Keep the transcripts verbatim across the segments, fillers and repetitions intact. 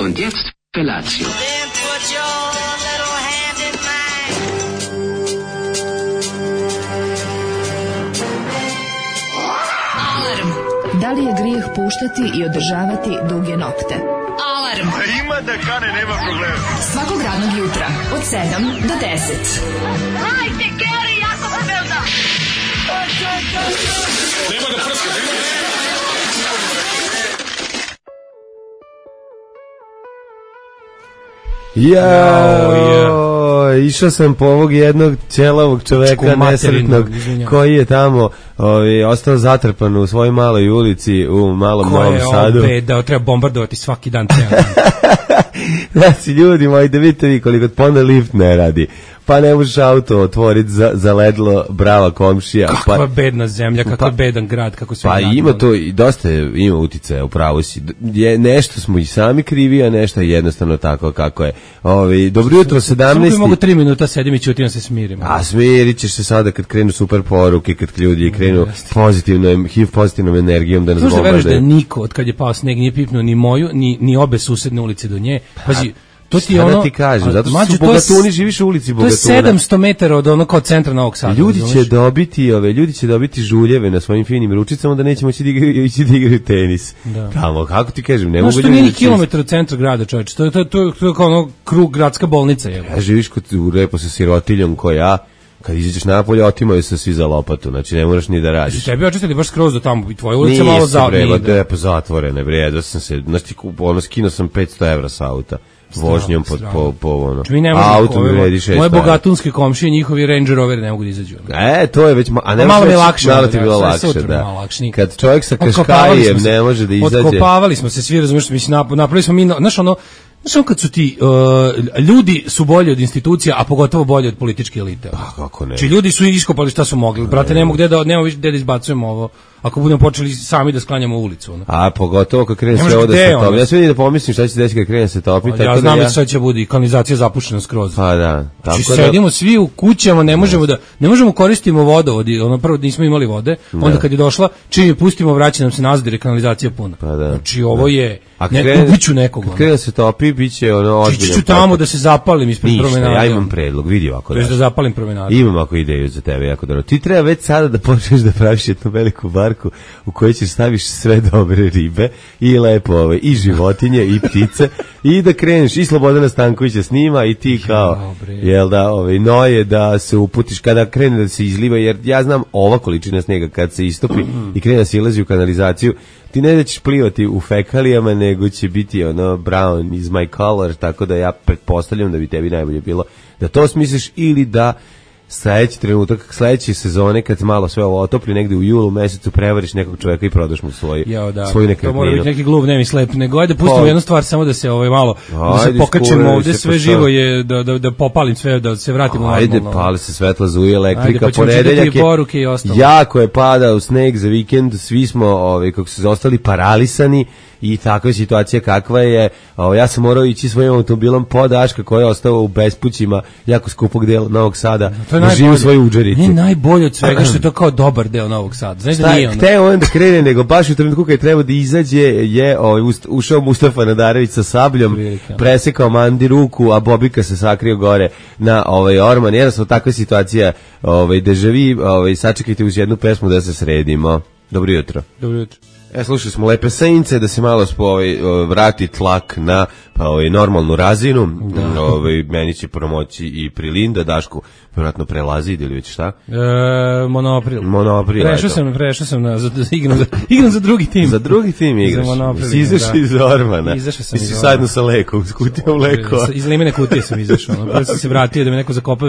Und jetzt Felatio. Da li je grijeh puštati i održavati duge nokte? Alarm! A ima da kane, nema problema. Svakog radnog jutra, od sedam do deset. Hajde, Geri, jako se velda! Nema da prska, nema da prska. Jao, išao sam po ovog jednog ćelavog čoveka nesretnog koji je tamo ovi, ostao zatrpan u svojoj maloj ulici u malom Novom Sadu. Ko je da treba bombardovati svaki dan cijel. Znači, ljudi moji, da vidite vi koliko ponda lift ne radi. Pa ne možeš auto otvoriti za, za ledlo, brava komšija. Kakva pa, bedna zemlja, kakav pa, bedan grad, kako sve. Pa ima to i dosta ima uticaja, upravo si. Je, nešto smo i sami krivi, a nešto je jednostavno tako kako je. Ovi, dobro jutro, sedamnaesti. Samo mogu tri minuta sedim i ćutim se smirim. A smirit ćeš se sada kad krenu super poruke, kad ljudi krenu pozitivnom, H I V pozitivnom energijom da nas bombardaju. Možda veruješ da niko, od kad je pao sneg, nije pipnuo ni moju, ni, ni obe susedne ulice do nje. Pazi, to ti je ono, da ti kažem, zato što su Bogatuni, živiš u ulici Bogatuna. To je sedamsto metara od ono kao centra Novog Sada. Ljudi će dobiti, ove, ljudi će dobiti žuljeve na svojim finim ručicama da neće moći da igraju, ići da igraju tenis. Da. Tamo, kako ti kažem, ne no, mogu ljudi... No što nije ni kilometar od centra grada, čovječ, to je, to je, to je, to je kao ono krug gradska bolnica. Je. Ja živiš kod, u repo sa sirotiljom ko ja, kad izađeš napolje, otimaju se svi za lopatu, znači ne moraš ni da radiš. Znači, tebi očistili baš skroz do tamo, i tvoje ulice malo za... Nije se bre, pa zatvorene, bre, ja sam se, znači, ono, skinuo sam petsto evra sa auta. Vožnjom po, po, po ono. Auto mi vredi šest. Moje bogatunske komšije, njihovi Range Roveri ne mogu da izađu. E, to je već, a ne malo mi je lakše. Malo ti je bilo lakše, da. Kad čovjek sa Kaškajijem ne može da izađe. Otkopavali smo se svi, razumiješ, mislim, napravili smo mi, znaš ono, znaš ono kad su ti, uh, ljudi su bolji od institucija, a pogotovo bolji od političke elite. Pa kako ne. Či ljudi su iskopali šta su mogli. Brate, ne mogu gde da, nema više gde da izbacujemo ovo. Ako budemo počeli sami da sklanjamo ulicu. Ono. A pogotovo kad krene sve ovo da se topi. Ja sve nije da pomislim šta će se desiti kad krene se topi. Ja tako znam da ja... šta će bude i kanalizacija zapuštena skroz. Pa da. Tako znači, da... sedimo svi u kućama, ne možemo da ne možemo koristimo vodovod. Ono prvo nismo imali vode, onda da. Kad je došla, čim je pustimo, vraća nam se nazad jer je kanalizacija puna. Pa da. Znači ovo je a ne krene, ubiću nekog. Kad krene se topi, biće ono ozbiljno. Ću tamo da se zapalim ispred promenade. Ja imam predlog, vidi ovako. Da, da zapalim promenadu. Imam ako ideju za tebe jako dobro. Ti treba već sada da počneš da praviš jednu veliku barku u kojoj ćeš staviš sve dobre ribe i lepo ove, i životinje i ptice i da kreneš i Slobodana Stankovića snima i ti kao jel da ove, noje da se uputiš kada krene da se izliva jer ja znam ova količina snega kad se istopi i krene da se ilazi u kanalizaciju ti ne da ćeš plivati u fekalijama nego će biti ono brown is my color tako da ja pretpostavljam da bi tebi najbolje bilo da to smisliš ili da sledeći trenutak, sledeće sezone kad malo sve ovo otopli negde u julu mesecu prevariš nekog čovjeka i prodaš mu svoj, jo, da. svoju nekretninu. To mora biti neki glup, ne mi slep, nego ajde pustimo pa, jednu stvar samo da se ovaj malo da se pokačemo ovde sve pa živo je da, da, da popalim sve, da se vratimo ajde, normalno. Ajde, pali se svetla, zuje elektrika, ajde, pa ponedeljak je, jako je padao sneg za vikend, svi smo ovaj, kako se ostali paralisani i takva situacija kakva je, o, ja sam morao ići svojim automobilom po Daška koji je ostao u bespućima jako skupog dela Novog Sada, da živi u svojoj udžerici. Nije najbolje od svega što je to kao dobar deo Novog Sada. Znaš da nije ono? Hteo on da krene, nego baš u trenutku kad treba da izađe je ovaj, ušao Mustafa Nadarević sa sabljom, presekao Mandi ruku, a Bobika se sakrio gore na ovaj orman. Jednostavno takva situacija ovaj, dežavi, ovaj, sačekajte uz jednu pesmu da se sredimo. Dobro jutro. Dobro jutro. E, slušali smo Lepe Sejnice, da se malo ovaj, vrati tlak na pa, ovaj, normalnu razinu. Da. Ovaj, meni će promoći i Prilinda, Dašku vjerojatno prelazi ili već šta? E, monoapril. Monoapril. Prešao sam, prešao sam na, za, igram, za, igram za drugi tim. Za drugi tim igraš. Si izašao da. Iz Ormana. Izašao sam iz Ormana. Zajedno sa Lekom, s kutijom Lekova. Iz limene kutije sam izašao. Ono. Prvo sam se vratio da me neko zakopa,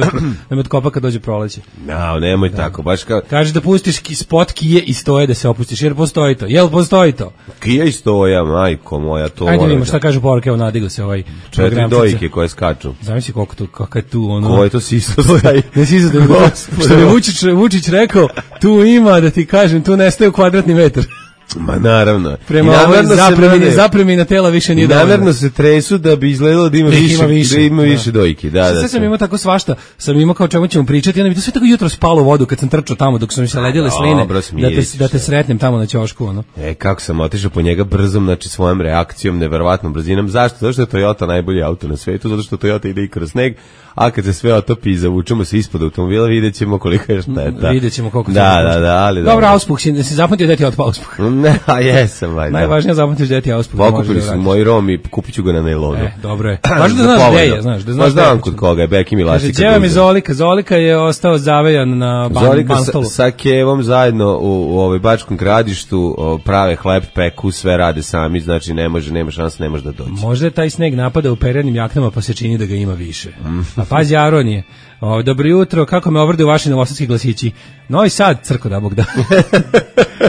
da me otkopa kad dođe proleće. No, nemoj da. Tako. Baš kao... Kaže da pustiš spot Kije i Stoje da se opustiš, jer postoji to. Jel postoji to? Kija i Stoja, majko moja, to... Ajde vidimo šta kažu poruke, evo nadigao se ovaj... Četiri dojke koje skaču. Zamisli koliko tu, kakav je tu ono... Ko je to sisto staj? Ne sisto da što je Vučić, Vučić rekao, tu ima, da ti kažem, tu nestaje u kvadratni metar. Ma naravno. Prema ovoj zapremini, zapremina tela više nije dovoljno. Namerno se tresu da bi izgledalo da ima Da više, ima više, da ima da. više dojki. Da, da. Sve sam imao tako svašta, sam imao kao čemu ćemo pričati, onda mi to sve tako jutro spalo u vodu kad sam trčao tamo dok su mi se ledile sline, dobro, da te, da te sretnem tamo na ćošku, ono. E, kako sam otišao po njega brzom, znači svojom reakcijom, neverovatnom brzinom. Zašto? Zato što je Toyota najbolji auto na svetu, zato što Toyota ide i kroz sneg, a kad se sve otopi i zavučemo se ispod automobila, vidjet ćemo koliko je šteta. Vidjet ćemo koliko da, da, da, ali dobro. Dobro, auspuh, si, si zapamtio da ti je otpao auspuh. Ne, a jesam, valjda. Najvažnije zapamtiš da ti je auspuh. Pokupili su moji Rom i kupit ću ga na nailonu. E, dobro je. Važno da znaš gde je, znaš. Da znaš znam kod koga je, Bekim i Lasika. Kaže, Đeva mi Zolika, Zolika je ostao zavejan na ban, Zolika Banstolu. sa, sa Kevom zajedno u, u ovoj Bačkom Gradištu o, prave hleb, peku, sve rade sami, znači ne može, nema šanse, ne može da dođe. Možda je taj sneg napada u perjanim jaknama pa se čini da ga ima više. A pazi Aronije. O, dobro jutro, kako me obrde u vaši novosadski glasići? Novi Sad, crko da Bog da.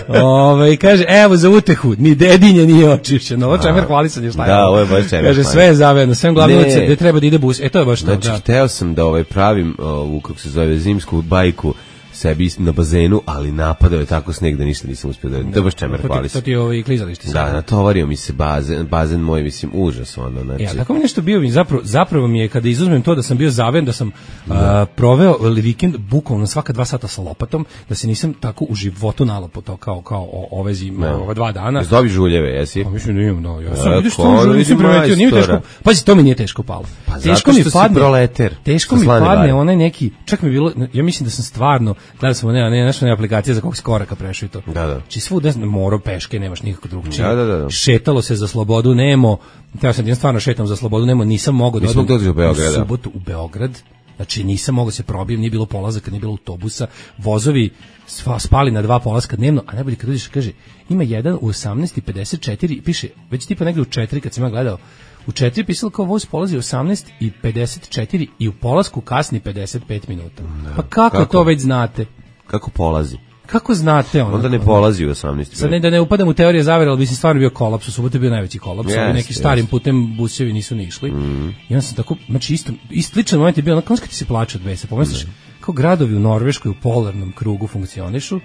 Ove, kaže, evo za utehu, ni dedinje nije očišćeno. Ovo čemer hvalisanje šta je. Da, ovo je baš čemer. Kaže, sve je zavedno, sve glavne ulice gde treba da ide bus. E, to je baš to. Znači, da. hteo sam da ovaj pravim ovu, kako se zove, zimsku bajku sebi na bazenu, ali napadao je tako sneg da ništa nisam uspio da... To je baš čemer hvali se. To ti je ovaj klizalište. Da, natovario mi se bazen, bazen moj, mislim, užas ono. Znači. Ja, tako mi nešto bio, mi zapravo, zapravo mi je, kada izuzmem to da sam bio zaven, da sam da. Uh, proveo vikend bukvalno svaka dva sata sa lopatom, da se nisam tako u životu nalopao to kao, kao o, ove zime, ove dva dana. Jesi dobio žuljeve, jesi? Pa mislim da imam, da. Ja sam, vidiš što žulje, nisam primetio, nije mi teško. Pazi, to mi nije teško palo. Pa teško mi padne, proleter. Teško mi padne onaj neki, čak mi bilo, ja mislim da sam stvarno, gledao sam one, ne, nešto ne aplikacija za kog skoraka prešao i to. Da, da. Či svuda morao peške, nemaš nikako drugčije. Da, da, da. Šetalo se za slobodu, nemo. Ja sam stvarno šetam za slobodu, nemo, nisam mogao da odem u Beograd. U subotu u Beograd. Znači nisam mogao se probijem, nije bilo polazaka, nije bilo autobusa. Vozovi spali na dva polaska dnevno, a najbolje kad uđeš kaže, ima jedan u osamnaest i pedeset četiri, piše, već tipa negde u četiri kad sam ja gledao. U četiri pisalo kao voz polazi u osamnaest i pedeset četiri i u polasku kasni pedeset pet minuta. Da, pa kako, kako to već znate? Kako polazi? Kako znate ono? Onda ne polazi u osamnaest. Sad ne da ne upadam u teorije zavere, ali bi se stvarno bio kolaps, u subotu je bio najveći kolaps, yes, ali neki yes. starim putem busevi nisu ni išli. Mm. I onda sam tako, znači isto, isto sličan moment je bio, onako kad ti se plače od besa, pomisliš, mm. kao gradovi u Norveškoj u polarnom krugu funkcionišu,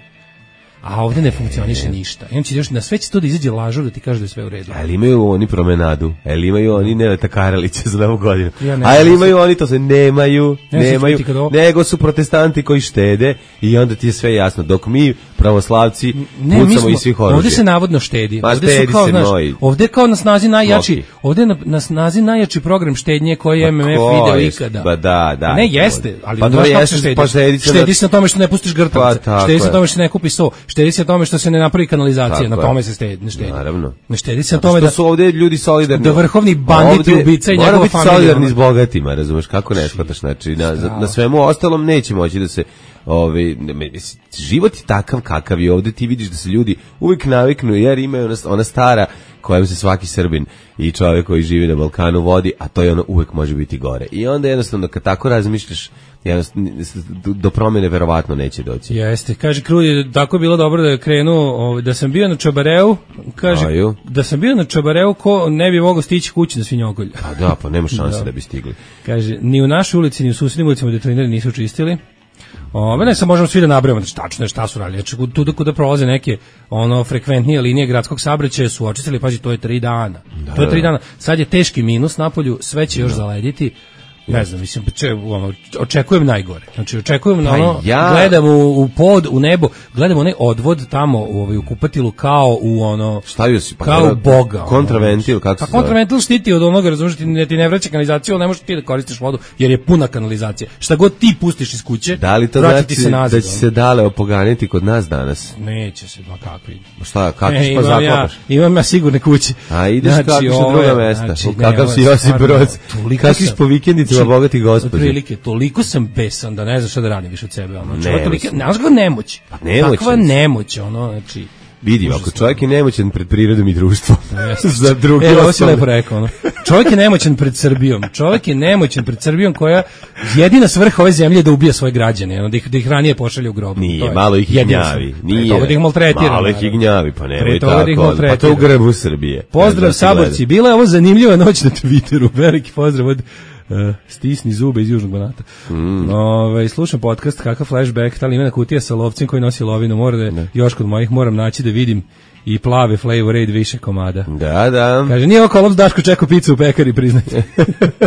a ovdje ne funkcioniše ništa. I on će još na sve će to da izađe lažov da ti kaže da je sve u redu. Ali imaju oni promenadu, ali imaju oni Neleta Karalića za novu godinu. Ja a ali imaju oni to se nemaju, ne nemaju, nego su protestanti koji štede i onda ti je sve jasno. Dok mi pravoslavci ne, pucamo iz svih oružja. Ovdje se navodno štedi. Pa ovdje štedi su kao, se znaš, moji. Ovdje je kao na snazi najjači, okay. ovdje je na, na snazi najjači program štednje koji je M M F video ikada. Pa da, da. Ne jeste, ali pa znaš kako se štedi. Pa štedi se, štedi se na tome što ne pustiš grtavce, pa, štedi se na tome što ne kupi so, štedi se na tome što se ne napravi kanalizacija, na tome se štedi, ne štedi. Naravno. Ne štedi se na tome da su ovdje ljudi solidarni. Da vrhovni banditi, ubica i njegova familija. Moramo biti solidarni s bogatima, razumeš, kako ne shvataš, znači na, na svemu ostalom neće moći da se Ovi, život je takav kakav je ovdje, ti vidiš da se ljudi uvijek naviknu jer imaju ona, ona stara kojom se svaki Srbin i čovjek koji živi na Balkanu vodi, a to je ono uvijek može biti gore. I onda jednostavno kad tako razmišljaš, do promjene verovatno neće doći. Jeste, kaže Krudi, tako je bilo dobro da je krenuo, da sam bio na Čabareu, kaže, Aju. da sam bio na Čabareu, ko ne bi mogao stići kući na Svinjogolj. A da, pa nema šanse da. da bi stigli. Kaže, ni u našoj ulici, ni u susjednim ulicama detroneri nisu čistili. Ove, ne, sad možemo svi da nabrajamo, znači tačno je šta su radili. Znači, tu da kuda prolaze neke ono frekventnije linije gradskog saobraćaja su očistili, pazi, to je tri dana. Da, to je tri dana. Sad je teški minus napolju, sve će još da. zalediti. Ne znam, mislim, če, ono, očekujem najgore. Znači, očekujem, pa ono, ja... gledam u, u pod, u nebo, gledam onaj odvod tamo u, ovaj, u kupatilu kao u ono... Stavio si, pa kao u Boga. Kontraventil, kako pa se kontraventil štiti od onoga, razumiješ, ti ne, ti ne vraća kanalizaciju, ali ne možeš ti da koristiš vodu, jer je puna kanalizacija. Šta god ti pustiš iz kuće, da li to znači se nazad, da će se dale opoganiti kod nas danas? Neće se, ma kakvi. Šta, kako e, pa zakopaš? Ja, imam ja sigurne kuće. A ideš znači, kako što druga mesta, znači, kakav si Josip Broz, kako si po vikendici bogati gospodin. Otprilike, toliko sam besan da ne znam šta da radim više od sebe. Ono. Ne, tolike, znaš ga nemoć. Pa nemoć. Takva nemoć, ono, znači... Vidi, ako čovjek je nemoćan pred prirodom i društvom, za druge osobe. Evo, ovo si lepo rekao, ono. Čovjek je nemoćan pred Srbijom. Čovjek je nemoćan pred Srbijom koja jedina svrha ove zemlje je da ubija svoje građane, ono, da ih, da ih ranije pošalje u grobu. Nije, malo ih i gnjavi. Nije, da ih maltretira. Malo ih i gnjavi, pa nemoj tako. Pa to u grbu Srbije. Pozdrav, saborci. Bila je ovo zanimljiva noć na Twitteru. Veliki pozdrav od... Uh, stisni zube iz Južnog Banata. Mm. Ove, slušam podcast, kakav flashback, ta limena kutija sa lovcem koji nosi lovinu, mora da je još kod mojih, moram naći da vidim i plave Flavor Aid više komada. Da, da. Kaže, nije ovo kolaps, Daško čekao picu u pekari, priznajte.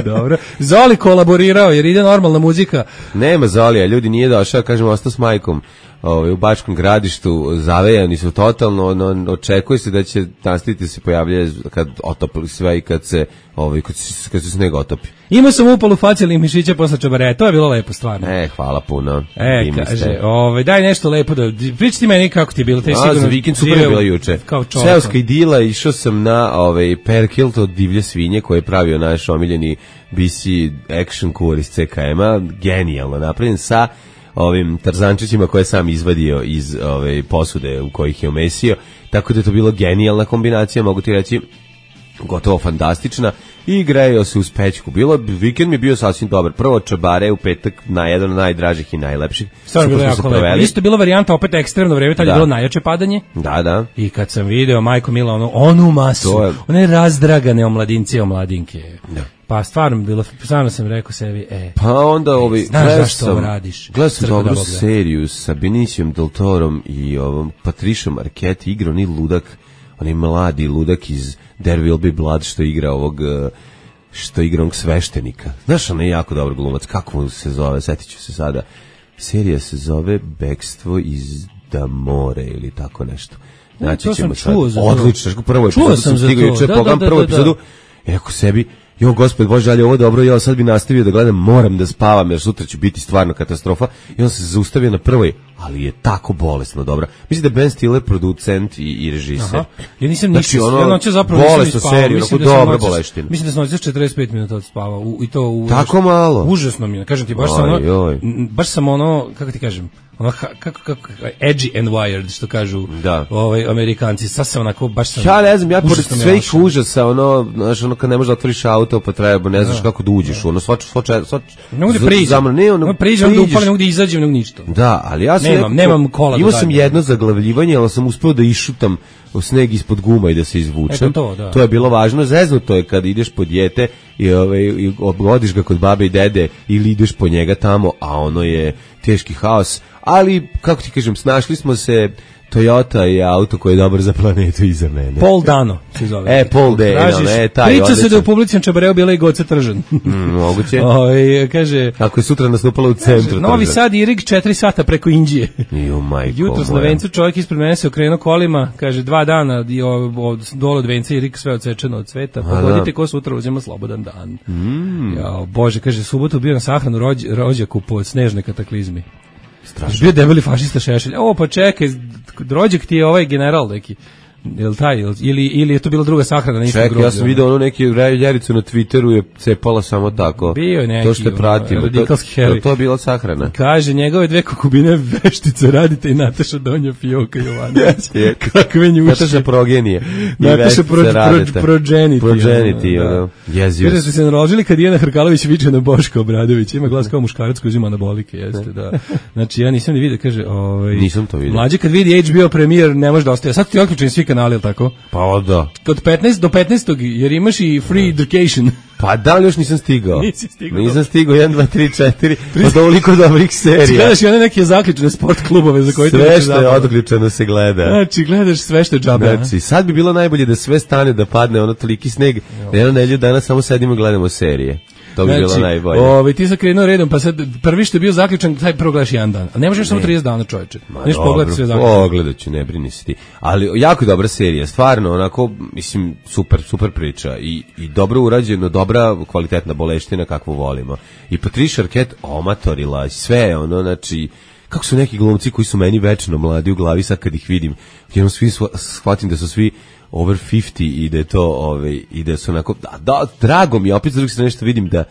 Dobro. Zoli kolaborirao, jer ide normalna muzika. Nema Zolija, ljudi nije došao, kažemo, ostao s majkom ovaj, u Bačkom Gradištu, zavejani su totalno, no, očekuje se da će nastaviti se pojavljati kad otopili sve i kad se, ovaj, kad se, kad se sneg otopi. Imao sam upalu facijalnih mišića posle čabare, to je bilo lepo stvarno. E, hvala puno. E, Vi kaže, ste. ovaj, daj nešto lepo da, pričaj ti meni kako ti je bilo. Te A, sigurno za vikend super je bila juče. Kao čovjek. Seoska idila, išao sam na ovaj, Perkilt od divlje svinje koje je pravio naš omiljeni B C action kur iz C K M-a, genijalno napravljen sa ovim tarzančićima koje je sam izvadio iz ove posude u kojih je omesio, tako da je to bilo genijalna kombinacija, mogu ti reći, gotovo fantastična, i grejao se uz pećku. Bilo, vikend mi je bio sasvim dobar. Prvo čabare u petak, na jedan od najdražih i najlepših. Stvarno bilo jako lepo. Isto je bilo varijanta, opet ekstremno vreme, tad je bilo najjače padanje. Da, da. I kad sam video, majko mila, ono, onu masu, je... one razdragane omladince i omladinke. Da. Pa stvarno bilo, stvarno sam rekao sebi, e, pa onda ovi, znaš zašto ovo radiš? Gledao sam dobru seriju sa Benicijom Del Torom i ovom Patrišom Arquette, igrao ni ludak, onaj mladi ludak iz There Will Be Blood što igra ovog, što igra ovog sveštenika. Znaš, on je jako dobar glumac, kako mu se zove, setit ću se sada. Serija se zove Bekstvo iz Damore ili tako nešto. Znači ćemo sad, odlično, prvo epizodu sam stigao juče, pogledam prvu epizodu, i rekao sebi, jo, gospod Bože, ali ovo dobro, ja sad bi nastavio da gledam, moram da spavam, jer sutra će biti stvarno katastrofa. I on se zaustavio na prvoj, ali je tako bolesno dobra. Mislim da je Ben Stiller producent i, i režiser. Aha. Ja nisam ništa, znači, ono, ja noće zapravo bolesno seriju, onako dobra boleština. Mislim da sam noće četrdeset pet minuta odspavao, u, i to u... Tako malo? Užasno mi je, kažem ti, baš sam ono, baš sam ono, kako ti kažem, ono, kako, kako, edgy and wired, što kažu da. Ovaj, Amerikanci, sad sam onako, baš sam... Ja ne znam, ja pored svih užasa, ono, znaš, ono, kad ne možeš da otvoriš auto, pa treba, ne znaš da. kako da uđeš, ono, svač, svač, svač, ne mogu da priđem, zamr, ne, ono, ne priđem, da upalim, ne mogu da izađem, ne mogu ništa. Da, ali ja sam... Nemam, nekako, nemam kola. Imao sam jedno zaglavljivanje, ali sam uspeo da išutam u sneg ispod guma i da se izvučem. To, da. To je bilo važno. Zeznuto je kad ideš po dijete i, ovaj, i odgodiš ga kod babe i dede ili ideš po njega tamo, a ono je teški haos. Ali, kako ti kažem, snašli smo se. Toyota je auto koji je dobar za planetu i za mene. Paul Dano se zove. E, Paul Dano, ne, taj priča odličan. Se da u publičnom čabareu bila i Goce Tržan. Mm, moguće. Oj, kaže... Ako je sutra nastupala u centru. Novi Tržan. Sad i Rig četiri sata preko Indije. Jo, majko jutro s na vencu čovjek ispred mene se okrenuo kolima, kaže dva dana i od dole od venca i Rig sve odsečeno od cveta. Pogodite ko sutra uzima slobodan dan. Mm. Ja, Bože, kaže, subotu bio na sahranu rođ, rođaku po snežne kataklizmi. Strašno. Bio debeli fašista Šešelj. O, pa čekaj, rođak ti je ovaj general neki. Jel taj, ili, ili je to bila druga sahrana na istom groblju? Čekaj, ja sam vidio ono neki ljaricu na Twitteru je cepala samo tako. Bio je neki, to što pratimo. radikalski to, heli. To je bila sahrana. Kaže, njegove dve kokubine veštice radite i Nataša Donja Fioka Jovanović. Kakve njuše. Nataša Progenije. Nataša pro, pro, Progeniti. Progeniti, ono. Jezio. Kaže, su se naložili kad Ijana Hrkalović viče na Boška Obradović. Ima glas kao muškarac koji uzima anabolike, jeste, da. Znači, ja nisam ni vidio, kaže, ovaj... Nisam to vidio. Mlađi kad vidi H B O premijer ne može da ostaje. Sad ti otključeni svi kanali, ili tako? Pa da. Od petnaest do petnaestog jer imaš i free education. Pa da, još nisam stigao. Nisi stigao. Nisam stigao, jedan, dva, tri, četiri, od ovoliko dobrih serija. Gledaš i one neke zaključene sport klubove za koje sve što je odključeno se gleda. Znači, gledaš sve što je džabe. Znači, sad bi bilo najbolje da sve stane, da padne ono toliki sneg, da jedno nelju dana samo sedimo i gledamo serije. To bi znači, bilo najbolje. Ovaj ti sa krenuo redom, pa sad prvi što je bio zaključan, taj prvo gledaš jedan dan. A ne možeš ne. samo trideset dana, čoveče. Neš pogledati sve zaključano. Pogledaću, ne brini se ti. Ali jako dobra serija, stvarno, onako, mislim, super, super priča i, i dobro urađeno, dobra kvalitetna boleština kakvu volimo. I Patricia Arquette omatorila, sve ono, znači, kako su neki glumci koji su meni večno mladi u glavi, sad kad ih vidim, jednom svi shvatim da su svi over pedeset i da je to, ovaj, i da su onako, da, da, drago mi, opet s druge strane nešto vidim da,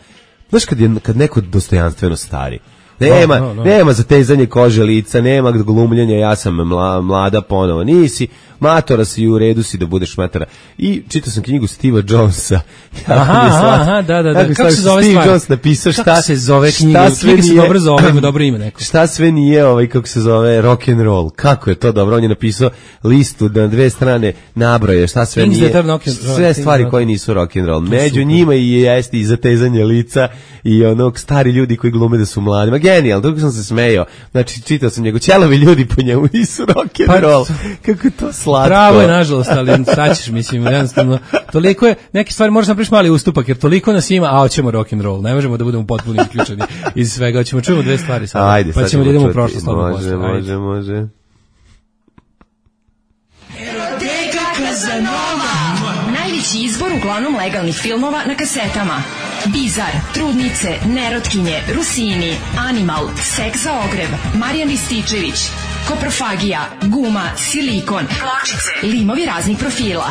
znaš kad, je, kad neko dostojanstveno stari, nema, no, no, no. nema zatezanje kože lica, nema glumljenja, ja sam mla, mlada ponovo, nisi, matora si u redu si da budeš matora. I čitao sam knjigu Steva Jonesa. Aha, aha, da, da, da. Kako se zove Steve stvar? Jones napisao šta, kako se zove knjiga? Knjiga se dobro zove, ima dobro ime neko. Šta sve nije, ovaj, kako se zove, rock and roll. Kako je to dobro? On je napisao listu na dve strane nabroje, šta sve Things nije. Sve roll, stvari koje nisu rock and roll. Među njima i jeste i zatezanje lica i onog stari ljudi koji glume da su mladi. Ma genijalno, dok sam se smejao. Znači, čitao sam njegov, ćelavi ljudi po njemu nisu rock and roll. Kako je to slatko. Pravo je, nažalost, ali saćeš, mislim, jednostavno, toliko je, neke stvari možeš napriš mali ustupak, jer toliko nas ima, a hoćemo rock and roll, ne možemo da budemo potpuno isključeni iz svega, hoćemo čujemo dve stvari sada, ajde, pa ćemo da idemo u prošlost. Može, može, može. Najveći izbor uglavnom legalnih filmova na kasetama. Bizar, Trudnice, Nerotkinje, Rusini, Animal, Seks za ogrev, Marijan Rističević, Koprofagija, Guma, Silikon, Pločice, limovi raznih profila.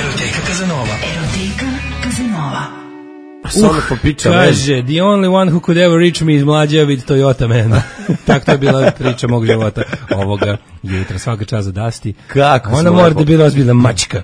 Eroteka Kazanova. Eroteka Kazanova. Uh, popiča, kaže, the only one who could ever reach me is mlađa with Toyota Man. Tako to je bila priča mog života ovoga jutra, svaka čast za Dasti. Kako ona mora da bi razbila mačka.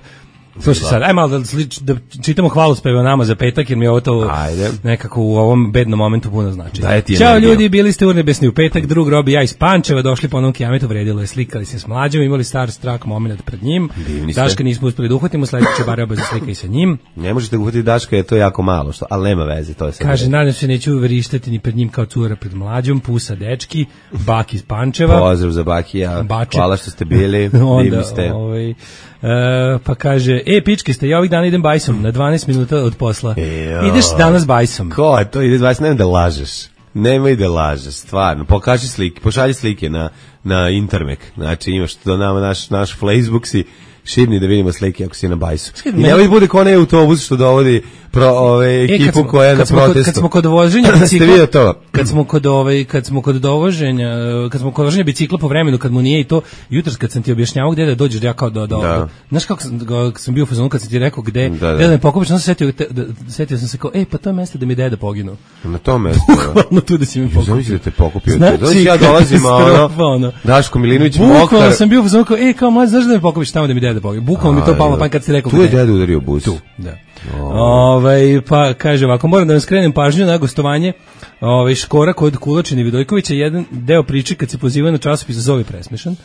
Slušaj sad, aj malo da, da čitamo hvalospeve o nama za petak, jer mi je ovo to ajde. Nekako u ovom bednom momentu puno znači. Ćao ljudi, bili ste urnebesni u petak, drug Robi, ja iz Pančeva, došli po onom kijametu, vredilo je, slikali se s mlađom, imali star strak moment pred njim. Daška nismo uspeli da uhvatimo, sledeće bare obaze slika i sa njim. Ne možete uhvatiti Daška, je to jako malo, što, ali nema veze, to je sad. Kaže, nadam se neću verištati ni pred njim kao cura pred mlađom, pusa dečki, Baki iz Pančeva. Pozdrav za Bakija, Bače. Hvala što ste bili, divni ste. Ovaj, Uh, pa kaže, e, pičke ste, ja ovih dana idem bajsom, na dvanaest minuta od posla. Ejo. Ideš danas bajsom. Ko je to, ide dvanaest, nemoj da lažeš. Nemoj da lažeš, stvarno. Pokaži slike, pošalji slike na, na Intermek. Znači, imaš to nama naš, naš Facebook si širni da vidimo slike ako si na bajsu. I nemoj bude ko onaj autobus što dovodi pro ove ekipu e, smo, koja je na protestu. Kod, kad smo kod voženja bicikla, vidio to? Kad smo kod ovaj, kad smo kod dovoženja, kad smo kod voženja bicikla po vremenu, kad mu nije i to, jutros kad sam ti objašnjavao gde da dođeš, ja kao do do. Da. Znaš kako sam, kako sam bio u fazonu kad sam ti rekao gde, da, da. gde da me pokupiš, onda se setio, da, setio sam se kao, ej, pa to je mesto da mi deda poginuo. Na tom mestu. Bukvalno tu da si mi pokupio. Znači da te pokupio. Znači ja dolazim ono. Daško Milinović mokar. Bukvalno sam bio u fazonu kao, ej, kao mlađi, znaš da me pokupiš tamo da mi deda poginuo. Bukvalno mi to palo na pamet kad si rekao. Tu je deda udario bus. Tu, da. Ovaj pa kaže ovako, moram da vam skrenem pažnju na gostovanje ovaj Škora kod Kulačina i Vidojkovića, jedan deo priče kad se poziva na časopis Zovi presmešan.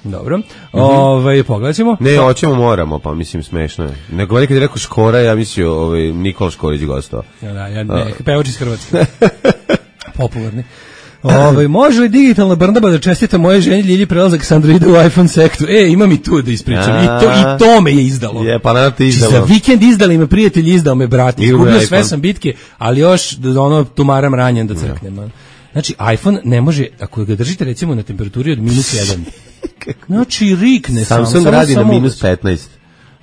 Dobro. Mm-hmm. Ovaj pogledaćemo. Ne, hoćemo, moramo, pa mislim smešno je. Nego kad je rekao Škora, ja mislio ovaj Nikola Škorić gostovao. Ja, da, ja ne, pevač iz Hrvatske. Popularni. Ovaj može li digitalna Brnaba da čestita moje ženi Ljilji prelazak s Androida u iPhone sektu? E, imam i tu da ispričam. I to i to me je izdalo. Je, pa naravno te izdalo. Za vikend izdali me prijatelj, izdao me brat. Izgubio sve sam bitke, ali još ono tumaram ranjen da crknem. Znači iPhone ne može, ako ga držite recimo na temperaturi od minus jedan. Znači rikne sam. Samsung radi na minus petnaest.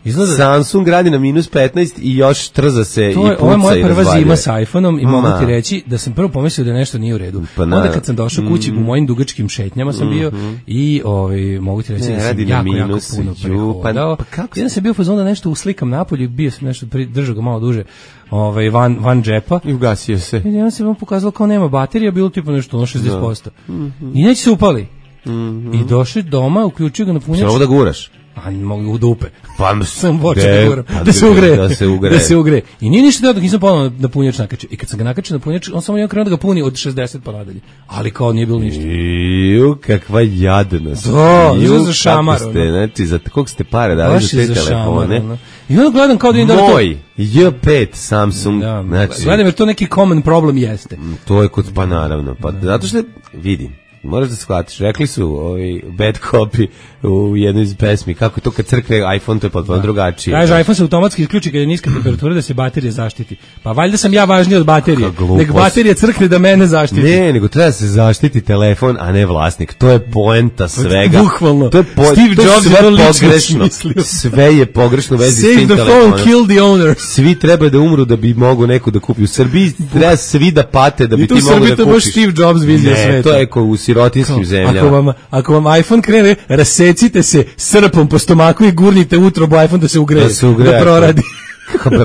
Izgleda... Samsung radi na minus petnaest i još trza se to je, i puca. Ovo je moja prva zima sa iPhoneom i mogu ti reći da sam prvo pomislio da nešto nije u redu. Pa onda kad sam došao kući, mm. u mojim dugačkim šetnjama sam bio mm-hmm. i ovaj, mogu ti reći ne, da sam jako, minus, jako puno prehodao. Pa, pa jedan sam bio fazon da nešto uslikam napolju, bio sam nešto, držao ga malo duže ovaj, van, van džepa. I ugasio se. I onda se vam pokazalo kao nema baterija, bilo tipa nešto ono šezdeset posto. Mm-hmm. I neće se upali. Mm-hmm. I došli doma, uključio ga na punjač. Samo da guraš. A mogu u dupe. Pa sam počeo da guram. Da se ugre. Da se ugre. Da se ugre. I nije ništa dok nisam ponovno na punjač nakačio. I kad sam ga nakačio na punjač, on samo nije krenuo da ga puni od šezdeset pa nadalje. Ali kao nije bilo ništa. Ju, kakva jadnost. Da, ju, za šamar. Ste, znači, za kog ste pare dali za te telefone. Šamar, I onda gledam kao da im da to... Moj, J pet Samsung. Da, znači, gledam jer to neki common problem jeste. To je kod, pa naravno. Pa, zato što, vidim, moraš da shvatiš, rekli su ovaj bad copy u jednoj iz pesmi, kako je to kad crkne iPhone, to je potpuno drugačije. Kaže, iPhone se automatski isključi kad je niska temperatura da se baterija zaštiti. Pa valjda sam ja važniji od baterije. Nek baterija crkne da mene zaštiti. Ne, nego treba da se zaštiti telefon, a ne vlasnik. To je poenta svega. Bukvalno. To je po, Steve to Jobs sve pogrešno. Sve je pogrešno u vezi s tim telefonom. Save the phone, kill the owner. Svi treba da umru da bi mogo neko da kupi. U Srbiji treba svi da pate da bi ti mogao da kupiš. I tu Srbiji to baš Steve Jobs vizija sveta. Ne, to je ko u sirotinskim zemljama. Ako vam, ako vam iPhone krene, rasecite se srpom po stomaku i gurnite utrobu iPhone da se ugreje, da, se ugreje, da proradi.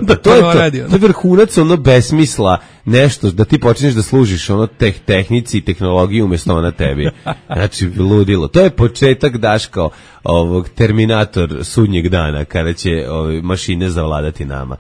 da to je to, to je vrhunac ono besmisla, nešto da ti počneš da služiš ono teh, tehnici i tehnologiji umjesto na tebi. Znači, ludilo. To je početak, Daško, ovog Terminator sudnjeg dana, kada će ove, mašine zavladati nama.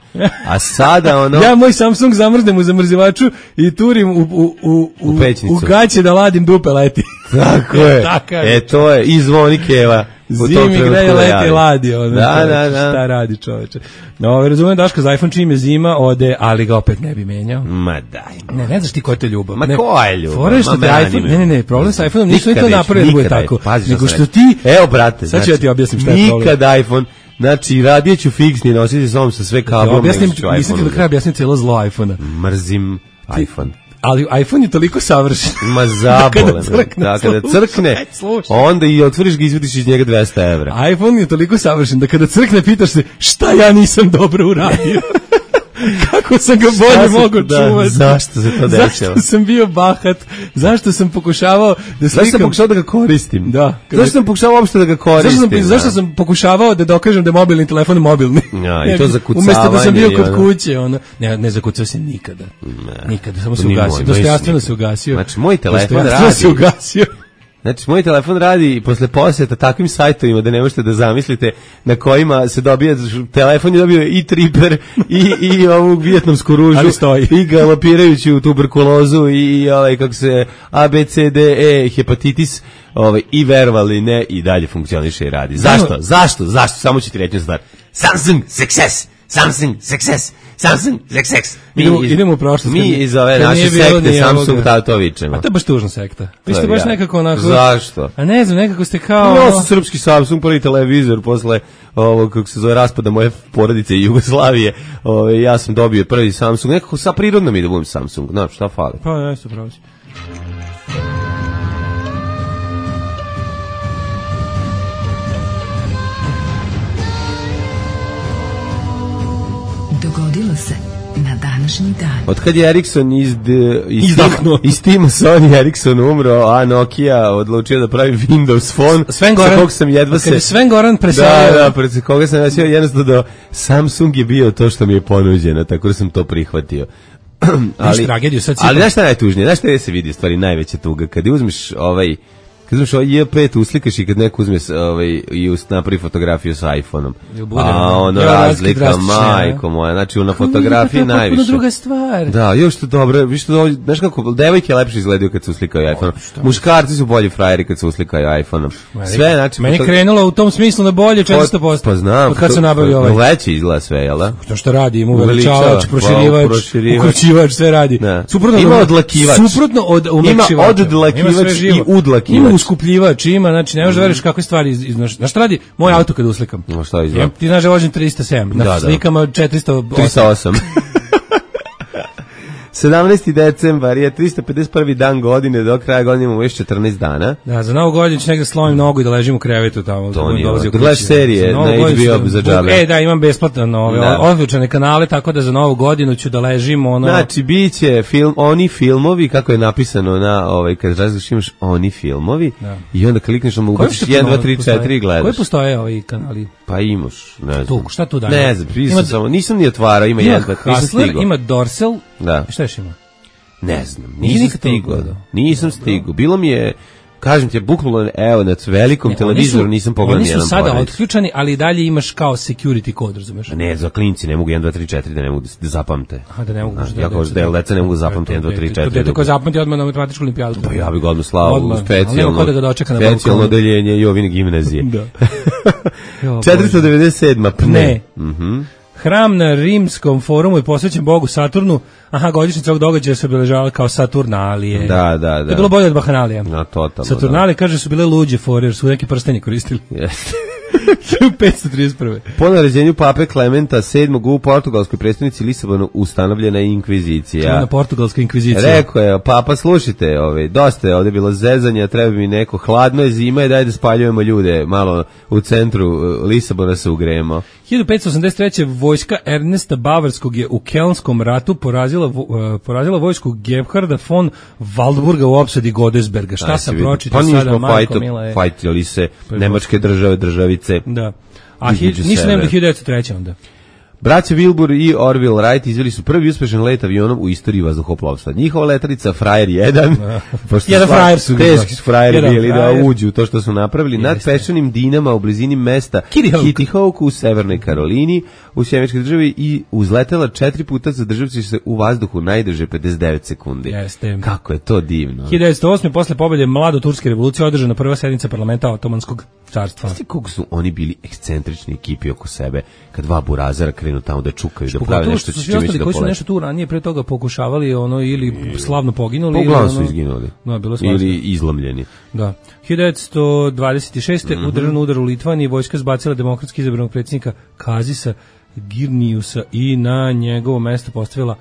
A sada ono... ja moj Samsung zamrznem u zamrzivaču i turim u, u, u, u, u, u gaće da ladim dupe leti. Tako je. E, to je. I zvoni keva. Zimi greje, leti ladi. Ono, da, čoveče, da, da. Šta radi čoveče? No, razumem Daško za iPhone čim je zima, ode, ali ga opet ne bi menjao. Ma daj. Ne, ne znaš ti ko je to ljubav. Ma ne, ko je ljubav? Fora je što te iPhone, ne, ne, ne, problem sa iPhoneom nisu oni to napravili da bude tako. Nego što ti, evo brate, sad ću ja ti objasnim šta je problem. Nikad iPhone, znači radije ću fiksni nositi s ovom sa sve kablom. Objasnim, mislim ti do kraja objasnim cijelo zlo iPhona. Mrzim iPhone. Ali iPhone je toliko savršen. Ma zabolen. Da, kada crkne, onda i otvoriš ga i izvodiš iz njega dvesta evra. iPhone je toliko savršen da kada crkne pitaš se šta ja nisam dobro uradio. Kako sam ga bolje mogu da, čuvati? Zašto se to dešava? Zašto sam bio bahat? Zašto sam pokušavao da slikam? Zašto sam pokušavao da ga koristim? Da. Zašto sam pokušavao uopšte da ga koristim? Zašto sam, zašto sam pokušavao da dokažem da je mobilni telefon mobilni? Ja, i to za kucavanje. Umesto da sam bio kod kuće, ono. Ne, ne zakucao se nikada. Ne. Nikada, samo se ugasio. Dostojanstveno se ugasio. Znači, moj telefon radi. Dostojanstveno se ugasio. Znači, moj telefon radi posle posjeta takvim sajtovima da ne možete da zamislite na kojima se dobija, telefon je dobio i triper i, i ovu vijetnamsku ružu i galopirajuću tuberkulozu i ovaj, kako se A, B, C, D, E, hepatitis ovaj, i verovali ne i dalje funkcioniše i radi. Zašto? Zašto? Zašto? Samo ću ti reći stvar. Samsung success! Samsung success! Samsung success! Idemo, idemo u prošlost. Mi iz ove naše sekte Samsung Tatovićemo. A to je baš tužna sekta. Vi ste baš ja. nekako onako... Zašto? A ne znam, nekako ste kao... Ja sam srpski Samsung, prvi televizor posle ovog, kako se zove, raspada moje porodice i Jugoslavije. Ove, ja sam dobio prvi Samsung. Nekako sa prirodno mi da budem Samsung. Znaš, šta fali? Pa, ja isto pravo si. Dogodilo se na današnji dan. Od kad je Ericsson iz, iz, Izdahnuo. iz tima Sony Ericsson umro, a Nokia odlučio da pravi Windows Phone, Sven Goran, sa kog sam jedva se... Sven Goran preselio... Da, da, pred koga sam jasio, jednostavno do Samsung je bio to što mi je ponuđeno, tako da sam to prihvatio. ali, tragediju, sad ali znaš šta je najtužnije? Znaš šta je se vidi stvari najveća tuga? Kad uzmeš ovaj... Kad uzmeš ovaj J pet uslikaš i kad neko uzme ovaj, i napravi fotografiju sa iPhone-om. A ono ja, razlika, majko moja. Znači, na fotografiji najviše. To je druga stvar. Da, još to dobro. Viš to, znaš kako, devojke lepše izgledaju kad se uslikaju iPhone-om. Muškarci su bolji frajeri kad se uslikaju iPhone-om. Sve, znači... Meni je krenulo u tom smislu na bolje četiristo posto. Pa znam. Od kad se nabavio ovaj. Veće izgleda sve, jel da? To što radi, ima uveličavač, proširivač, ukrućivač, sve radi. Ima odlakivač. Suprotno od umekšivača. Ima odlakivač i udlakivač. Uskupljivač ima, znači ne možeš da veriš kakve stvari iz, iz, znaš šta radi moj auto kad uslikam. No šta izgleda? Ti znaš da vožem trista sedam, na da, slikama četiristo osam. trista osam. sedamnaesti decembar je tristo pedeset prvi dan godine, do kraja godine imamo još četrnaest dana. Da, za novu godinu ću negdje slomim nogu i da ležim u krevetu tamo. To nije, da gledaš serije na H B O za džabe. E, da, imam besplatno ove, odlučene kanale, tako da za novu godinu ću da ležim ono... Znači, bit će film, oni filmovi, kako je napisano na, ovaj, kad različiš imaš oni filmovi, da. I onda klikneš, ono ubaciš jedan, dva, tri, četiri i gledaš. Koji postoje ovi kanali? Pa imaš, ne znam. Tu, šta tu daje? Ne znam, nisam, samo, nisam ni otvarao, ima jedan, nisam stigao. Ima Dorsal, da. Šta još ima? Ne znam, nisam stigao. Nisam stigao. Bilo mi je, kažem ti, bukvalno, evo, na velikom ne, televizoru nisam pogledao nijedan porez. Oni su sada otključani, ali dalje imaš kao security kod, razumeš? Ne, za klinci ne mogu jedan, dva, tri, četiri da ne mogu da zapamte. Aha, da ne mogu. Ja kao da deca ne mogu da zapamte jedan, dva, tri, četiri. To dete koje zapamti odmah na matematičku olimpijadu. Pa ja bih ga odmah slao u specijalno, specijalno odeljenje Jovine gimnazije. Da. četiristo devedeset sedma Pne. Mhm. Hram na Rimskom forumu je posvećen Bogu Saturnu. Aha, godišnjica ovog događaja se obeležavala kao Saturnalije. Da, da, da. To je bilo bolje od Bahanalija. No, totalno. Saturnalije, kaže, su bile luđe fore, jer su neki prstenje koristili. Jeste. hiljadu petsto trideset prve. Po naređenju pape Klementa sedmog u portugalskoj prestonici Lisabonu ustanovljena je inkvizicija. Na portugalska inkvizicija. Rekao je, papa, slušajte, ovaj, dosta je ovdje bilo zezanja, treba mi neko, hladno je zima i daj da spaljujemo ljude, malo u centru Lisabona se ugrejemo. hiljadu petsto osamdeset treće vojska Ernesta Bavarskog je u Kelnskom ratu porazila, uh, porazila vojsku Gebharda von Waldburga u opsadi Godesberga. Šta sam pročitao pa sada, Marko Mila je... Fajtili se nemačke države, državice. Da. A nisu nema do hiljadu devetsto treće onda. Braća Wilbur i Orville Wright izveli su prvi uspešan let avionom u istoriji vazduhoplovstva. Njihova letelica Frajer jedan, pošto jedan frajer su teški frajeri bili da uđu to što su napravili, nad peščanim dinama u blizini mesta Kitty Hawk u Severnoj Karolini, u Sjemeničkoj državi i uzletela četiri puta zadržavši se u vazduhu najdrže pedeset devet sekundi. Jeste. Kako je to divno. hiljadu devetsto osme posle pobjede mlado turske revolucije održana prva sednica parlamenta Otomanskog carstva. Znaš ti koliko su oni bili ekscentrični ekipi oko sebe, kad dva burazara krenu tamo da čukaju, da prave Pogotovo nešto što su će svi čime ostali će da koji su poleti. nešto tu ranije pre toga pokušavali ono ili slavno poginuli Pa ili uglavnom ono, su izginuli. No, bilo svašta. Ili izlomljeni. Da. hiljadu devetsto dvadeset šeste. Mhm. u državnom udaru u Litvaniji vojska zbacila demokratski izabranog predsjednika Kazisa Girniusa i na njegovo mesto postavila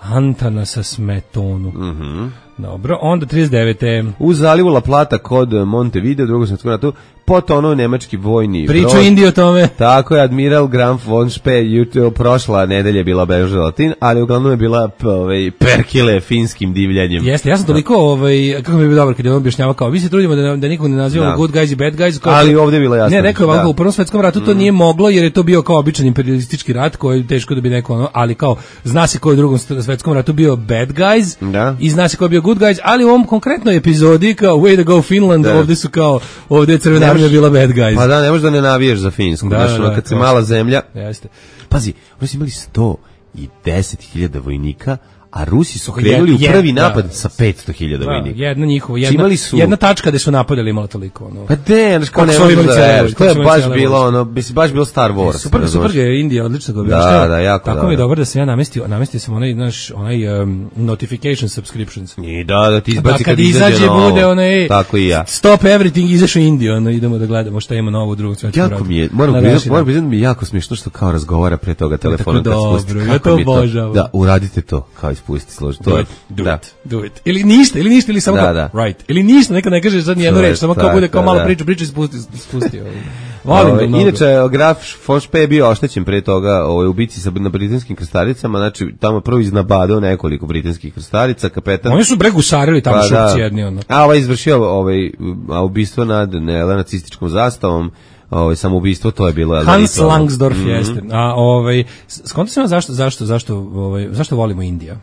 Antanasa Smetonu. Mhm. Dobro, onda trideset devete. U zalivu La Plata kod Montevideo, u drugom svjetskom ratu, potonuo nemački vojni Priču brod. Indiji o tome. Tako je, admiral Graf von Spee jutro prošla nedelja je bila obeležena Latin, ali uglavnom je bila p- ovaj, perkile finskim divljanjem. Jeste, ja sam toliko, ovaj, kako mi je bio dobar kad je on objašnjavao kao, vi se trudimo da, da nikog ne nazivamo Da. good guys i bad guys. Kao, Ali ovdje je bilo jasno. Ne, rekao je ovako, da. u Prvom svetskom ratu to nije moglo, jer je to bio kao običan imperialistički rat, koji je teško da bi neko ono, ali kao, zna se ko je u Drugom svetskom ratu bio bad guys, Da. i zna se ko je bio good guys, ali u ovom konkretnoj epizodi, kao way to go Finland, Da. ovdje su kao, ovdje je Crvena Ne armija možeš- bila bad guys. Pa da, ne možeš da ne navijaš za Finsku. Da, Znaš, da, ono, da, kad se to. mala zemlja. Jeste. Pazi, oni su imali sto deset hiljada vojnika, a Rusi su Je- krenuli u je- prvi da. napad sa petsto hiljada Da, vojnika. jedna njihova, Znači, jedna, imali su- jedna tačka gde su napadali imala toliko. Ono. Pa de, znaš, kao Kako ne su oni možeš imali da cijele veruješ. vojske, To je kako su imali baš cijele bilo, vojske. ono, mislim, baš bilo Star Wars. Super, razumeš? super je Indija, odlično ga objašnjava. Da, da, jako Tako dobro. mi je dobro da sam ja namestio, namestio sam onaj, naš, onaj um, notification subscriptions. I da, da ti Da, izbaci kad izađe novo. bude onaj Tako i ja. stop everything, izašao Indiju, ono, idemo da gledamo šta ima novo u Drugom svetskom ratu. Jako mi je, moram Na priznati, današnji moram dan. priznati da mi je jako smiješno što kao razgovara pre toga telefonom kad dobro, spusti. ja Kako to mi je obožavam. Da, uradite to, kao ispusti, složi. To Do je, it, do da. it, do it. Ili ništa, ili ništa, ili samo Da, kao, da. right. Ili ništa, neka ne kaže sad nijednu To je reč, samo kao tako, bude kao malo da. priča, priča i spusti, spusti. ovaj. Volim Ovaj, ga mnogo. inače, Graf von Spee je bio oštećen pre toga ovaj, u bici sa, na britanskim krstalicama, znači tamo prvo iznabadao nekoliko britanskih krstarica, kapetan... Oni su bre gusarili tamo Pa šupci da. jedni, ono. A ovaj izvršio ovaj, a ubistvo nad ne, nacističkom zastavom, ovaj, samoubistvo, to je bilo... jel da, Hans isto ono- Langsdorff Mhm. jeste. A ovaj skonto sam ja zašto zašto zašto ovaj zašto volimo Indiju?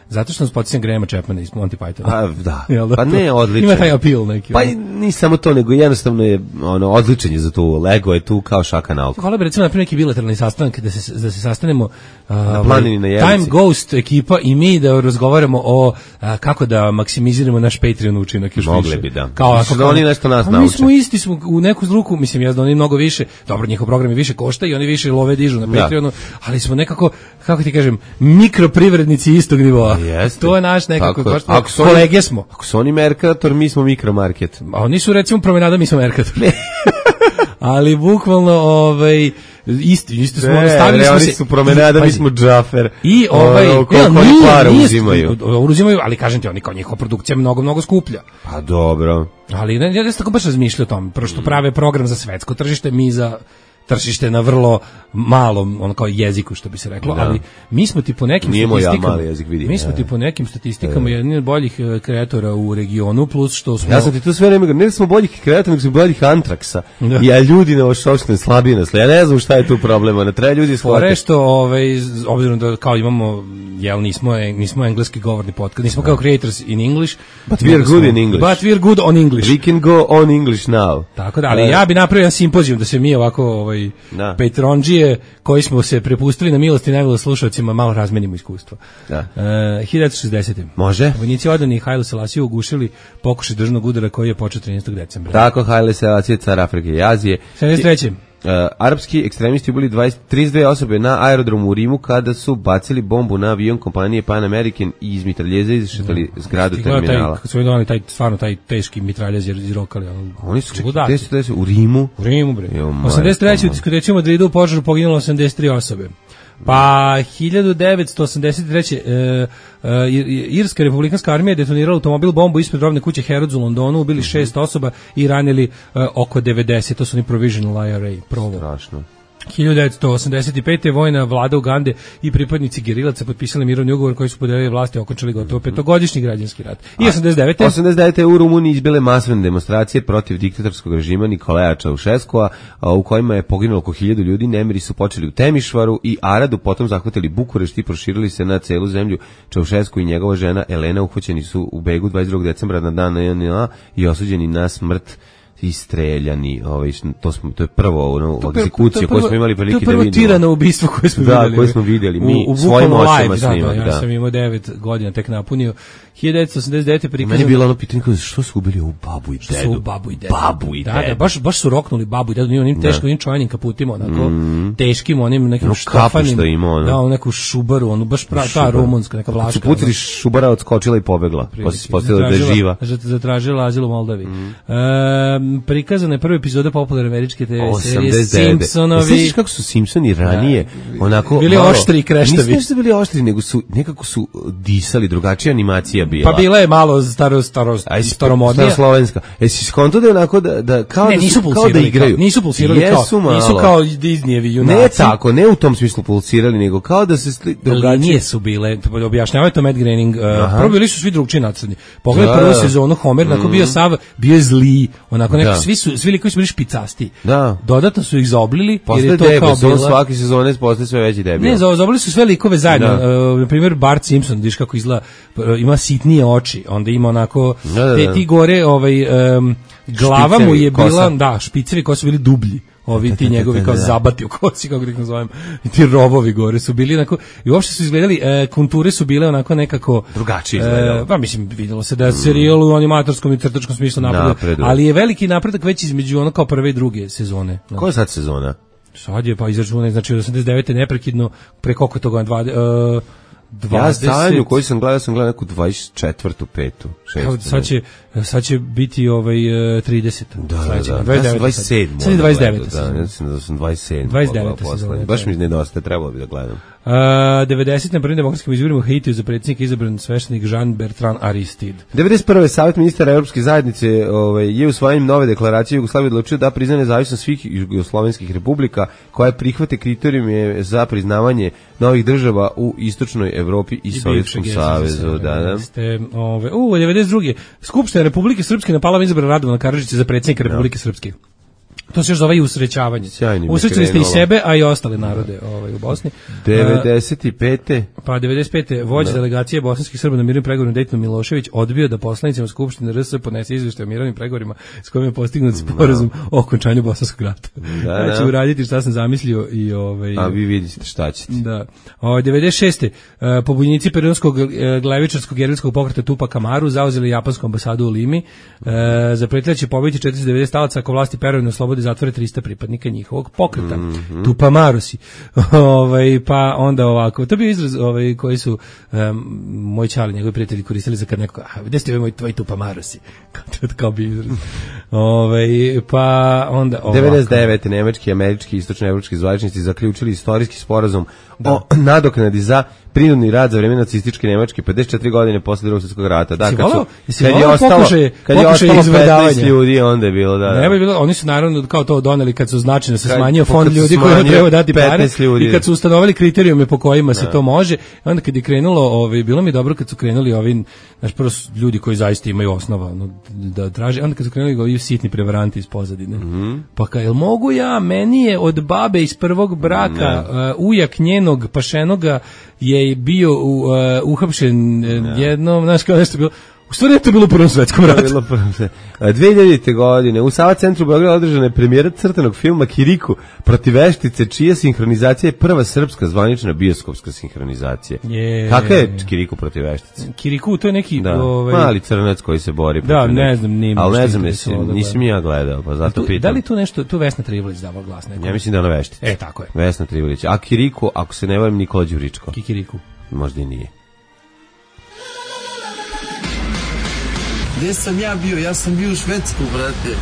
Zato što nas podsjeća Grahama Chapmana iz Monty Pythona. Pa da, Jel da? pa ne, odličan. Ima taj appeal neki. Pa ono. i ni samo to, nego jednostavno je ono, odličan je za tu, lego je tu kao šaka na oko. Hvala bi recimo napraviti neki bilateralni sastanak da se da se sastanemo na planini na Jelici. Time Ghost ekipa i mi da razgovaramo o a, kako da maksimiziramo naš Patreon učinak još Mogli više. bi, da. Kao Mislim ako da oni nešto nas Pa Mi nauče. smo isti smo u neku ruku, mislim ja znam oni mnogo više. Dobro, njihov program je više košta i oni više love dižu na Da. Patreonu, ali smo nekako kako ti kažem mikroprivrednici istog nivoa. Jeste. To je naš nekako Tako je. baš Ako su oni- kolege smo. Ako su oni Mercator, mi smo Mikromarket. A oni su recimo promenada, mi smo Mercator. Ali bukvalno ovaj isti isto smo Ne, stavili ne, smo oni se su promenada, mi Pazi. smo Džafer. I ovaj, Ono, koliko ne, oni nije, para nije, uzimaju. uzimaju, ali kažem ti, oni kao njihova produkcija je mnogo, mnogo skuplja. Pa dobro. Ali ne, ja sam tako baš razmišljao o tom, prvo što prave program za svetsko tržište, mi za tržište na vrlo malom, ono kao jeziku što bi se reklo, Da. ali mi smo ti po nekim Nije moj ja statistikama, mali jezik, vidim. mi smo E. ti po nekim statistikama jedni od boljih e, kreatora u regionu, plus što smo... Ja sam ti tu sve vreme govorio, ne da smo boljih kreatora, nego smo boljih Antraksa. Da. Ja ljudi na vaš opštine slabije nas. Ja ne znam šta je tu problema, ne treba ljudi Fore shvatiti. što, ovaj, z- obzirom da kao imamo, jel, nismo, nismo engleski govorni podcast, nismo kao creators in English. But we are good in English. But we are good on English. We can go on English now. Tako da, ali E, ja bi napravio jedan simpozijum da se mi ovako ovaj Da. Patreondžije koji smo se prepustili na milost i nemilost slušalcima malo razmenimo iskustvo. Da. E, hiljadu šezdesete. Može? Vojnici odani Hailu Selasiju ugušili pokušaj državnog udara koji je počeo trinaestog decembra. Tako, Haile Selassie, car Afrike i Azije. sedamdeset treće. Uh, arapski ekstremisti ubili dvadeset, trideset dve osobe na aerodromu u Rimu kada su bacili bombu na avion kompanije Pan American i iz mitraljeza izšetali zgradu Ti gledao terminala. Taj, kad su donali taj, stvarno taj teški mitraljez jer izrokali. Ono, Oni su čudaki. gde su, gde su, u Rimu. U Rimu, bre. Jo, majko osamdeset treće u moja. diskoteci u Madridu u požaru poginulo osamdeset tri osobe. Pa hiljadu devetsto osamdeset treće. E, e, Irska republikanska armija je detonirala automobil bombu ispred robne kuće Harrods u Londonu, ubili šest osoba i ranili e, oko devedeset. To su oni provisional I R A, provo. Strašno. hiljadu devetsto osamdeset pete. vojna vlada Ugande i pripadnici gerilaca potpisali mirovni ugovor koji su podelili vlasti i okončali gotovo petogodišnji građanski rat. I osamdeset devete. osamdeset devete u Rumuniji izbile masovne demonstracije protiv diktatorskog režima Nikolaja Čaušeskova, a, u kojima je poginulo oko hiljadu ljudi. Nemiri su počeli u Temišvaru i Aradu, potom zahvatili Bukurešt i proširili se na celu zemlju. Čaušesku i njegova žena Elena uhvaćeni su u begu dvadeset drugog decembra na dan N N A i osuđeni na smrt istreljani, ovaj to smo to je prvo ono To prvo- egzekucija to koju prvo- smo imali prilike to da prvo vidimo. tirano ubistvo koje smo Da, videli. koje smo vidjeli, mi u, u svojim bukvalno očima live, da, snimali, da, ja da. sam imao devet godina tek napunio. hiljadu devetsto osamdeset devete Meni je prikazano. bilo ono pitanje kao, što su ubili ovu babu i Što su dedu? babu i dedu. Babu i da, dedu. Da, baš, baš su roknuli babu i dedu, onim onim teškim, onim čojnim kaputima, onako, teškim, onim nekim Ono kapu štofanim. što ima, ono. Da, onu neku šubaru, onu baš pra, ta Šubar. rumunska, neka Kad vlaška. su pucali šubara, odskočila i pobegla. Pa se ispostavilo da je Zatražila- živa. zat- Zatražila azil u Moldavi. E, prikazana je prva epizoda popularne američke te ve serije osamdeset devete. Simpsonovi. Sećaš kako su Simpsoni ranije onako Bili malo- oštri i kreštavi. Nisu nešto bili oštri, nego su nekako su disali, drugačija animacija bila. Pa bila je malo staro, staro, Aj, si- staromodnija. staroslovenska. E si skonto da je onako da, da kao Ne, da nisu su, kao da pulsirali, igraju. kao, nisu pulsirali Jesu kao, malo. nisu kao Disneyevi junaci. Ne tako, ne u tom smislu pulsirali, nego kao da se sli, drugačije. Linije su bile, objašnjavaju to Matt Groening, uh, prvo bili su svi drugčiji nacrni. Pogledaj Da, prvu da. sezonu, Homer, onako bio sav, bio je zli, onako neki, Da. svi su, svi likovi su bili špicasti. Da. Dodatno su ih zaoblili, jer Postaje je to kao debil, on bila... svake sezone postaje sve veći debil. Ne, za- zaoblili su sve likove zajedno. Da. Uh, na primjer, Bart Simpson, vidiš kako izgleda, uh, ima sitnije oči, onda ima onako, Da, da, te, da. ti gore, ovaj, um, glava mu Špicevi je bila, kosa. da, špicevi koji su bili dublji. Ovi ti njegovi kao da, da. zabati u kosi, kako da ih nazovem, i ti robovi gore su bili onako, i uopšte su izgledali, e, konture su bile onako nekako... Drugačije izgledalo. E, pa mislim, videlo se da je serijal u animatorskom i crtačkom smislu napreduje, Napreduje. ali je veliki napredak već između ono kao prve i druge sezone. No. Koja je sad sezona? Sad je pa izračunaj, znači od osamdeset devete neprekidno, pre koliko je toga, dvadeset, uh, Ja stanju koju sam gledao, sam gledao neku dvadeset četvrtu, petu, šestu. Evo, sad će, sad će biti ovaj uh, trideset. Da, da, sledeće, da. dvadeset Ja sam devete dvadeset sedam. Sad je dvadeset devete. Da, sezona. ja sam da sam dvadeset sedam. dvadeset devete pogledao sezona, poslednje. Baš da. mi nedostaje, trebalo bi da gledam. Uh, devedeset na prvim demokratskim izborima u Haitiju za predsjednika izabran sveštenik Jean Bertrand Aristide. devedeset prve Savjet ministara Evropske zajednice ovaj, je usvajanjem nove deklaracije Jugoslavije odlučio da prizna nezavisnost svih jugoslovenskih republika koje prihvate kriterijume za priznavanje novih država u istočnoj Evropi i Sovjetskom savezu. Da, da. Ste, ove, u, devedeset druge Skupština Republike Srpske na Palama izabrala Radovana Karadžića za predsjednika Republike Srpske. To se još zove i usrećavanje. Sjajnim je Usrećili ste i krenulo. sebe, a i ostale narode ovaj, u Bosni. devedeset pete Pa devedeset pete vođa delegacije bosanskih Srba na mirnim pregovorima Dejton Milošević odbio da poslanicima Skupštine R S podnese izveštaj o mirovnim pregovorima s kojim je postignut sporazum o okončanju Bosanskog rata. Da, Ja ću da. uraditi šta sam zamislio i ovaj A vi vidite šta ćete. da. O, devedeset šeste Uh, pobunjenici peronskog uh, glevičarskog gerilskog pokreta Tupac Amaru zauzeli japansku ambasadu u Limi. Uh, zapretili će pobiti četiristo devedeset talaca ako vlasti Perovine oslobode zatvore trista pripadnika njihovog pokreta. Mm -hmm. Tupac Amarusi. ovaj, pa onda ovako. To je bio izraz ovaj, koji su um, moj čali, njegovi prijatelji koristili za kad neko, a gde ste ovi moj tvoj Tupac Amarusi? Kao, kao bi izraz. ovaj, pa onda ovako. devedeset devete nemački, američki, istočnoevropski zvaničnici zaključili istorijski sporazum o nadoknadi za prinudni rad za vreme nacističke Nemačke pedeset četiri godine posle Drugog svjetskog rata. Da, Jesi kad, voleo- su, jesi kad je voleo ostalo, pokušaje- kad je pokušaje ostalo izvedavanja? petnaest ljudi, onda je bilo, da, da. Ne bi bilo, oni su naravno kao to doneli kad su značajno da se Kad- smanjio kad fond su ljudi koji smanjio treba dati pare petnaest ljudi. i kad su ustanovili kriterijume po kojima se to može, i onda kad je krenulo, ovaj bilo mi je dobro kad su krenuli ovi, znači prvo su ljudi koji zaista imaju osnova ono, da traže, onda kad su krenuli ovi sitni prevaranti iz pozadine. Mhm. Pa ka, jel mogu ja, meni je od babe iz prvog braka uh, ujak njenog pašenoga je bio u, uh, uhapšen uh, jednom, znaš kao nešto bilo. U stvari je to bilo u Prvom svetskom To je ratu. bilo prvo sve. A, dve hiljadite godine u Sava centru Beograda održana je premijera crtanog filma Kiriku protiv veštice, čija sinhronizacija je prva srpska zvanična bioskopska sinhronizacija. Je. Kakva je Kiriku protiv veštice? Kiriku, to je neki... Da, ovaj, mali crnac koji se bori Da, protiv ne nekih. znam, nije mi Ali što ne znam, interesovalo nisam, da nisam ja gledao, pa zato tu, pitam. da li tu nešto, tu Vesna Trivolić dava glas neko? Ja mislim da je ona veštica. E, tako je. Vesna Trivolić. A Kiriku, ako se ne varam, Nikola Đuričko. Kikiriku. Možda i nije. Gde sam ja bio? Ja sam bio u Švedsku, brate.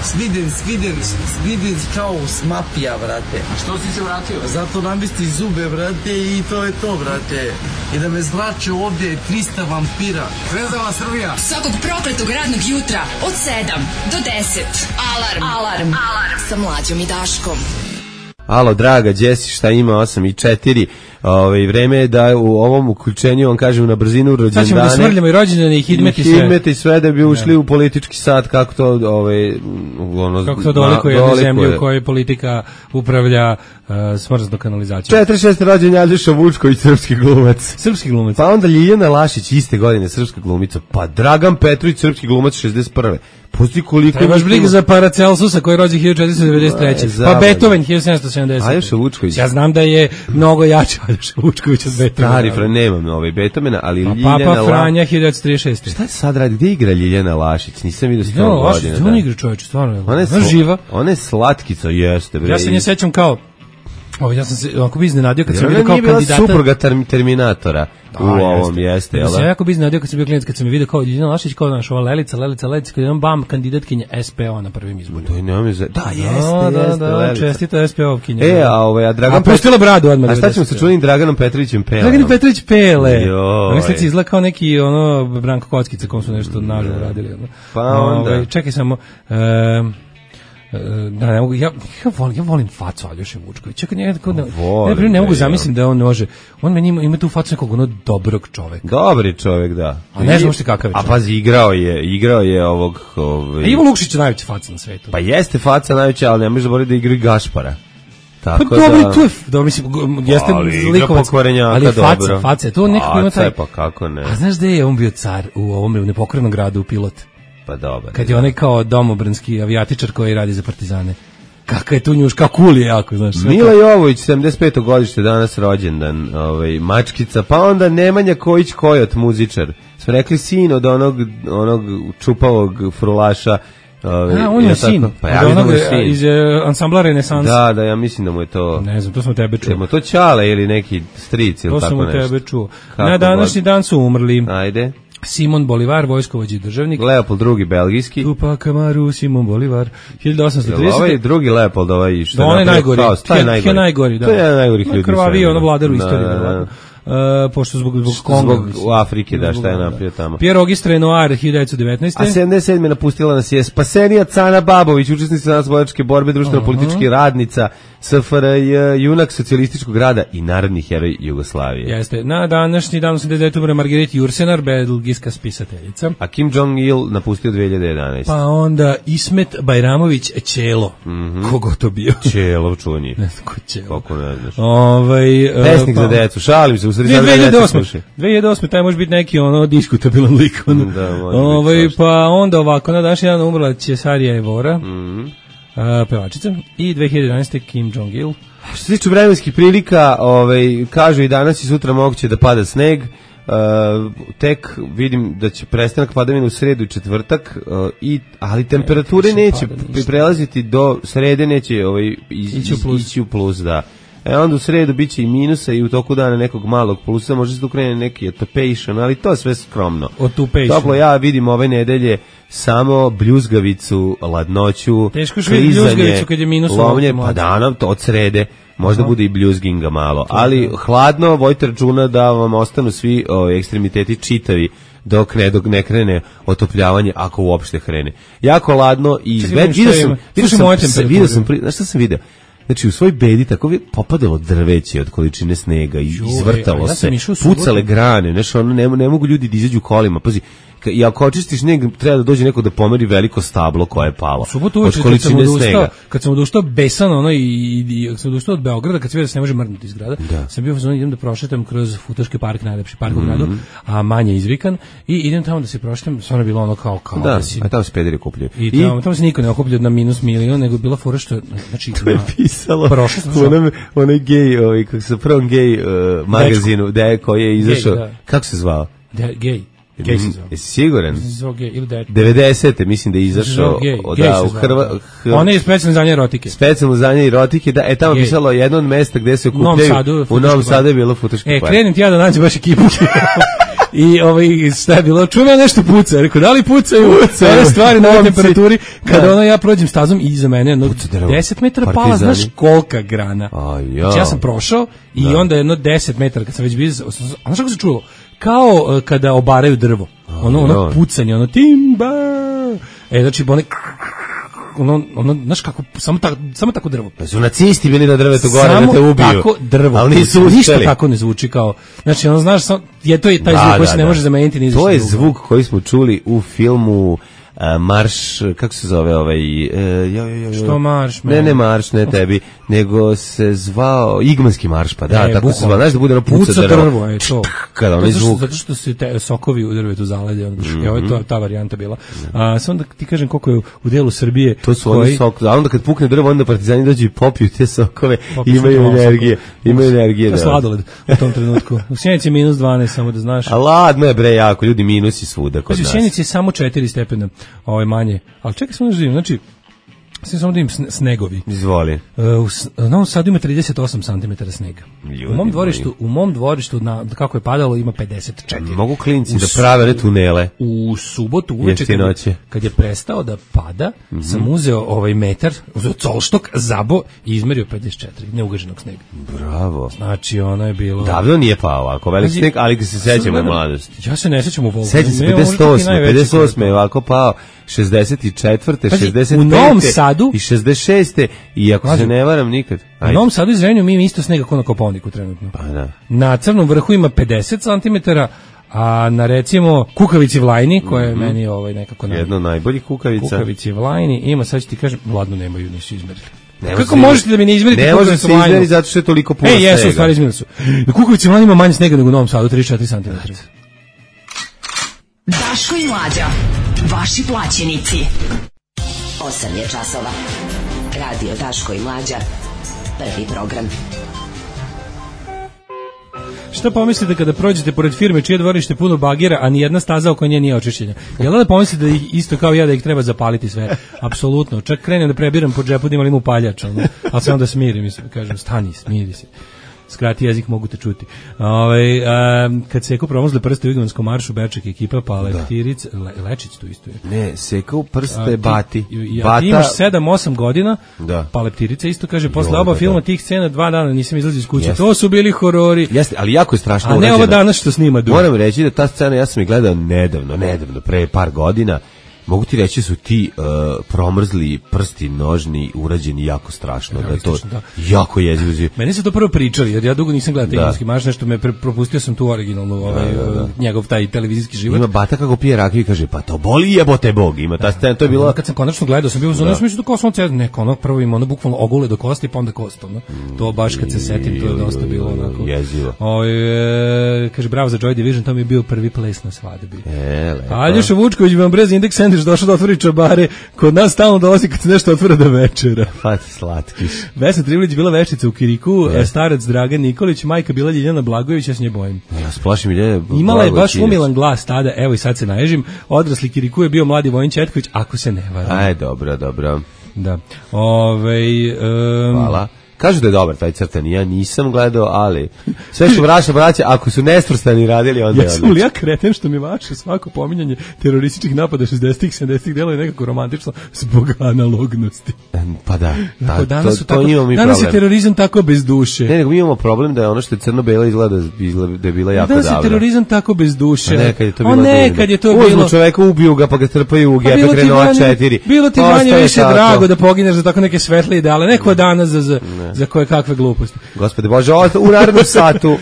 Sviden, sviden, sviden kao smapija, brate. A što si se vratio? Zato namesti zube, brate, i to je to, brate. I da me zlače ovde trista vampira. Zvezdala Srbija. Svakog prokletog radnog jutra od sedam do deset. Alarm. Alarm. Alarm. Sa Mlađom i Daškom. Alo, draga, Jesi, šta ima osam i četiri? Ove, vreme je da u ovom uključenju, on kažem, na brzinu Sad ćemo da rođendane. smrljamo i rođendane i hidmet i sve. Hidmet i sve da bi ušli u politički sat, kako to, ove, ono, Kako to dolikuje jednu dolikuje. zemlju u kojoj politika upravlja uh, smrznu kanalizaciju. četrdeset šeste rođen Aljoša Vučković, srpski glumac. Srpski glumac. Pa onda Ljiljana Lašić, iste godine, srpska glumica. Pa Dragan Petrović, srpski glumac, šezdeset prve Pusti koliko... Trebaš briga za Paracelsusa koji je rođen hiljadu četiristo devedeset treće. Pa Beethoven hiljadu sedamsto sedamdeset. Aljoša Vučković. Ja znam da je mnogo jači Aljoša Vučković od Beethovena. Stari, Fran, nemam ovaj Beethovena, ali pa Ljiljana Papa La... Franja hiljadu devetsto trideset šeste. Šta sad radi? Gde igra Ljiljana Lašić? Nisam vidio sto Ljiljana Lašić, godina. ona igra čovječe, stvarno. Ona je Ona živa. Ona je slatkica, jeste. Bre. Ja se nje sećam kao... Ovo, ja sam se onako bi iznenadio kad sam Ona vidio kao nije bila kandidata. supruga term, Terminatora Da, u ovom, jeste. jeste, Ja jel? sam jako bi iznenadio kad sam bio klinac, kad sam je vidio kao Ljiljana Lašić, kao naš ova Lelica, Lelica, Lelica, kad je on bam, kandidatkinja S P O na prvim izborima. To je nema za... Da, jeste, Da, jeste, da, da, Lelica. čestita S P O-kinja. E, a ovaj, a Dragan A pustila bradu odmah. A šta ćemo sa čuvenim Draganom Petrovićem Pelom? Dragan Petrović Pele. Joj. On sad izgleda kao neki ono Branko Kockica, kom su nešto naživo radili. Ono. Pa onda. Ovaj, čekaj samo... Um, da, ne mogu, ja, ja, volim, ja volim facu Aljoše Vučkovića. Čekaj, ne, ne, Volim, ne, ne mogu ne, zamislim da on može. On meni ima, ima tu facu nekog ono dobrog čoveka. Dobri čovjek, da. A ne znam što kakav je A čovjek. pazi, igrao je, igrao je ovog... Ovaj... A Ivo Lukšić je najveća faca na svetu. Pa jeste faca najveća, ali ne možeš zaboraviti da igra i Gašpara. Pa Tako dobro, da... tu je, da, mislim, jeste Ali igra likovac, pokvarenjaka, ali faca, dobro. faca, to nekako ima Faca taj... je, pa kako ne. A znaš gde je on bio car u ovom u nepokornom gradu, u Pilot? Pa dobro. Kad je onaj kao domobranski avijatičar koji radi za partizane. Kaka je tu njuš, kao cool je jako, znaš. sve Mila kao- Jovović, sedamdeset peto godište, danas rođendan, ovaj, mačkica, pa onda Nemanja Kojić Kojot, muzičar. Smo rekli sin od onog, onog čupavog frulaša. Ovaj, A, on je jel sin. tako? Pa ja Od vidim da onog, mu je sin. iz uh, ansambla Renesans. Da, da, ja mislim da mu je to... Ne znam, to smo tebe čuo. Je mu to Ćale ili neki stric ili To tako sam u nešto? tebe čuo. Kako Na današnji god. dan su umrli Ajde. Simon Bolivar, vojskovođi i državnik. Leopold drugi belgijski. Tupac Amaru, Simon Bolivar, hiljadu osamsto Jel trideset. ovaj drugi Leopold, ovaj što Da, on je napravio najgori. haos, taj He- najgori. he najgori, da. To je jedan od najgorih ljudi. u Krvaviji svemiru. ono vladar u Da, istoriji, da, da. verovatno. Uh, pošto zbog, zbog Konga. Zbog mislim. u Afrike, da, Zbog šta je Konga, napravio tamo. Pierre Auguste Renoir, hiljadu devetsto devetnaeste. A sedamdeset sedme napustila nas je Spasenija Cana Babović, učesnica narodnooslobodilačke borbe, društveno-politički radnica, S F R J, junak socijalističkog rada i narodni heroj Jugoslavije. Jeste. Na današnji dan osamdeset devete umre Marguerite Jursenar, belgijska spisateljica. A Kim Jong-il napustio dve hiljade jedanaeste. Pa onda Ismet Bajramović Ćelo. Mhm. Kogo to bio? Čelov čuveni. Ne znam ko Ćelo. Kako ne znaš. Ovaj uh, Pesnik pa, za decu, šalim se, u sredi dve sad hiljade deca osme. slušaju. dve hiljade osme taj može biti neki ono diskutabilan lik. Ono. Da, može biti Ovaj, svašta. pa onda ovako, na današnji dan umrla Cesarija Evora, Mhm. a, pevačica, i dve hiljade jedanaeste Kim Jong-il. Što se tiče vremenskih prilika, ovaj, kažu i danas i sutra moguće da pada sneg. Uh, tek vidim da će prestanak padavina u sredu i četvrtak, uh, i, ali temperature nisam neće pada p- ništa. prelaziti do srede, neće ovaj, iz, Ići u plus. ići u plus, da. E onda u sredu biće i minusa i u toku dana nekog malog plusa, može se tu krene neki otopation, ali to je sve skromno. Otopation. Toplo, ja vidim ove nedelje samo bljuzgavicu, ladnoću, Teško je vidjeti klizanje, bljuzgavicu kad je minus lomlje, ovako pa mlađe. danom to od srede, možda bude i bljuzginga malo, ali hladno, vojte računa da vam ostanu svi o, ekstremiteti čitavi dok ne, dok ne krene otopljavanje, ako uopšte krene. Jako ladno i Čekaj, izve- vidim šta vidio sam, ima. vidio Slušaj sam, moje sam, temperature. vidio sam, pri- znaš šta sam video? Znači u svoj bedi tako je popadalo drveće od količine snega i Joj, izvrtalo a ja se, sam išao u subotu. pucale grane, znači ono ne, ne mogu ljudi da izađu kolima. Pazi, ka- i ako očistiš sneg, treba da dođe neko da pomeri veliko stablo koje je palo. U subotu od uveče kad sam količine odustao, snega. kad sam odustao besan ono i, i, i kad sam odustao od Beograda, kad se vidio da se ne može mrnuti iz grada, sam bio u fazonu idem da prošetam kroz Futoški park, najlepši park u Mhm. gradu, a manje izvikan, i idem tamo da se prošetam, stvarno je bilo ono kao kao Da, si- a tamo se pederi kupljaju. I tamo, tamo se niko ne okuplja na minus milion, nego je bila fora što, znači, To je na- pisalo prošao sam u onom, onaj gej, ovaj, kako se prvom gej uh, magazinu, de, koji je izašao, da. kako se zvao? de, gej, gej se zove. Jesi siguran? Zvao gej, ili dečko. devedesete mislim da je Zvao izašao gej, od- gej da, se u zvao, Hrva, da. Hr- On je specijalno za nje erotike. specijalno za nje erotike, da, e tamo Gej. pisalo jedno od mesta gde se U Novom okupljaju, Sadu, u Futoški Novom park. Sadu je bilo Futoški E, park. krenem ti ja da nađem baš ekipu. I ovaj šta je bilo? Čujem ja nešto puca. Rekao, da li pucaju? Pucaju. Ove stvari na ovoj Momci. temperaturi. Kada Da. ono ja prođem stazom i iza mene jedno Puca drvo. deset metara pala, Partizani. znaš kolika grana. A, ja. Znači ja sam prošao i onda jedno deset metara kad sam već bio, a znaš kako se čulo? Kao uh, kada obaraju drvo. Ono, ono ja. pucanje, ono timba. E, znači, one ono, ono, znaš kako, samo, ta, samo tako drvo. Pa su nacisti bili na drvetu gore Samo da te ubiju. tako drvo. Ali nisu uspeli. Ništa tako ne zvuči kao. Znači, ono znaš, sam, je to je taj Da, zvuk koji da, se ne da. može zameniti ni za To šta je drugo. zvuk koji smo čuli u filmu a, marš, kako se zove ovaj... E, jo, jo, jo, Što marš? Ne, ne marš, ne tebi, nego se zvao Igmanski marš, pa da, e, tako se zvao, znaš da bude ono puca, puca drvo. drvo, je to. Kada onaj zvuk. Zato što se te sokovi u drvetu zalede, ono, Mm-hmm. evo je to, ta varijanta bila. A, samo da ti kažem koliko je u delu Srbije... To su koji... oni sok, a onda kad pukne drvo, onda partizani dođu i popiju te sokove, Popiju imaju malo energije, sokova. imaju energije. To je da. sladoled u tom trenutku. U Sjenici je minus dvanaest, samo da znaš. A ladno je bre jako, ljudi minusi svuda kod Znači, u nas. Sjenici je samo četiri stepena ovaj, manje. Ali čekaj samo da živim, znači, sve samo da im snegovi. Izvoli. Uh, u S- Novom Sadu ima trideset osam centimetara snega. Ljudi u mom dvorištu, moji. u mom dvorištu na kako je padalo ima pedeset četiri. Mogu klinci U da s- prave one tunele. U subotu uveče kad, je- Jeftinoće. kad je prestao da pada, Mhm. sam uzeo ovaj metar, uzeo colštok, zabo i izmerio pedeset četiri neugaženog snega. Bravo. Znači, ono je bilo... Davno nije pao ovako velik Pazi, sneg, ali ga se sećamo sad od gledam- mladosti. Ja se ne sećam u Volgu. Sećam se Ne, ovo možda pedeset osme, ti najveći pedeset osme koji je je ovako pao, šezdeset četvrte, Pazi, šezdedet u Novom pete Sadu- i šezdeset šeste i ako Pazi, se ne varam nikad. U Novom Sadu i Zrenjaninu mi ima isto snega kao na Kopaoniku trenutno. Pa da. Na Crnom vrhu ima pedeset centimetara, a na recimo Kukavici Vlajni, koja je meni ovaj nekako naj... Jedno od najboljih kukavica. Kukavici Vlajni ima, sad ću ti kažem, ladno nemaju, nisu izmerili. Ne Kako može možete da mi ne izmerite Ne može Kukavicu se Vlajnu? izmeri zato što je toliko puno E, jesu, u snega. stvari izmerili su. Na Kukavici Vlajni ima manje snega nego u Novom Sadu, trideset četiri centimetra. Daško i Mlađa, vaši plaćenici. osam je časova. Radio Daško i Mlađa. Prvi program. Šta pomislite kada prođete pored firme čije dvorište puno bagira, a ni jedna staza oko nje nije očišćena? Jel da pomislite da ih, isto kao ja da ih treba zapaliti sve? Apsolutno. Čak krenem da prebiram po džepu da imam limu paljač, ono, ali se onda smirim i kažem stani, smiri se. Skrati jezik, mogu te čuti. Ove, a, kad se promozle prste u Igmanskom maršu, Beček ekipa, pa Lektiric, Le, Lečić tu isto je. Ne, sekao prste A, ti- Bati. Ja, Bata, ti imaš sedam osam godina, Da. pa Leptirica isto kaže, posle Jo, oba da, filma da. tih scena dva dana nisam izlazio iz kuće. Jeste. To su bili horori. Jeste, ali jako je strašno A ne urađeno. ovo danas što snima Duh. Moram reći da ta scena, ja sam je gledao nedavno, nedavno, pre par godina. Mogu ti reći su ti uh, promrzli prsti nožni urađeni jako strašno, da je to Realistično, da. jako jezivo. Meni su to prvo pričali, jer ja dugo nisam gledao Da. Igmanski marš, nešto me pre, propustio sam tu originalnu, ovaj, njegov taj televizijski život. Ima Bata kako pije rakiju i kaže, pa to boli jebote Bog. Ima ta scena, to je bilo... Kad sam konačno gledao, sam bio u zonu, ja sam mislio da kao sam ceo, neko, ono, prvo ima ono bukvalno ogule do kosti, pa onda kost, ono. To baš kad se setim, to je dosta bilo onako. Jezivo. Oj, e, kaže, bravo za Joy Division, to mi je bio prvi ples na svadbi. E, lepo. Aljoša Vučković bi vam brez Index Sandwich došao da otvori čabare, kod nas stalno dolazi kad se nešto otvara do večera. Pa ti slatkiš. Vesna Trivlić bila veštica u Kiriku, starac Dragan Nikolić, majka bila Ljiljana Blagojević, ja s nje bojim. Ja splašim Ljiljana Imala je baš Blagojević. umilan glas tada, evo i sad se naježim, odrasli Kiriku je bio mladi Vojin Četković, ako se ne varam. Aj, dobro, dobro. Da. Ovej, um, Hvala. Kažu da je dobar taj crtani, ja nisam gledao, ali sve što vraća braća, ako su nesvrstani radili, onda je Jesam li ja kreten što mi vaše svako pominjanje terorističkih napada šezdesetih, sedamdesetih delo je nekako romantično zbog analognosti. Pa da, da Tako, danas to, su to tako, imamo mi danas je problem. terorizam tako bez duše. Ne, nego mi imamo problem da je ono što je crno-belo izgleda, izgleda da je bila jako Danas je davno. terorizam tako bez duše. A nekad je to O, bilo nekad je to Uzmu bilo. čoveka, ubiju ga, pa ga trpaju u Pa bilo Gepek ti Renault manje- četiri. Bilo ti Ostaje manje više tako. drago da pogineš za tako neke svetle ideale, neko danas za, za, za koje kakve gluposti. Gospode Bože, ovo u narednom satu uh,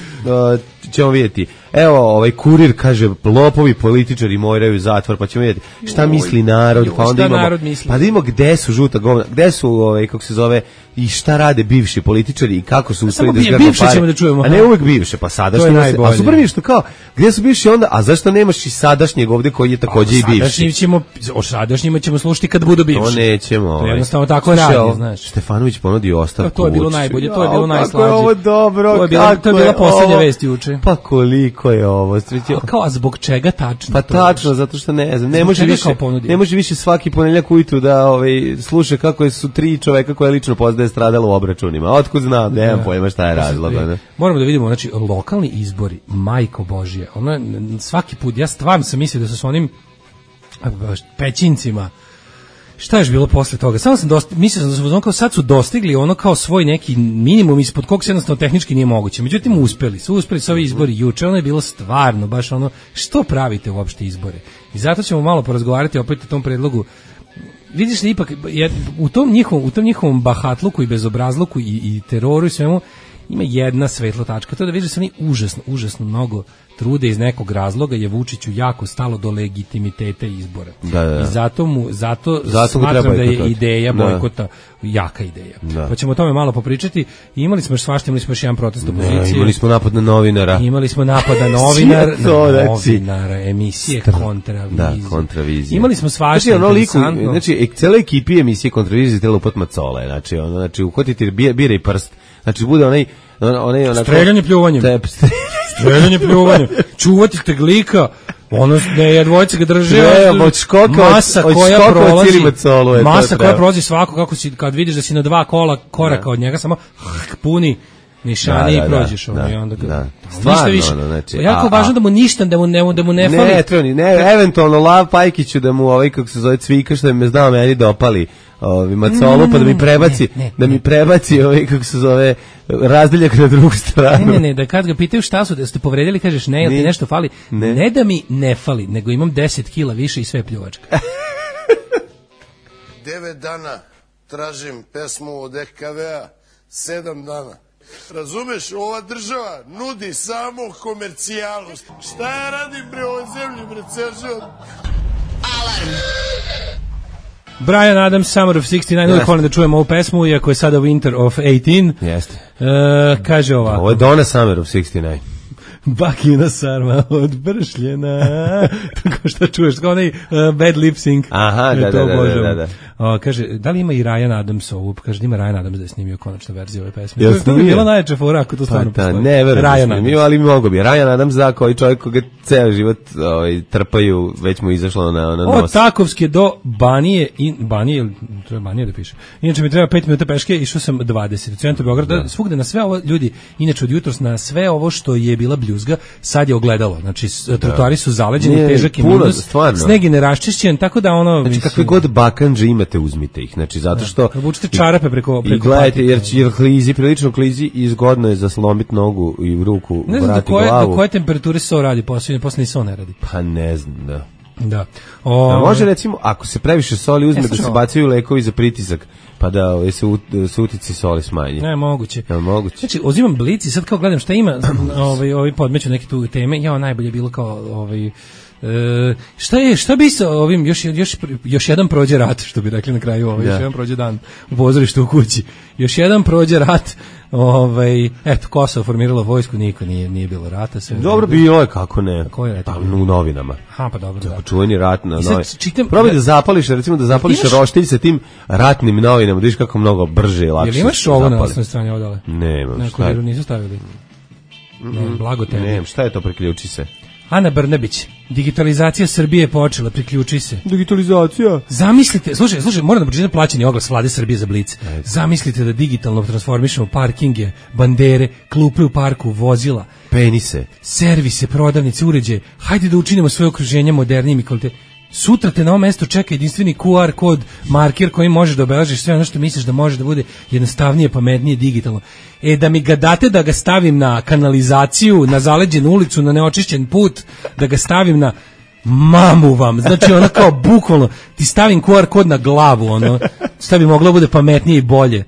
ćemo vidjeti. Evo, ovaj kurir kaže, lopovi političari moraju u zatvor, pa ćemo vidjeti šta misli narod, joj, pa onda šta imamo, narod misli? pa da imamo gde su žuta govna, gde su, ovaj, kako se zove, i šta rade bivši političari i kako su uspeli samo da bi- zgrnu bivše pare. ćemo da čujemo, A ne aha. uvek bivše, pa sadašnje. To je nas- najbolje. A super mi je što kao, gde su bivši onda, a zašto nemaš i sadašnjeg ovde koji je takođe i bivši? Sadašnjim ćemo, o sadašnjima ćemo slušati kad budu bivši. To nećemo. To ovaj. jednostavno tako Slušaj, radi, ovo, znaš. Stefanović ponudio ostavku. To je bilo Vučiću. najbolje, to je bilo Jao, najslađe. Kako je ovo dobro, To je bila- kako to je bila poslednja ovo? vest juče. Pa koliko je ovo? Srećo. A kao, a zbog čega tačno? Pa to? tačno, zato što ne znam, ne Zbog može čega više, kao ponudio? ne može više svaki ponedeljak ujutru da ovaj sluša kako su tri čoveka koje lično poznaje stradalo u obračunima. Otkud znam, nemam Da. pojma šta je razlog. Ne? Moramo da vidimo, znači, lokalni izbori, majko Božje, ono, n- svaki put, ja stvarno sam mislio da su s onim a, baš, pećincima, šta je još bilo posle toga? Samo sam dosti, mislio sam da su ono kao sad su dostigli ono kao svoj neki minimum ispod kog se jednostavno tehnički nije moguće. Međutim, uspeli su, uspeli su ovi izbori juče, ono je bilo stvarno, baš ono, što pravite uopšte izbore? I zato ćemo malo porazgovarati opet o tom predlogu. Vidiš da ipak je, u tom njihovom u tom njihovom bahatluku i bezobrazluku i, i teroru i svemu ima jedna svetla tačka, to je da vidiš da su oni užasno, užasno mnogo trude iz nekog razloga je Vučiću jako stalo do legitimiteta izbora. Da, da. I zato mu zato, zato smatram da je bojkotati. ideja Da. bojkota jaka ideja. Da. Pa ćemo o tome malo popričati. I imali smo još svašta, imali smo još jedan protest opozicije. Ne, imali smo napad na novinara. Imali smo napad na novinar, na to, znači, novinara, emisije kontravizije. Da, kontravizije. Imali smo svašta, znači, ono liku, interesantno. znači, ek- cele ekipi emisije kontravizije tela upad macole, znači, ono, znači, uhvatiti bira, bira i prst, znači, bude onaj, onaj, onako... Streljanje pljuvanjem. Tep, Streljanje pljuvanjem. Čuvati teglika, ono, ne, dvojice ga drže, Treba, od škoka, masa od koja škoka prolazi, od Macolu je to masa koja treba. prolazi svako, kako si, kad vidiš da si na dva kola koraka od njega, samo puni nišani Da, da, i prođeš da, ono, da, i onda ga, da. ništa Stvarno, više. ono, znači, jako a- važno a- da mu ništa, da mu ne, da mu ne fali. Ne, treba ni, ne, eventualno Lav Pajkiću da mu ovaj, kako se zove, Cvika, što me znao meni dopali ovi macolu, pa da mi prebaci, ne, ne, da mi ne. prebaci ovaj, kako se zove, razdeljak na drugu stranu. Ne, ne, ne, da kad ga pitaju šta su, da ste povredili, kažeš ne, jel ti Ni- nešto fali? ne. Ne da mi ne fali, nego imam deset kila više i sve pljuvačka. Devet dana tražim pesmu od E K V-a, sedam dana. Razumeš, ova država nudi samo komercijalu. Šta ja radim bre ovoj zemlji, bre, ceo život? Alarm. Brian Adams, Summer of šezdeset devet, uvijek volim da čujem ovu pesmu, iako je sada Winter of osamnaest. Jeste. E, kaže ovako. Ovo je Donna Summer of šezdeset devet. Bakina sarma odbršljena. Tako što čuješ, kao onaj uh, bad lip sync. Aha, E, da, to da, da, obožavam. da, da. O, kaže, da li ima i Ryan Adams ovu? Kaže, da ima Ryan Adams da je snimio konačnu verziju ove pesme. Jel To je- to bi snimio? bila najjača fora ako to Pa stvarno da, postoji. ne verujem da Ryan snimio, Adams. ali mogo bi. Ryan Adams za koji čovjek koga ceo život ovaj, trpaju, već mu izašlo na, na Od nos. Takovske do Banije, in, Banije, ili treba Banije da piše. Inače mi treba pet minuta peške, išao sam dvadeset. U centru Beograda, svugde na sve ovo, ljudi, inače od jutros na sve ovo što je bila bljuzga, sad je ogledalo. Znači, s- trotoari su zaleđeni, Nije, težak je puno, minus, stvarno. sneg je neraščišćen, tako da ono... Znači, mislim, kakve god bakanđe imate, uzmite ih. Znači, zato što... Obučite čarape preko, I preko gledajte, patika. jer, jer klizi, prilično klizi i zgodno je zaslomiti nogu i ruku, Ne znam do vrati koje, glavu. do koje temperature se ovo radi, posle, posle ni se ovo ne radi. Pa ne znam, da. Da. A O, može recimo, ako se previše soli uzme E, da slušaj se ovo. bacaju lekovi za pritisak, pa da ovaj, se, ut, se utici soli smanji. Ne, moguće. Jel moguće? Znači, uzimam blic i sad kao gledam šta ima, ovaj, ovaj podmeću neke tu teme, ja najbolje bilo kao, ovaj, e, šta je, šta bi sa ovim, još, još, još jedan prođe rat, što bi rekli na kraju, ovaj, Da. još jedan prođe dan u pozorištu u kući, još jedan prođe rat, ovaj, eto, Kosovo formiralo vojsku, niko nije, nije bilo rata. Sve Dobro bilo je, kako ne. Ko je Pa, rekao? u novinama. Aha, pa dobro, da. Čuveni rat na I sad novi. čitam- Probaj da zapališ, recimo da zapališ Imaš- roštilj sa tim ratnim novinama, da vidiš kako mnogo brže i lakše. Jel imaš se ovo na zapali. osnovnoj strani odale? Nemam, Na šta je? kuriru nisu stavili. Ne, blago tebi. Nemam, šta je to, priključi se? Ana Brnabić, digitalizacija Srbije je počela, priključi se. Digitalizacija. Zamislite, slušaj, slušaj, moram da pročitam plaćeni oglas Vlade Srbije za Blic. Zamislite da digitalno transformišemo parkinge, bandere, klupe u parku, vozila, Penise. servise, prodavnice, uređaje. Hajde da učinimo svoje okruženje modernijim i kvalitetnim. Sutra te na ovom mestu čeka jedinstveni Q R kod, marker koji može da obeležiš sve ono što misliš da može da bude jednostavnije, pametnije, digitalno. E, da mi ga date da ga stavim na kanalizaciju, na zaleđenu ulicu, na neočišćen put, da ga stavim na mamu vam, znači ono kao bukvalno, ti stavim Q R kod na glavu, ono, šta bi moglo da bude pametnije i bolje.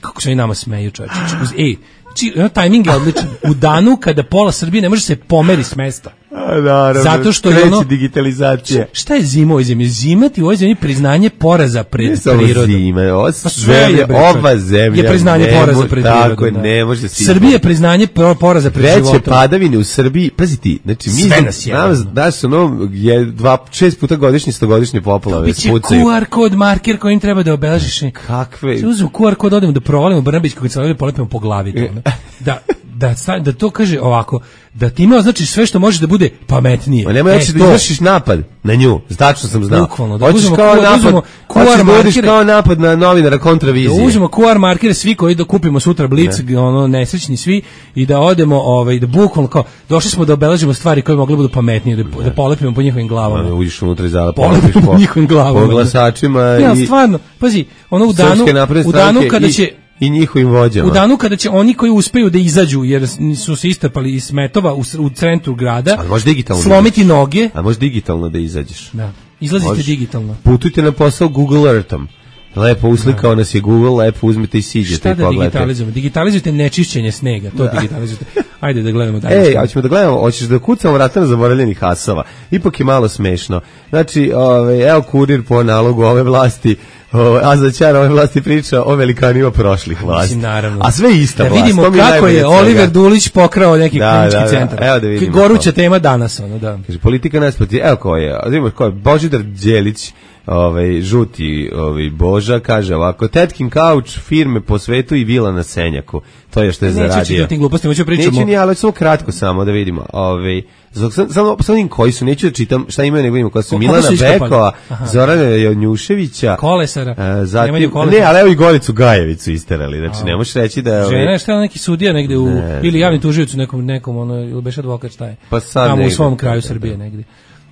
Kako se oni nama smeju, čovječe. Ej, znači, ono, tajming je odličan. U danu kada pola Srbije ne može se pomeri s mesta. A, naravno. Zato što je kreće ono- digitalizacija. Šta je zima u ovoj zemlji? Zima ti u ovoj zemlji priznanje poraza pred Ne samo prirodom. zima, ova Pa sve je, zemlja, bre, ova čovječe. zemlja je priznanje ne poraza može- pred tako prirodom. je, da. ne može se Srbija je priznanje pro- poraza pred veće životom. padavine u Srbiji, pazi ti, znači mi Sve nas je, nas, ono. daš ono, je dva, šest puta godišnje, stogodišnje poplave Biće spucaju. Q R kod, marker kojim treba da obeležiš. Kakve? Se uzmemo Q R kod, odemo da provalimo Brnabić kako se polepimo po glavi. To, ono. Da, da, sta- da to kaže ovako, da ti ima označiš sve što može da bude pametnije. Ma nemoj E, hoćeš da to. izvršiš napad na nju, tačno sam znao. Bukvalno, da Hoćeš uzmemo kao Q R, da napad, uzmemo Q R hoćeš da uradiš markere. kao napad na novinara kontravizije. Da uzmemo Q R markere svi koji da kupimo sutra Blic, ono nesrećni svi i da odemo ovaj da bukvalno kao došli smo da obeležimo stvari koje mogle budu pametnije, da, da polepimo po njihovim glavama. Ono, uđeš unutra i zada Polepimo polepiš po, njihovim glavama. po glasačima Ja, i stvarno, pazi, ono u danu, Srpske napredne u danu stranke kada i- će i njihovim vođama. u danu kada će oni koji uspeju da izađu jer su se istrpali iz smetova u, s- u centru grada, Ali može digitalno da slomiti izađeš. noge, A može digitalno da izađeš. da, izlazite Možeš. digitalno. Putujte na posao Google Earthom. Lepo uslikao nas je Google, lepo uzmite i siđete Šta i da pogledajte. digitalizujemo? Digitalizujte nečišćenje snega, to digitalizujte. Ajde da gledamo dalje. Ej, hoćemo da gledamo, hoćeš da kucamo vrata na zaboravljenih asova. Ipak je malo smešno. Znači, ove, evo kurir po nalogu ove vlasti, ove, a za čar ove vlasti priča o velikanima prošlih vlasti. Mislim, naravno. A sve ista da vlast. vidimo kako je Oliver Dulić pokrao neki da, klinički da, da. centar. Evo da vidimo. Goruća tema danas, ono, da. Kaže, politika nas proti, evo ko je, vidimo ko je, Božidar Đelić, ovaj, žuti ovaj, Boža, kaže ovako, Tetkin kauč, firme po svetu i vila na Senjaku. To je što je zaradio. Neću čitati gluposti, hoću pričamo. Neću ni, ali samo kratko samo da vidimo. Ovaj, samo, samo vidim koji su, neću da čitam šta imaju, nego vidimo koja su. Ko, Milana su Bekova, Zorana Jonjuševića, Kolesara, uh, zatim, ne, ali evo i Goricu Gajevicu isterali, znači a, ne možeš reći da je... Žena je šta neki sudija negde u, ne, ili javni tužioc u nekom, nekom ono, ili beš advokat šta je, pa sad tamo negde, u svom kraju Srbije negde.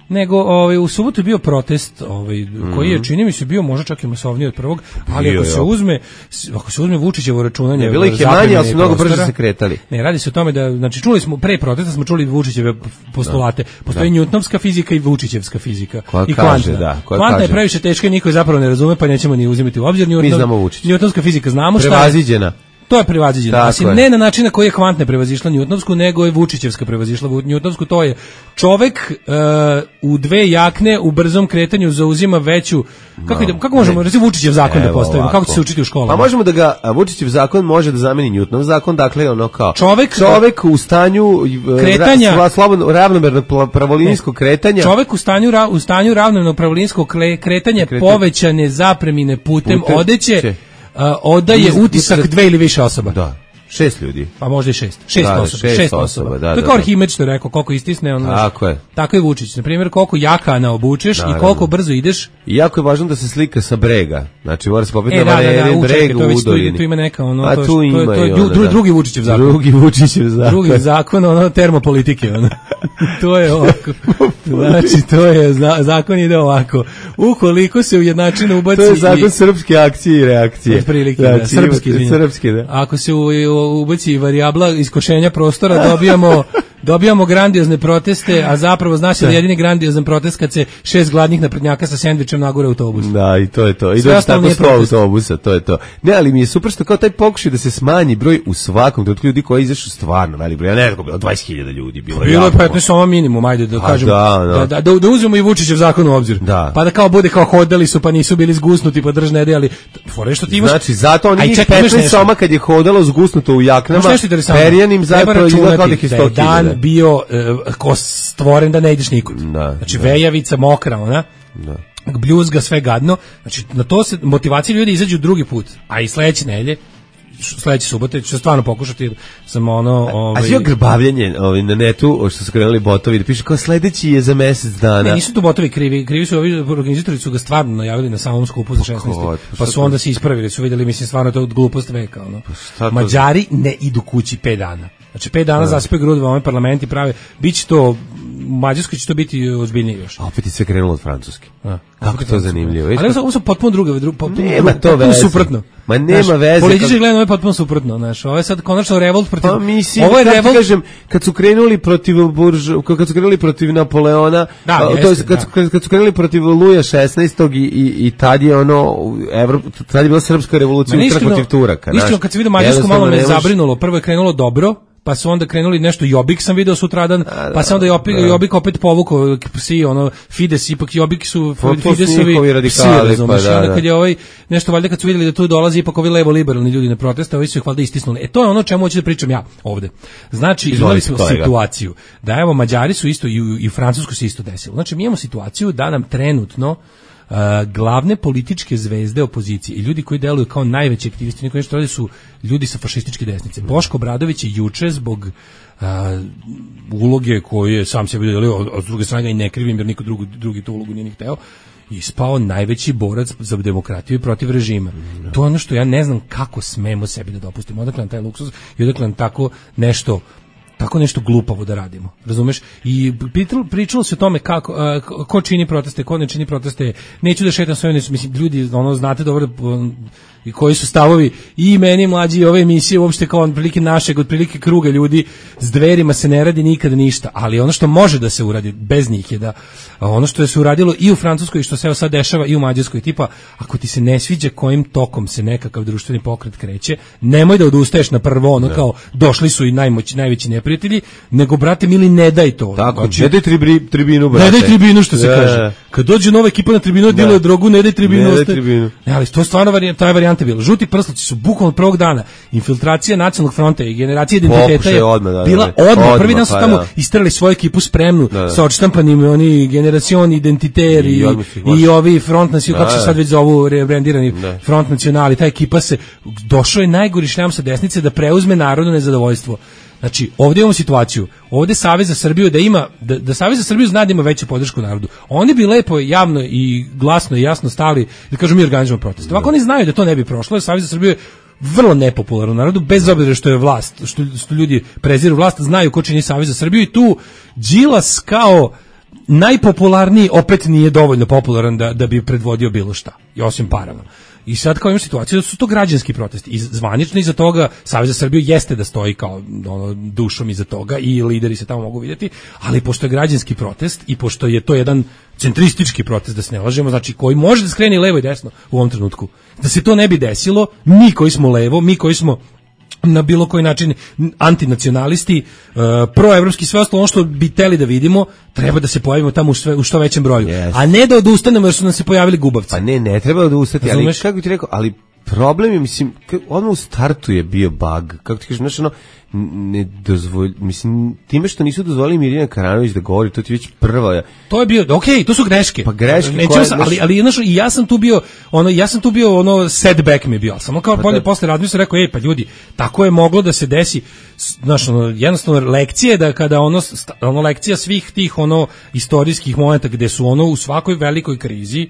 Nego ovaj u subotu je bio protest, ovaj mm. koji je čini mi se bio možda čak i masovniji od prvog, ali bio, ako se uzme ako se uzme Vučićevo računanje, ne, bilo ih je manje, ali su mnogo brže se kretali. Ne, radi se o tome da znači čuli smo pre protesta smo čuli Vučićeve postulate. Postoji Newtonovska fizika i Vučićevska fizika koja i kaže, kvantna. Da, kvantna kaže. Je previše teška i niko je zapravo ne razume, pa nećemo ni uzimati u obzir. Newtonska fizika znamo šta je. Prevaziđena. To je prevaziđeno. Asi ne na način na koji je kvantna prevazišla Newtonovsku, nego je Vučićevska prevazišla Newtonovsku. To je čovek uh, u dve jakne u brzom kretanju zauzima veću. Kako, no, kako možemo reći Vučićev zakon da postavimo? Ovako. Kako će se učiti u školama? Pa možemo da ga Vučićev zakon može da zameni Newtonov zakon, dakle ono kao čovek, čovek u stanju kretanja, ra, slobodno ravnomernog pravolinijskog kretanja. Čovek u stanju ra, u stanju ravnomernog pravolinijskog kretanja Kretan. povećane zapremine putem, putem odeće. Će. Uh, odaje Iz, utisak dve ili više osoba. Da. Šest ljudi. Pa možda i šest. Šest da, osoba. Šest, šest osoba. osoba. Da, to je kao Arhimed što je rekao, koliko istisne ono. Tako je. Tako je Vučić. Na primjer, koliko jakana obučeš da, i koliko brzo ideš. I jako je važno da se slika sa brega. Znači mora se popiti e, na da, da, da, breg u Udolini. Tu ima neka ono. A to, tu ima to, to, i ono, ono, da. Drugi Vučićev zakon. Drugi Vučićev zakon. Drugi zakon, ono, termopolitike. Ono. To je ovako. Znači, to je, zakon ide ovako. Ukoliko se ujednačeno ubaci... To je zakon srpske akcije i reakcije. Od prilike, da, srpski, srpski, da. Ako se ubaci varijabla iskošenja prostora, dobijamo dobijamo grandiozne proteste, a zapravo zna se da jedini grandiozan protest kad se šest gladnih naprednjaka sa sendvičem nagure autobus. Da, i to je to. I dođe tako sto autobusa, to je to. Ne, ali mi je super što kao taj pokušaj da se smanji broj u svakom trenutku ljudi koji izašli stvarno velik broj. Ja ne znam, bilo dvadeset hiljada ljudi, bilo je. Bilo je petnaest samo minimum, ajde da kažemo. Da, no. da, da, da uzmemo i Vučićev zakon u obzir. Da. Pa da kao bude kao hodali su, pa nisu bili zgusnuti, pa drž ne ali fore što ti imaš. Znači, zato oni njih petnaest soma kad je hodalo zgusnuto u jaknama, perjanim zapravo izgleda kao da ih je sto hiljada. Bio uh, ko stvoren da ne ideš nikud. Da, znači da. vejavica mokra, ona. Da. Bljuzga sve gadno. Znači na to se motivacija ljudi izađu drugi put. A i sledeće nedelje, sledeće subote ću stvarno pokušati samo ono, ovaj. A sve grbavljenje, ovaj na netu, što su krenuli botovi da piše kao sledeći je za mesec dana. Ne, nisu tu botovi krivi, krivi su ovi organizatori su ga stvarno najavili na samom skupu za šesnaeste. Pa su onda se ispravili, su videli, mislim stvarno to je glupost veka, ono. Pa Mađari ne idu kući pet dana. Znači pet dana zaspaju grudva ovaj parlamenti prave, biće to u Mađarskoj će to biti ozbiljnije još. A opet je sve krenulo od Francuske. A, kako to zanimljivo. Ali ovo su, ovo su potpuno druge, druge potpuno, nema to veze. Suprotno. Ma nema znaš, veze. Politički gledano ovo je potpuno suprotno, znaš. Ovo je sad konačno revolt protiv. Pa mislim, ovo je revolt, kažem, kad su krenuli protiv buržu, kad su krenuli protiv Napoleona, da, to jeste, jest, kad, da. kad, kad su krenuli protiv Luja šesnaestog i, i, i tad je ono Evropa, tad je bila srpska revolucija utra protiv Turaka. Iskreno, kad se vidio Mađarsku malo me zabrinulo, prvo je krenulo dobro. Pa su onda krenuli nešto Jobbik sam video sutradan, da, pa se onda Jobbik, da. Jobbik opet povukao psi, ono Fides, ipak Jobbik su Fidesovi psi, razumiješ, pa, da, onda kad je ovaj, nešto valjda kad su vidjeli da tu dolazi ipak ovi levo-liberalni ljudi na proteste, ovi su ih valjda istisnuli. E to je ono čemu hoću da pričam ja ovde. Znači, imali smo situaciju da evo Mađari su isto i u, i u Francusku se isto desilo. Znači mi imamo situaciju da nam trenutno Uh, glavne političke zvezde opozicije i ljudi koji deluju kao najveći aktivisti, niko nešto radi, su ljudi sa fašističke desnice. Boško Obradović je juče zbog uh, uloge koju je sam sebi dodelio, od druge strane i ne krivim jer niko drugi, drugi tu ulogu nije ni hteo, ispao najveći borac za demokratiju i protiv režima. Mm. To je ono što ja ne znam kako smemo sebi da dopustimo. Odakle nam taj luksuz i odakle nam tako nešto tako nešto glupavo da radimo, razumeš? I pričalo se o tome kako, uh, ko čini proteste, ko ne čini proteste, neću da šetam sve, mislim, ljudi, ono, znate dobro, i koji su stavovi i meni mlađi ove emisije uopšte kao otprilike našeg, otprilike kruga ljudi, s Dverima se ne radi nikada ništa, ali ono što može da se uradi bez njih je da ono što je se uradilo i u Francuskoj i što se sad dešava i u Mađarskoj, tipa ako ti se ne sviđa kojim tokom se nekakav društveni pokret kreće, nemoj da odustaješ na prvo ono, kao došli su i najmoć, najveći neprijatelji, nego brate mili ne daj to. Tako, znači, ne daj tribri, tribinu, brate. Ne daj tribinu, što se da, kaže. Kad dođe nova ekipa na tribinu, diluje drogu, ne daj tribinu. Ne daj tribinu. Ne, ali to je stvarno varijanta, ta je varijanta bila. Žuti prsluci su bukvalno prvog dana. Infiltracija nacionalnog fronta i generacija identiteta Pokušaj je odmah, da, bila da, odmah. odmah. Prvi dan su pa, tamo da. istrali svoju ekipu spremnu Da, da. sa odštampanim oni generacion identiter i, I i, odmah su ih i ovi front nacionali, kako se Da, sad već zovu rebrandirani Da. front nacionali. Ta ekipa se, došao je najgori šljam sa desnice da preuzme narodno nezadovoljstvo. Znači, ovdje imamo situaciju, ovdje Savez za Srbiju da ima, da, da Savez za Srbiju zna da ima veću podršku narodu. Oni bi lepo, javno i glasno i jasno stali, da kažu mi organizujemo protest. Ovako oni znaju da to ne bi prošlo, jer Savez za Srbiju je vrlo nepopularan u narodu, bez obzira što je vlast, što, što ljudi preziru vlast, znaju ko čini Savez za Srbiju i tu Đilas kao najpopularniji opet nije dovoljno popularan da, da bi predvodio bilo šta, i osim parama. I sad kao imamo situaciju da su to građanski protesti. I zvanično iza toga Savez za Srbiju jeste da stoji kao ono, dušom iza toga i lideri se tamo mogu vidjeti, ali pošto je građanski protest i pošto je to jedan centristički protest, da se ne lažemo, znači koji može da skrene i levo i desno u ovom trenutku. Da se to ne bi desilo, mi koji smo levo, mi koji smo na bilo koji način antinacionalisti, uh, proevropski, sve ostalo ono što bi teli da vidimo, treba da se pojavimo tamo u, sve, u što većem broju. Yes. A ne da odustanemo jer su nam se pojavili gubavci. Pa ne, ne treba odustati, ali Razumeš? kako bi ti rekao, ali problem je, mislim, odmah u startu je bio bug, kako ti kažeš, znaš, ono, ne dozvolj, mislim, time što nisu dozvolili Mirjana Karanović da govori, to ti već prva. To je bio, okej, okay, to su greške. Pa greške Nećemo koje, sa, znaš, ali ali znaš, i ja sam tu bio, ono ja sam tu bio ono setback mi je bio. Samo kao Pa bolje da. posle razmislio, rekao ej pa ljudi, tako je moglo da se desi. Znaš, ono jednostavno lekcije da kada ono sta- ono lekcija svih tih ono istorijskih momenata gde su ono u svakoj velikoj krizi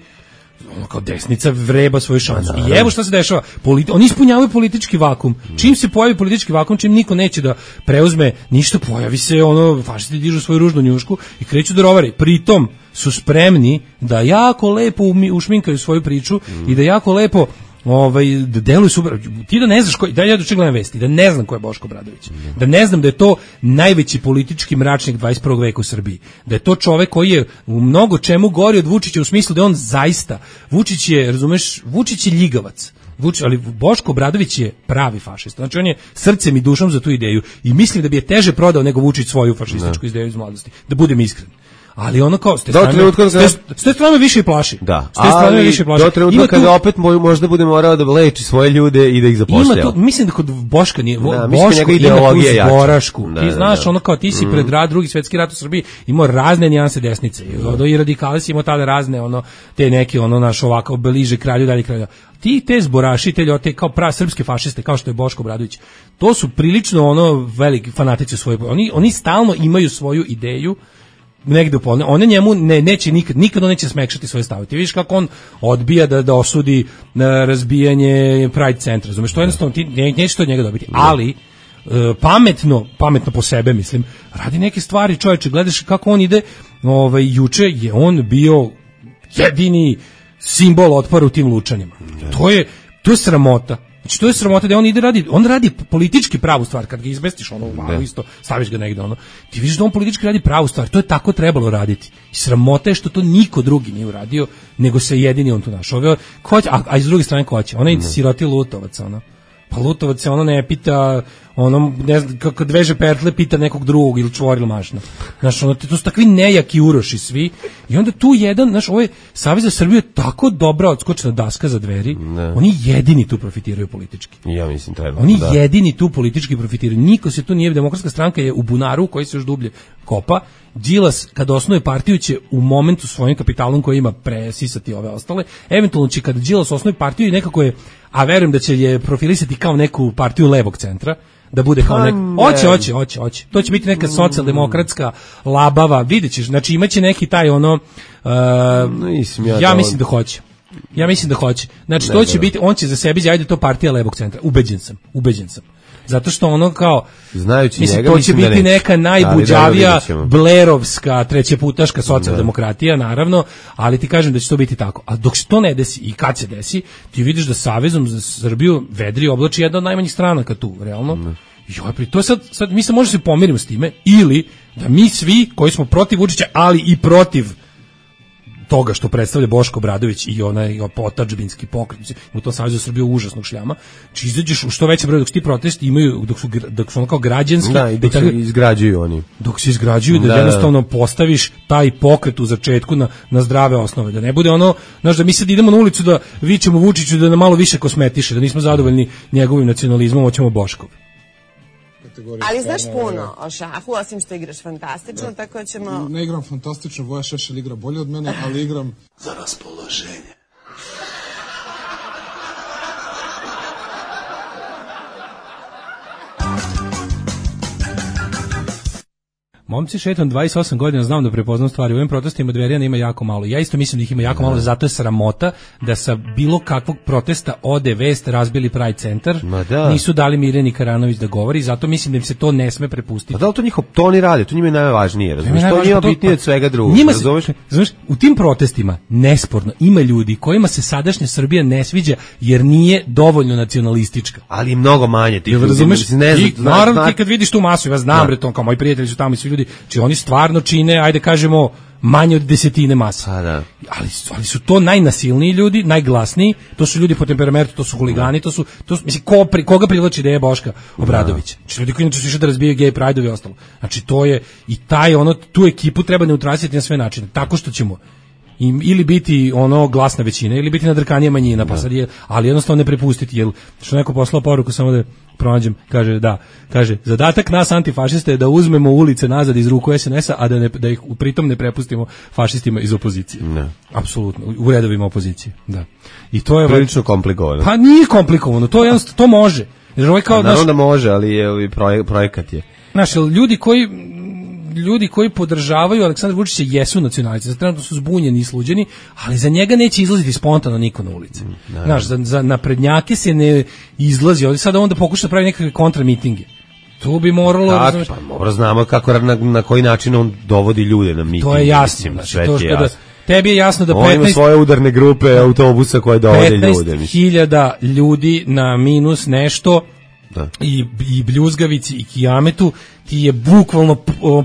ono kao desnica vreba svoju šansu. I evo šta se dešava. Politi- oni ispunjavaju politički vakum. Čim se pojavi politički vakum, čim niko neće da preuzme ništa, pojavi se ono, fašisti dižu svoju ružnu njušku i kreću da rovare. Pritom su spremni da jako lepo umi- ušminkaju svoju priču i da jako lepo ovaj da deluju super. Ti da ne znaš ko, da ja doček gledam vesti, da ne znam ko je Boško Obradović. Da ne znam da je to najveći politički mračnik dvadeset prvog veka u Srbiji. Da je to čovek koji je u mnogo čemu gori od Vučića u smislu da je on zaista Vučić je, razumeš, Vučić je ljigavac. Vučić, ali Boško Obradović je pravi fašista. Znači on je srcem i dušom za tu ideju i mislim da bi je teže prodao nego Vučić svoju fašističku ideju iz mladosti. Da budem iskren. Ali ono kao, s te Do strane, trenutka s te, kada- s te strane više i plaši. Da, S te strane ali više i plaši. do trenutka Ima tu- kada opet moj, možda bude morao da leči svoje ljude i da ih Ima zapošljava. tu, mislim da kod Boška nije, Da, mislim da Boško njegova ima tu ideologija je jača. zborašku. Da, Ti da, znaš, da. ono kao ti si pred rad, drugi svetski rat u Srbiji imao razne nijanse desnice. I, ono, i radikali si imao tada razne, ono, te neke, ono, naš ovako, bliže kralju, dalje kralju. Ti te zboraši, te ljote, kao pravi srpske fašiste, kao što je Boško Obradović, to su prilično, ono, veliki fanatici svoje. Oni, oni stalno imaju svoju ideju, negde upolne, one njemu ne, neće nikad, nikad on neće smekšati svoje stavove. Ti vidiš kako on odbija da, da osudi na razbijanje Pride centra. Razumeš, to jednostavno ti ne, neće to od njega dobiti. Ali, e, pametno, pametno po sebe, mislim, radi neke stvari, čovječe, gledaš kako on ide, ovaj, juče je on bio jedini simbol otpora u tim lučanima. To je, to je sramota. Znači to je sramota da on ide radi, on radi politički pravu stvar kad ga izmestiš ono u valu isto, staviš ga negde ono. Ti vidiš da on politički radi pravu stvar, to je tako trebalo raditi. I sramota je što to niko drugi nije uradio, nego se jedini on tu našao. Ovo, ko će, a, a iz druge strane ko će? Ona je siroti Lutovac, ono. Pa Lutovac se ono ne pita, ono, ne znam, kako dveže pertle pita nekog drugog ili čvoril mašna. Znaš, ono, to su takvi nejaki uroši svi. I onda tu jedan, znaš, ovaj Savez za Srbiju je tako dobra odskočna daska za dveri, Ne. oni jedini tu profitiraju politički. Ja mislim treba. Oni da. jedini tu politički profitiraju. Niko se tu nije, demokratska stranka je u bunaru koji se još dublje kopa. Đilas kad osnuje partiju će u momentu svojim kapitalom koji ima presisati ove ostale. Eventualno će kad Đilas osnuje partiju i nekako je, a verujem da će je profilisati kao neku partiju levog centra, da bude kao Pa nek... ne. Hoće, hoće, hoće, hoće. To će biti neka socijaldemokratska labava, vidjet ćeš. Znači imaće neki taj ono... Uh, Mislim ja ja da- mislim da hoće. Ja mislim da hoće. Znači Ne, to će da. biti, on će za sebe izjaviti da je to partija levog centra. Ubeđen sam, ubeđen sam. Zato što ono kao znajući mislim, njega, to će mislim biti da neka najbuđavija da blerovska trećeputaška socijaldemokratija, naravno, ali ti kažem da će to biti tako. A dok se to ne desi i kad se desi, ti vidiš da Savezom za Srbiju vedri oblači jedna od najmanjih stranaka tu, realno. Mm. Joj, pri to sad, sad mi se možemo se pomirimo s time, ili da mi svi koji smo protiv Vučića, ali i protiv toga što predstavlja Boško Obradović i onaj otadžbinski pokret u tom Savezu Srbije užasnog šljama, či izađeš u što veće broj, dok su ti protesti imaju, dok su, dok su ono kao građanski, da, i dok se izgrađuju oni. Dok se izgrađuju, da, da jednostavno postaviš taj pokret u začetku na, na zdrave osnove, da ne bude ono, znaš, da mi sad idemo na ulicu da vičemo Vučiću da nam malo više kosmetiše, da nismo zadovoljni njegovim nacionalizmom, hoćemo Boškov. Ali znaš puno o šahu, osim što igraš fantastično, da. Tako ćemo... Ne igram fantastično, Voja Šešelj igra bolje od mene, ali igram... za raspoloženje. Momci, šetam dvadeset osam godina, znam da prepoznam stvari. U ovim protestima Dverijana ima jako malo. Ja isto mislim da ih ima jako malo, zato je sramota da sa bilo kakvog protesta ode vest razbili Pride centar. Da. Nisu dali Mirjani Karanović da govori, zato mislim da im se to ne sme prepustiti. A da li to njihov, to oni rade, to njima je najvažnije, razumiješ? To njima bitnije od svega drugog. Njima se, razumiješ, u tim protestima, nesporno, ima ljudi kojima se sadašnja Srbija ne sviđa jer nije dovoljno nacionalistička. Ali mnogo manje tih ljudi. Razumiješ? Naravno, ti kad vidiš tu masu, ja znam, bre, to kao moji prijatelji su tamo i svi ljudi, či oni stvarno čine, ajde kažemo, manje od desetine masa. A, da. Ali, ali su to najnasilniji ljudi, najglasniji, to su ljudi po temperamentu, to su huligani, to su, to su mislim, ko, pri, koga privlači ideja Boška Obradovića? Znači, ljudi koji inače su išli da razbijaju gej pride-ovi i ostalo. Znači, to je, i taj, ono, tu ekipu treba neutralisati na sve načine, tako što ćemo im ili biti ono glasna većina ili biti nadrkanija manjina, pa sad je, ali jednostavno ne prepustiti, jer što neko poslao poruku, samo da pronađem, kaže da, kaže zadatak nas antifašista je da uzmemo ulice nazad iz ruku es en es a, a da, ne, da ih pritom ne prepustimo fašistima iz opozicije. Ne. Apsolutno, u redovima opozicije, da. I to je prilično komplikovano. Pa nije komplikovano, to je to može. Jer ovaj kao, naravno da može, ali je ovaj projekat je. Znaš, ljudi koji ljudi koji podržavaju Aleksandra Vučića jesu nacionalisti, trenutno su zbunjeni i sluđeni, ali za njega neće izlaziti spontano niko na ulici. Mm, znaš, za, za naprednjake se ne izlazi, ali sada onda pokuša da pravi nekakve kontramitinge. To bi moralo... Tak, pa mora znamo kako, na, na koji način on dovodi ljude na miting. To je jasno. Znači, to što da, tebi je jasno da petnaest... On ima svoje udarne grupe autobusa koje dovode ljude. petnaest hiljada ljudi na minus nešto... Da. I, i Bljuzgavici i Kijametu ti je bukvalno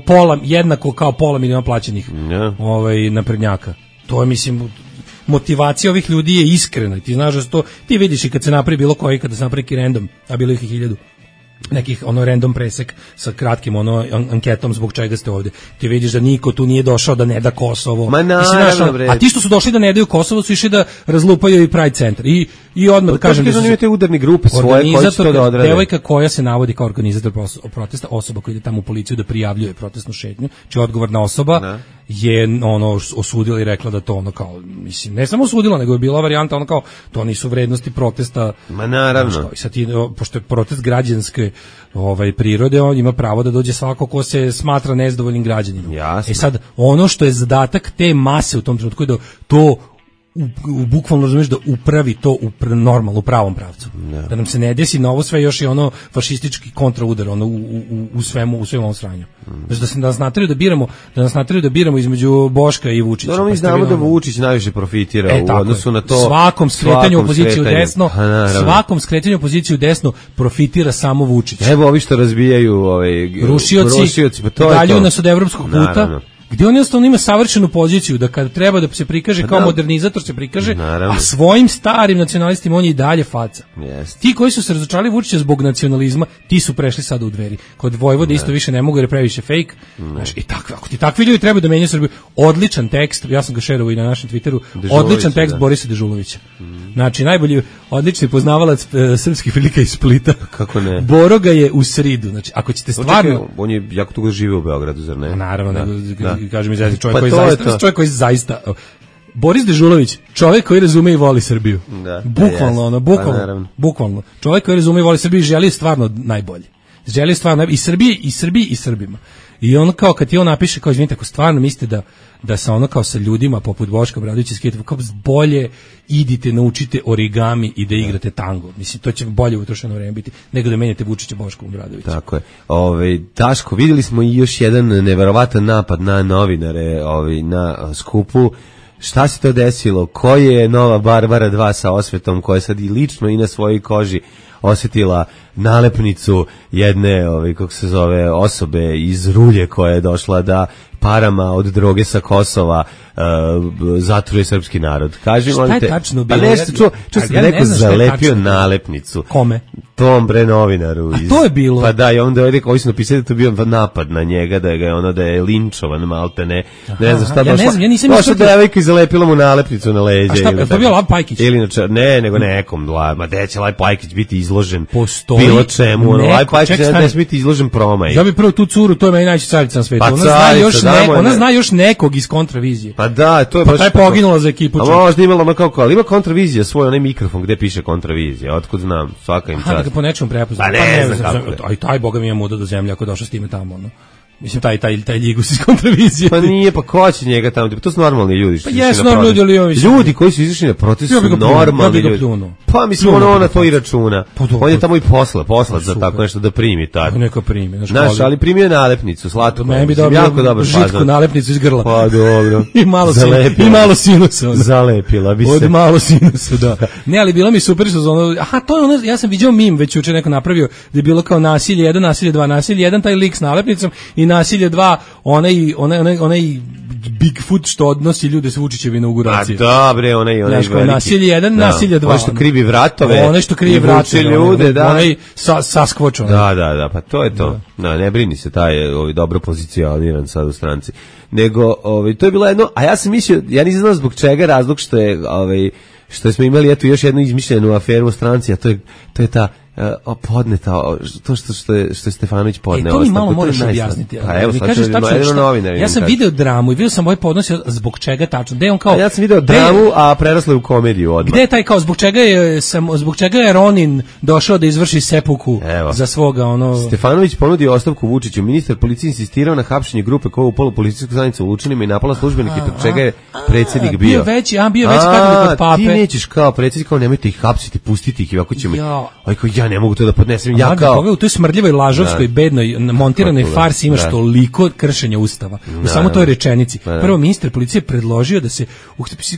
pola, jednako kao pola miliona plaćenih yeah. ovaj, naprednjaka. To je, mislim, motivacija ovih ljudi je iskrena. Ti znaš da to, ti vidiš i kad se napravi bilo koji, kada se napravi neki random, a bilo ih i hiljadu, nekih ono random presek sa kratkim ono anketom zbog čega ste ovdje. Ti vidiš da niko tu nije došao da ne da Kosovo. Ma naravno, bre. A ti što su došli da ne daju Kosovo su išli da razlupaju i Pride centar. I i odmah da kažem da su imate udarne grupe svoje koji će to da odrade. Devojka koja se navodi kao organizator protesta, osoba koja ide tamo u policiju da prijavljuje protestnu šetnju, či odgovorna osoba da. Je ono osudila i rekla da to ono kao, mislim, ne samo osudila, nego je bila varijanta ono kao, to nisu vrednosti protesta. Ma naravno. I sad ti, pošto je protest građanske ovaj, prirode, on ima pravo da dođe svako ko se smatra nezadovoljnim građaninom. Jasno. E sad, ono što je zadatak te mase u tom trenutku je da to U, u bukvalno razumiješ da upravi to u pr, normalno, u pravom pravcu. Yeah. Da nam se ne desi na ovo sve još i ono fašistički kontraudar ono, u, u, u svemu, u svemu ovom sranju. Mm. Znači da se da nas nateraju da biramo, da nas nateraju da biramo između Boška i Vučića. Dobro, mi pa znamo da Vučić najviše profitira e, u odnosu na to. Svakom skretanju opoziciju desno, svakom skretanju opoziciju desno profitira samo Vučić. Evo ovi što razbijaju ovaj rušioci, rušioci pa to dalju nas od evropskog puta. Naravno. Gdje on jednostavno ima savršenu poziciju da kad treba da se prikaže kao modernizator se prikaže, naravno. A svojim starim nacionalistima on je i dalje faca. Yes. Ti koji su se razočarali Vučića zbog nacionalizma, ti su prešli sada u Dveri. Kod Vojvode isto više ne mogu jer je previše fake. Znaš, i takvi, ako ti takvi ljudi trebaju da menjaju Srbiju, odličan tekst, ja sam ga šerovao i na našem Twitteru, odličan tekst da. Borisa Dežulovića. Mm. Znači, najbolji, odlični poznavalac e, srpskih prilika iz Splita. Kako ne? Boro ga je u sridu. Znači, ako ćete stvarno... Očekaj, on je jako dugo živio u Beogradu, zar ne? Naravno, da. nego, da. Kažem izrazi, čovjek, pa koji zaista, čovjek koji zaista... Boris Dežulović, čovjek koji razume i voli Srbiju. Da, bukvalno, ono, bukvalno, pa, bukvalno. Čovjek koji razume i voli Srbiju i želi stvarno najbolje. Želi stvarno i Srbije, i Srbiji, i Srbima. I on kao kad ti on napiše kao izvinite, ako stvarno mislite da da sa ono kao sa ljudima poput Boška Obradovića skidate, kao bolje idite naučite origami i da igrate tango. Mislim to će bolje utrošeno vreme biti nego da menjate Vučića Boškom Obradovića. Tako je. Ovaj Daško, videli smo i još jedan neverovatan napad na novinare, ovaj na skupu. Šta se to desilo? Ko je nova Barbara dva sa osvetom koja sad i lično i na svojoj koži osjetila nalepnicu jedne, ovaj, kako se zove, osobe iz Rulje koja je došla da parama od droge sa Kosova uh, zatruje srpski narod. Kaži, šta je te, tačno bilo? Pa nešto, čuo, čuo sam ja neko zalepio nalepnicu. Kome? Tom bre novinaru. A iz, to je bilo? Pa da, i onda je rekao, ovi su napisali da to bio napad na njega, da je, ga, ono, da je linčovan malte, ne, aha, ne znam šta ja došla. Ne znam, ja nisam došla devojka i zalepila mu nalepnicu na leđe. A šta, je to bio Lav Pajkić? Ili na čar, ne, nego nekom, ma gde će Lav Pajkić biti izložen Postoji bilo čemu, ono, Lav Pajkić ne smije biti izložen promaj. Ja bi prvo tu curu, to je meni najveća carica na svetu. Pa ona zna još ne, ona zna još nekog iz kontravizije. Pa da, to je pa baš. Pa taj poginula za ekipu. A možda imala ono kako, ali ima kontravizija svoj onaj mikrofon gde piše kontravizija. Otkud znam, svaka im čast. A da po nečemu prepoznam. Pa ne, pa ne znam kako. Aj taj boga mi je muda do zemlje ako došao s time tamo, ono. Mislim taj taj taj Ljigus iz kontravizije. Pa nije, pa ko će njega tamo? To su normalni ljudi. Pa jesu normalni ljudi, ali ovi ljudi koji su izašli na protest su normalni ljudi. Pa mislim ono ona to i računa. On je tamo i posla, poslac za tako nešto da primi tako. Neka primi, znaš, ali primio nalepnicu, slatko. Ne bi dobio jako dobar žitku nalepnicu iz grla. Pa dobro. I malo i malo sinusa. Zalepila bi se. Od malo sinusa, da. Ne, ali bilo mi super što ono, aha, to je ono, ja sam viđao mim već juče neko napravio da je bilo kao nasilje jedan, nasilje dva, nasilje jedan, taj lik s nalepnicom i nasilje dva, onaj, onaj, onaj, onaj Bigfoot što odnosi ljude s Vučićeve inauguracije. A dobre, onaj, onaj veliki. Nasilje jedan, da, nasilje dva. Onaj što krivi vratove. Onaj što krivi vratove. Ljude, da. Onaj sa, Sasquatch. Onaj. Da, da, da, pa to je to. Da. No, ne brini se, taj je ovaj, dobro pozicioniran sad u stranci. Nego, ovaj, to je bilo jedno, a ja sam mislio, ja nisam znao zbog čega razlog što je, ovaj, što smo imali eto još jednu izmišljenu aferu u stranci, a to je, to je ta uh, podneta, to što, što, je, što je Stefanović podneo. E, to mi malo moraš objasniti. Pa evo, mi sad kažeš tačno što, novinar, ja sam video dramu i video sam ovaj podnos zbog čega tačno. Gde on kao, a ja sam video dramu, a preraslo je u komediju odmah. Gde je taj kao, zbog čega je, sam, zbog čega je Ronin došao da izvrši sepuku evo. Za svoga ono... Stefanović ponudio ostavku Vučiću. Ministar policije insistirao na hapšenje grupe koja je upala u policijsku stanicu u Lučanima i napala službenike, zbog čega je predsjednik bio. Bio veći, a bio veći katolik od pape. Ti nećeš kao predsjednik, kao nemojte ih hapsiti, pustiti ih i ovako ćemo. Aj kao ja ne mogu to da podnesem. Ja kao u toj smrdljivoj lažovskoj bednoj montiranoj farsi imaš toliko kršenja ustava. U samo toj rečenici. Prvo ministar policije predložio da se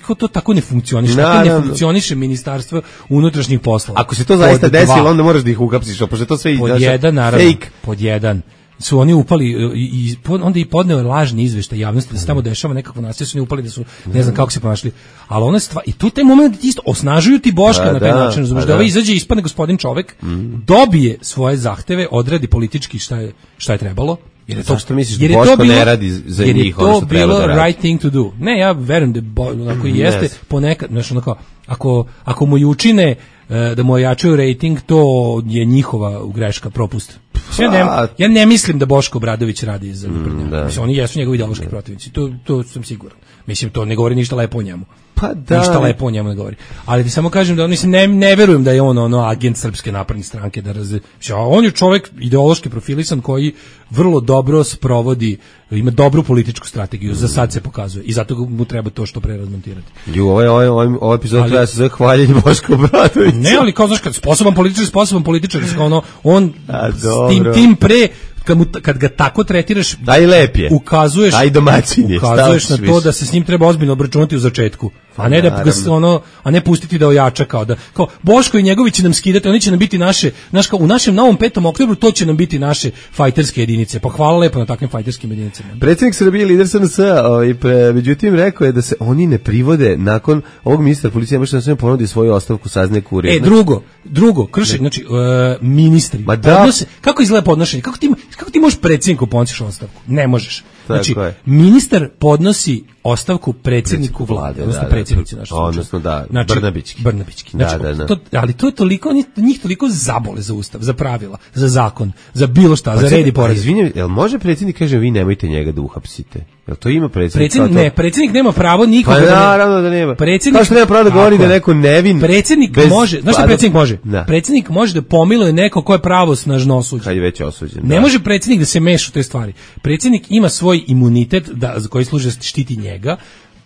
kako to tako ne funkcioniše, tako ne funkcioniše ministarstvo unutrašnjih poslova. Ako se to zaista desilo, onda moraš da ih uhapsiš, pošto to sve pod jedan naravno, pod jedan su oni upali i, i onda i podneo lažni izveštaj javnosti da se tamo dešava nekakvo nasilje, su oni upali da su ne znam kako se ponašali, ali ona stvar i tu taj moment isto osnažuju ti Boška da, na taj da, način, razumiješ, da ovaj izađe, ispadne gospodin čovek, mm. dobije svoje zahteve, odradi politički šta je šta je trebalo. Jer je to što misliš da Boško ne radi za jer njih ono što treba da radi. Jer je to bilo right thing to do. Ne, ja verujem da bo, ako i jeste yes. ponekad, znači onako, ako, ako mu i učine da mu ojačaju rating, to je njihova greška, propust. Ja ne, ja ne mislim da Boško Obradović radi za mm, da. Mislim, oni jesu njegovi ideološki da. protivnici, to, to sam siguran. Mislim, to ne govori ništa lepo o njemu. Pa da. Ništa lepo o njemu ne govori. Ali ti samo kažem da on, mislim, ne, ne verujem da je on ono agent Srpske napredne stranke, da raz... on je čovjek ideološki profilisan koji vrlo dobro sprovodi, ima dobru političku strategiju, za sad se pokazuje i zato mu treba to što pre razmontirati. Ju, ovaj, ovaj, ovaj, ovaj epizod treba se zove hvaljenje Boško Obradovića. Ne, ali kao znaš, kad sposoban političar, sposoban političar, ono, on a, s tim, tim pre, kad, mu, kad ga tako tretiraš, daj lepje, ukazuješ, daj domaćinje, ukazuješ na to više. Da se s njim treba ozbiljno obračunati u začetku. A ne da ga ono, a ne pustiti da ojača kao da kao Boško i njegovi će nam skidati, oni će nam biti naše, naš kao u našem novom petom oktobru to će nam biti naše fajterske jedinice. Pa hvala lepo na takvim fajterskim jedinicama. Predsjednik Srbije, lider S N S, ovaj međutim rekao je da se oni ne privode nakon ovog ministra policije, može da se ponudi svoju ostavku, saznaje Kurir. E, drugo, drugo, krši, znači uh, ministri. Ma da. Odnose, kako izgleda podnošenje? Kako ti kako ti možeš predsjedniku podnosiš ostavku? Ne možeš. Znači, ministar podnosi ostavku predsjedniku vlade, odnosno da, predsjednici naše slučaje. Odnosno da, znači, Brnabićki. Brnabićki. Znači, da, da, da. To, ali to je toliko, njih toliko zabole za ustav, za pravila, za zakon, za bilo šta, pa za red i pored. Izvinjam, jel može predsjednik kaže vi nemojte njega da uhapsite? Jel to ima predsjednik? Predsjednik ne, predsjednik nema pravo nikoga. Pa da ne- naravno da nema. Predsjednik Kao što nema pravo da govori Tako da je. neko nevin. Predsjednik bez- može, znaš šta pa da- predsjednik može? Da. Predsjednik može da pomiluje neko ko je pravosnažno osuđen. Kad je već osuđen. Ne da. može predsjednik da se meša u te stvari. Predsjednik ima svoj imunitet da za koji služi da štiti njega.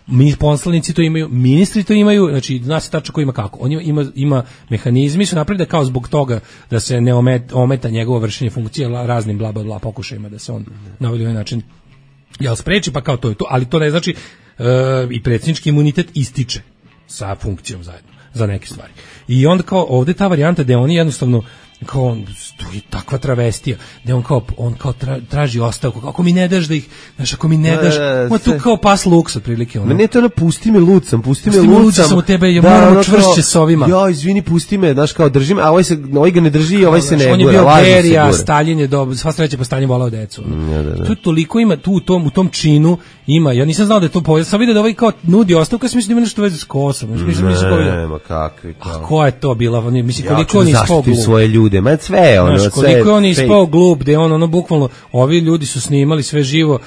Mi poslanici to imaju, ministri to imaju, znači zna se tačno ko ima kako. On ima, ima, ima mehanizmi, su napravili da kao zbog toga da se ne ometa, ometa njegovo vršenje funkcije la- raznim bla bla bla pokušajima da se on na ovaj način jel spreči, pa kao to je to, ali to ne znači e, i predsjednički imunitet ističe sa funkcijom zajedno za neke stvari. I onda kao ovde ta varijanta da oni jednostavno kao on, tu je takva travestija, da on kao, on kao tra, traži ostavku, kao, ako mi ne daš da ih, znaš, ako mi ne daš, Da, on tu sve. kao pas luks otprilike. Ono. Ma ne to ono, pusti me lucam, pusti me Pusti me lucam. lucam, samo tebe, ja moram ono čvršće kao, s ovima. Ja, izvini, pusti me, znaš, kao držim, a ovaj, se, ovaj ga ne drži, ovaj se ne on je gura, bio lažno se Berija, gura. Stalin je do, sva sreća pa Stalin volao decu. Da, da, da. Tu toliko ima, tu u tom, u tom činu ima, ja nisam znao da je to povezano, sam vidio da ovaj kao nudi ostavku, ja sam mislio da ima nešto veze s Kosovom. Mislim, mislim, mislim, kao, Ne, ma kakvi to. a ko je to bila, on je- mislim, Ja koliko ću on da je ispao zaštitim glup. svoje ljude, ma sve, ono, Znaš, sve. koliko je on fake. ispao glup, da je on ono bukvalno, ovi ljudi su snimali sve živo,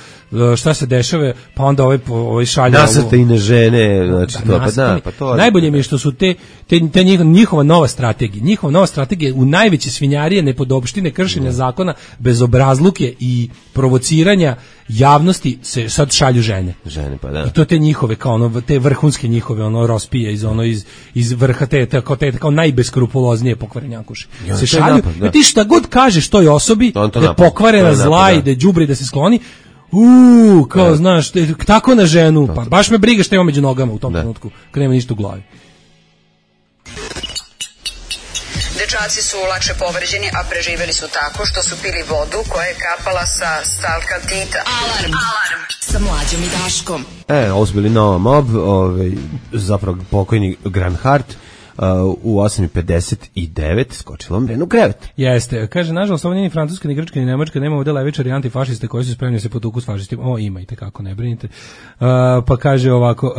e, šta se dešava, pa onda ovaj, po- ovaj šalje. Nasrte i na žene, znači to, pa da, nasrtani. pa to. Najbolje mi je što su te, te, te njih- njihova nova strategija, njihova nova strategija u najveće svinjarije, nepodopštine, kršenja zakona, bezobrazluke i provociranja javnosti se sad šalju žene. Žene, pa da. I to te njihove kao ono te vrhunske njihove ono rospije iz ono iz iz vrha te te kao te kao najbeskrupuloznije pokvarenjakuši. Ja, Se to je šalju, napad, da. ti šta god kažeš toj osobi On to da je napad, to pokvarena, je zla napad, i da. da je đubri da se skloni. U, kao Da. znaš, te- tako na ženu, pa baš me briga šta ima među nogama u tom Da. trenutku, kad nema ništa u glavi. Dečaci su lakše povređeni, a preživeli su tako što su pili vodu koja je kapala sa stalkatita. Alarm. Alarm. Sa Mlađom i Daškom. E, ovo su bili Nova Mob, ovaj, zapravo pokojni Grand Hart, uh, u osam i pedeset devet skočilo Mrenu u krevet. Jeste, kaže, nažalost, ovo nije ni Francuska, ni Grčka, ni Nemačka, nema ovde levičari i antifašiste koji su spremni da se potuku s fašistima. O, ima i tekako, ne brinite. Uh, pa kaže ovako, uh,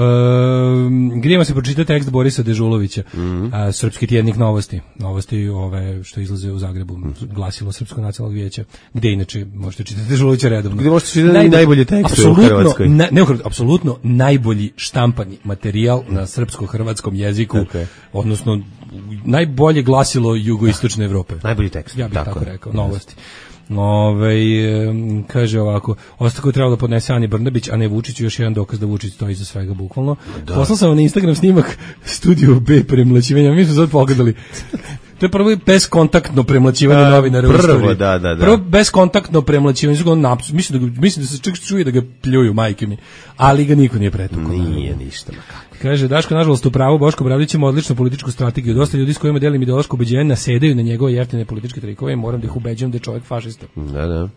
grijemo se pročitati tekst Borisa Dežulovića, Mhm. uh, Srpski tjednik novosti, novosti ove što izlaze u Zagrebu, glasilo Srpskog nacionalnog vijeća, gde inače možete čitati Dežulovića redovno. Gde možete čitati i najbolje tekste u Apsolutno, Hrvatskoj. na, ne, u Hrvatskoj, apsolutno najbolji štampani materijal na srpsko-hrvatskom jeziku, Tako je. odnosno najbolje glasilo jugoistočne Evrope. Najbolji tekst. Ja bih tako, tako je. rekao, novosti. Ove, kaže ovako, ostavku je trebalo da podnese Ani Brnabić, a ne Vučiću, još jedan dokaz da Vučić stoji iza svega, bukvalno. Poslao sam vam na Instagram snimak Studio B premlaćivanja, mi smo sad pogledali. To je prvo beskontaktno premlaćivanje A, novinara u prvo, istoriji. da, da, da. Prvo beskontaktno premlaćivanje, su ga on naps- mislim, da, ga- mislim da se čak čuje da ga pljuju, majke mi, ali ga niko nije pretukao. Nije ništa, ma kako. Kaže, Daško, nažalost, u pravu, Boško Obradović ima odličnu političku strategiju. Dosta ljudi s kojima delim ideološko ubeđenje nasedaju na njegove jeftine političke trikove i moram da ih ubeđujem da je čovjek fašista. Da, da.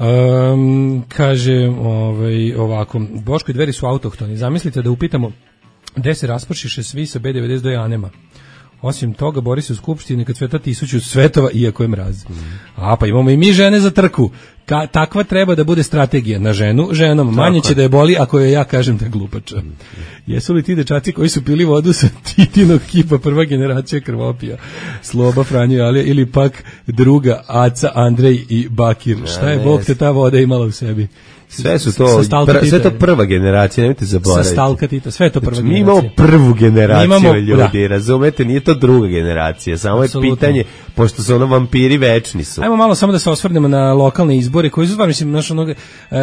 Um, kaže ovaj, ovako, Boško i Dveri su autohtoni. Zamislite da upitamo gde se raspršiše svi sa B devedeset dva Anema. Osim toga, bori se u skupštini kad sveta tisuću svetova, iako je mraz. A, pa imamo i mi žene za trku. Ka, takva treba da bude strategija na ženu, ženom. Manje će da je boli ako joj ja kažem da je glupača. Jesu li ti dečaci koji su pili vodu sa Titinog kipa prva generacija krvopija? Sloba, Franjo i Alija ili pak druga Aca, Andrej i Bakir. Šta je ne, Bog te ta voda imala u sebi? Sve su to, Sa Stalka pr, sve Tita. to prva generacija, nemojte Sa zaboraviti. Stalka Tita, sve je to prva Znači, mi generacija. imamo prvu generaciju Mi imamo- ljudi, da. razumete, nije to druga generacija, samo je Apsolutno. pitanje, pošto su ono vampiri večni su. Ajmo malo samo da se osvrnemo na lokalne izbore koji su stvarno, mislim, naš onog, e,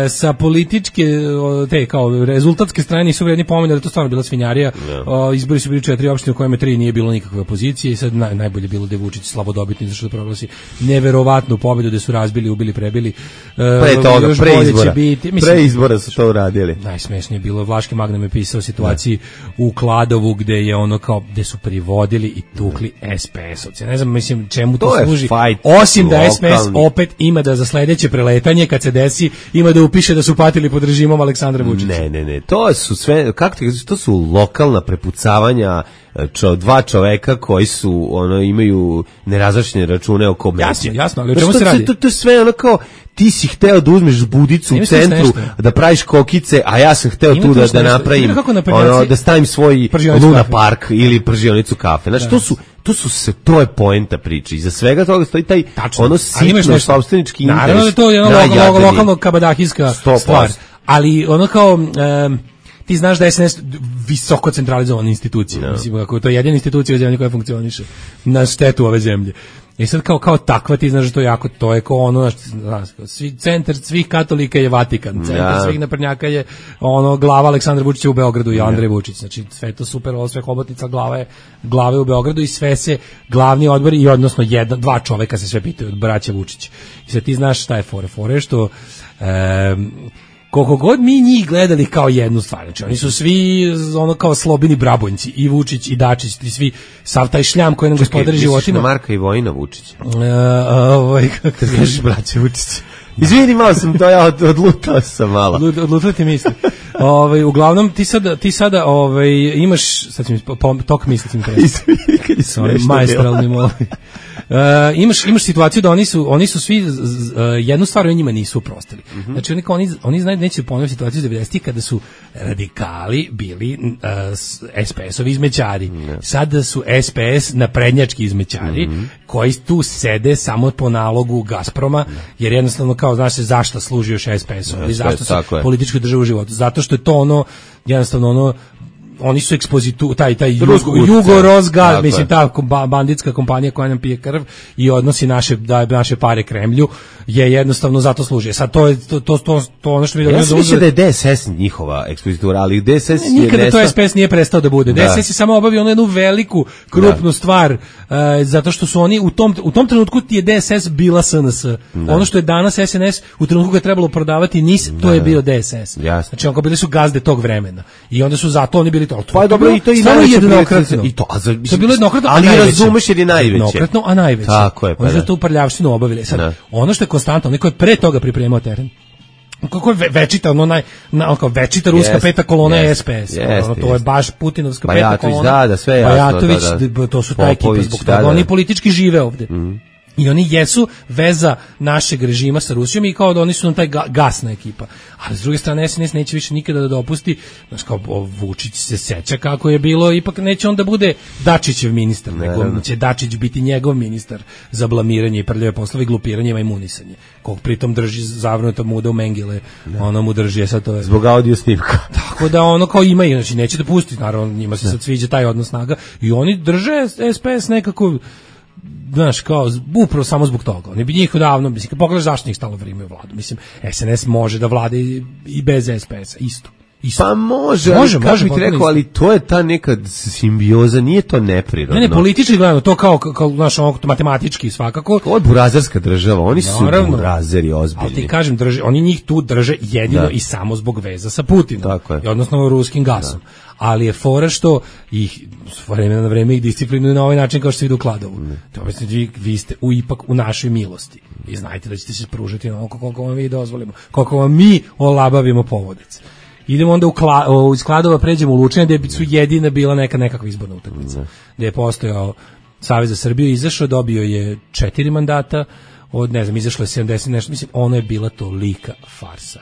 sa političke, o, te kao rezultatske strane nisu vredni pomena, da to stvarno bila svinjarija. O, izbori su bili četiri opštine u kojima tri nije bilo nikakve opozicije i sad naj, najbolje bilo da je Vučić slabodobitni zašto da proglasi neverovatnu pobedu da su razbili, ubili, prebili. E, Pre toga, još pre bolje će izbora, biti. Mislim, pre izbora su to uradili. najsmešnije je bilo, Vlaški Magnum je pisao o situaciji u Kladovu gde je ono kao, gde su privodili i tukli es pe es-ovce. Ne znam, mislim, čemu to, To je služi. fight Osim da es pe es lokalni. opet ima da za sledeće preletanje, kad se desi, ima da upiše da su patili pod režimom Aleksandra Vučića. Ne, ne, ne, to su sve, kako ti kažeš, to su lokalna prepucavanja čo, dva čoveka koji su, ono, imaju nerazvršene račune oko medija. Jasno, jasno, ali o Znaš, čemu to, se radi? To, to je sve ono kao, ti si hteo da uzmeš budicu Ima u tu još centru, nešto. da praviš kokice, a ja sam hteo Ima tu tu da, još da nešto. napravim, Vidim kako naprednjaci- ono, da stavim svoj Pržionicu Luna kafe. Park ili pržionicu kafe. Znači, to su, to su se, to je poenta priče. Iza svega toga stoji taj, Tačno. ono, Ali imaš sitno nešto. sopstvenički interes. Naravno da je to jedna lo- lo- najjadniji. lokalno kabadahijska sto posto. stvar. ali ono kao um, ti znaš da je S N S visoko centralizovana institucija. No. Mislim, ako to je jedina institucija u zemlji koja funkcioniše na štetu ove zemlje. I sad kao, kao takva ti znaš da to je jako, to je kao ono, znaš, svi, centar svih katolika je Vatikan, centar ja. svih naprednjaka je ono, glava Aleksandra Vučića u Beogradu i Andrej Vučić, znači sve to super, ovo sve hobotnica glave, glave u Beogradu i sve se glavni odbori i odnosno jedna, dva čoveka se sve pitaju od braća Vučić. I sad ti znaš šta je fore, fore što um, koliko god mi njih gledali kao jednu stvar, znači oni su svi ono kao slobini brabonjci, i Vučić i Dačić, i svi, sav taj šljam koji nam gospodari životima. Čekaj, Marka i Vojina Vučić. Uh, ovaj, kako ti kažeš, braće Vučić. Izvini, malo sam to, ja od, odlutao sam malo. Od, odlutao ti misli. Ovaj, uglavnom, ti sada, ti sada ovaj, imaš, sad ću mi, po, tok misli ti mi treba. Izvini, kad je smešno. Majstralni moli. Uh, imaš imaš situaciju da oni su oni su svi z, z, uh, jednu stvar o njima nisu oprostili. Mm-hmm. Znači oni oni oni znaju neće ponoviti situaciju devedesetih kada su radikali bili uh, S P S-ovi izmećari. Mm-hmm. Sada su S P S naprednjački izmećari mm-hmm. koji tu sede samo po nalogu Gazproma, jer jednostavno kao znaš se zašto služi još S P S-om i zašto se političku državu u životu. Zato što je to ono jednostavno ono oni su ekspozitu, taj, taj Jugo-Rosgaz, mislim, ta banditska kompanija koja nam pije krv i odnosi naše, da, naše pare Kremlju, je jednostavno zato služi. Sad, to je to, to, to, to ono što mi... Ja sam mislio da je D S S njihova ekspozitura, ali D S S je... Nikada nesta... to S P S nije prestao da bude. Da. D S S je samo obavio jednu veliku, krupnu da. stvar, uh, zato što su oni, u tom, u tom trenutku ti je D S S bila S N S. Da. Ono što je danas S N S, u trenutku ga je trebalo prodavati N I S, to da. je bio D S S. Jasne. Znači, onko bili su gazde tog vremena. I onda su zato oni bili to. Pa je dobro, i to i najveće jednokratno. I to, a za, to je bilo jednokratno, ali razumeš jer je najveće. Jednokratno, a najveće. Tako je, pa oni su tu prljavštinu obavili. Sad, ne. ono što je konstantno, neko je pre toga pripremao teren. Kako je večita, ono naj, na, kao večita ruska yes, peta kolona yes, je S P S. Yes, ono, to yes. je baš Putinovska Bajatović, peta kolona. Da, da, sve jasno. Bajatović, da, da. to su ta ekipa zbog toga. Da, da. Oni politički žive ovde. Mm. I oni jesu veza našeg režima sa Rusijom i kao da oni su nam taj ga, gasna ekipa. Ali s druge strane S N S neće više nikada da dopusti, znači kao Vučić se seća kako je bilo, ipak neće on da bude Dačićev ministar, ne, nego ne. će Dačić biti njegov ministar za blamiranje i prljave poslove, glupiranje i imunisanje. Kog pritom drži zavrnuto muda u Mengele, ne. ono mu drži, sad to je... Zbog audio snimka. Tako da ono kao ima, znači neće da pusti, naravno njima se ne. sad sviđa taj odnos snaga i oni drže S P S nekako... znaš, kao, upravo samo zbog toga. Oni bi njih davno, mislim, kad pogledaš zašto njih stalo vrijeme u vladu. Mislim, S N S može da vlade i, i bez S P S-a, isto. Isto. Pa može, može, ali, može, bi ti rekao, ali to je ta neka simbioza, nije to neprirodno. Ne, ne, politički gledano, to kao, kao znaš, ono, matematički svakako. Ovo je burazerska država, oni su naravno, burazeri ozbiljni. Ali ti kažem, drže, oni njih tu drže jedino da. i samo zbog veza sa Putinom. Tako je. I odnosno ruskim gasom. Da. Ali je fora što ih s vremena na vreme ih disciplinuju na ovaj način kao što se vidi u Kladovu. Mm. To mislim, vi, vi ste u, ipak u našoj milosti. I znajte da ćete se pružiti onoliko koliko vam mi dozvolimo. Koliko vam mi olabavimo povodec. Idemo onda u, Kla, u iz Kladova, pređemo u Lučane, gde su jedina bila neka nekakva izborna utakmica. Mm. Gde je postojao Savez za Srbiju, izašao, dobio je četiri mandata, od, ne znam, izašlo je sedamdeset nešto, mislim, ono je bila tolika farsa.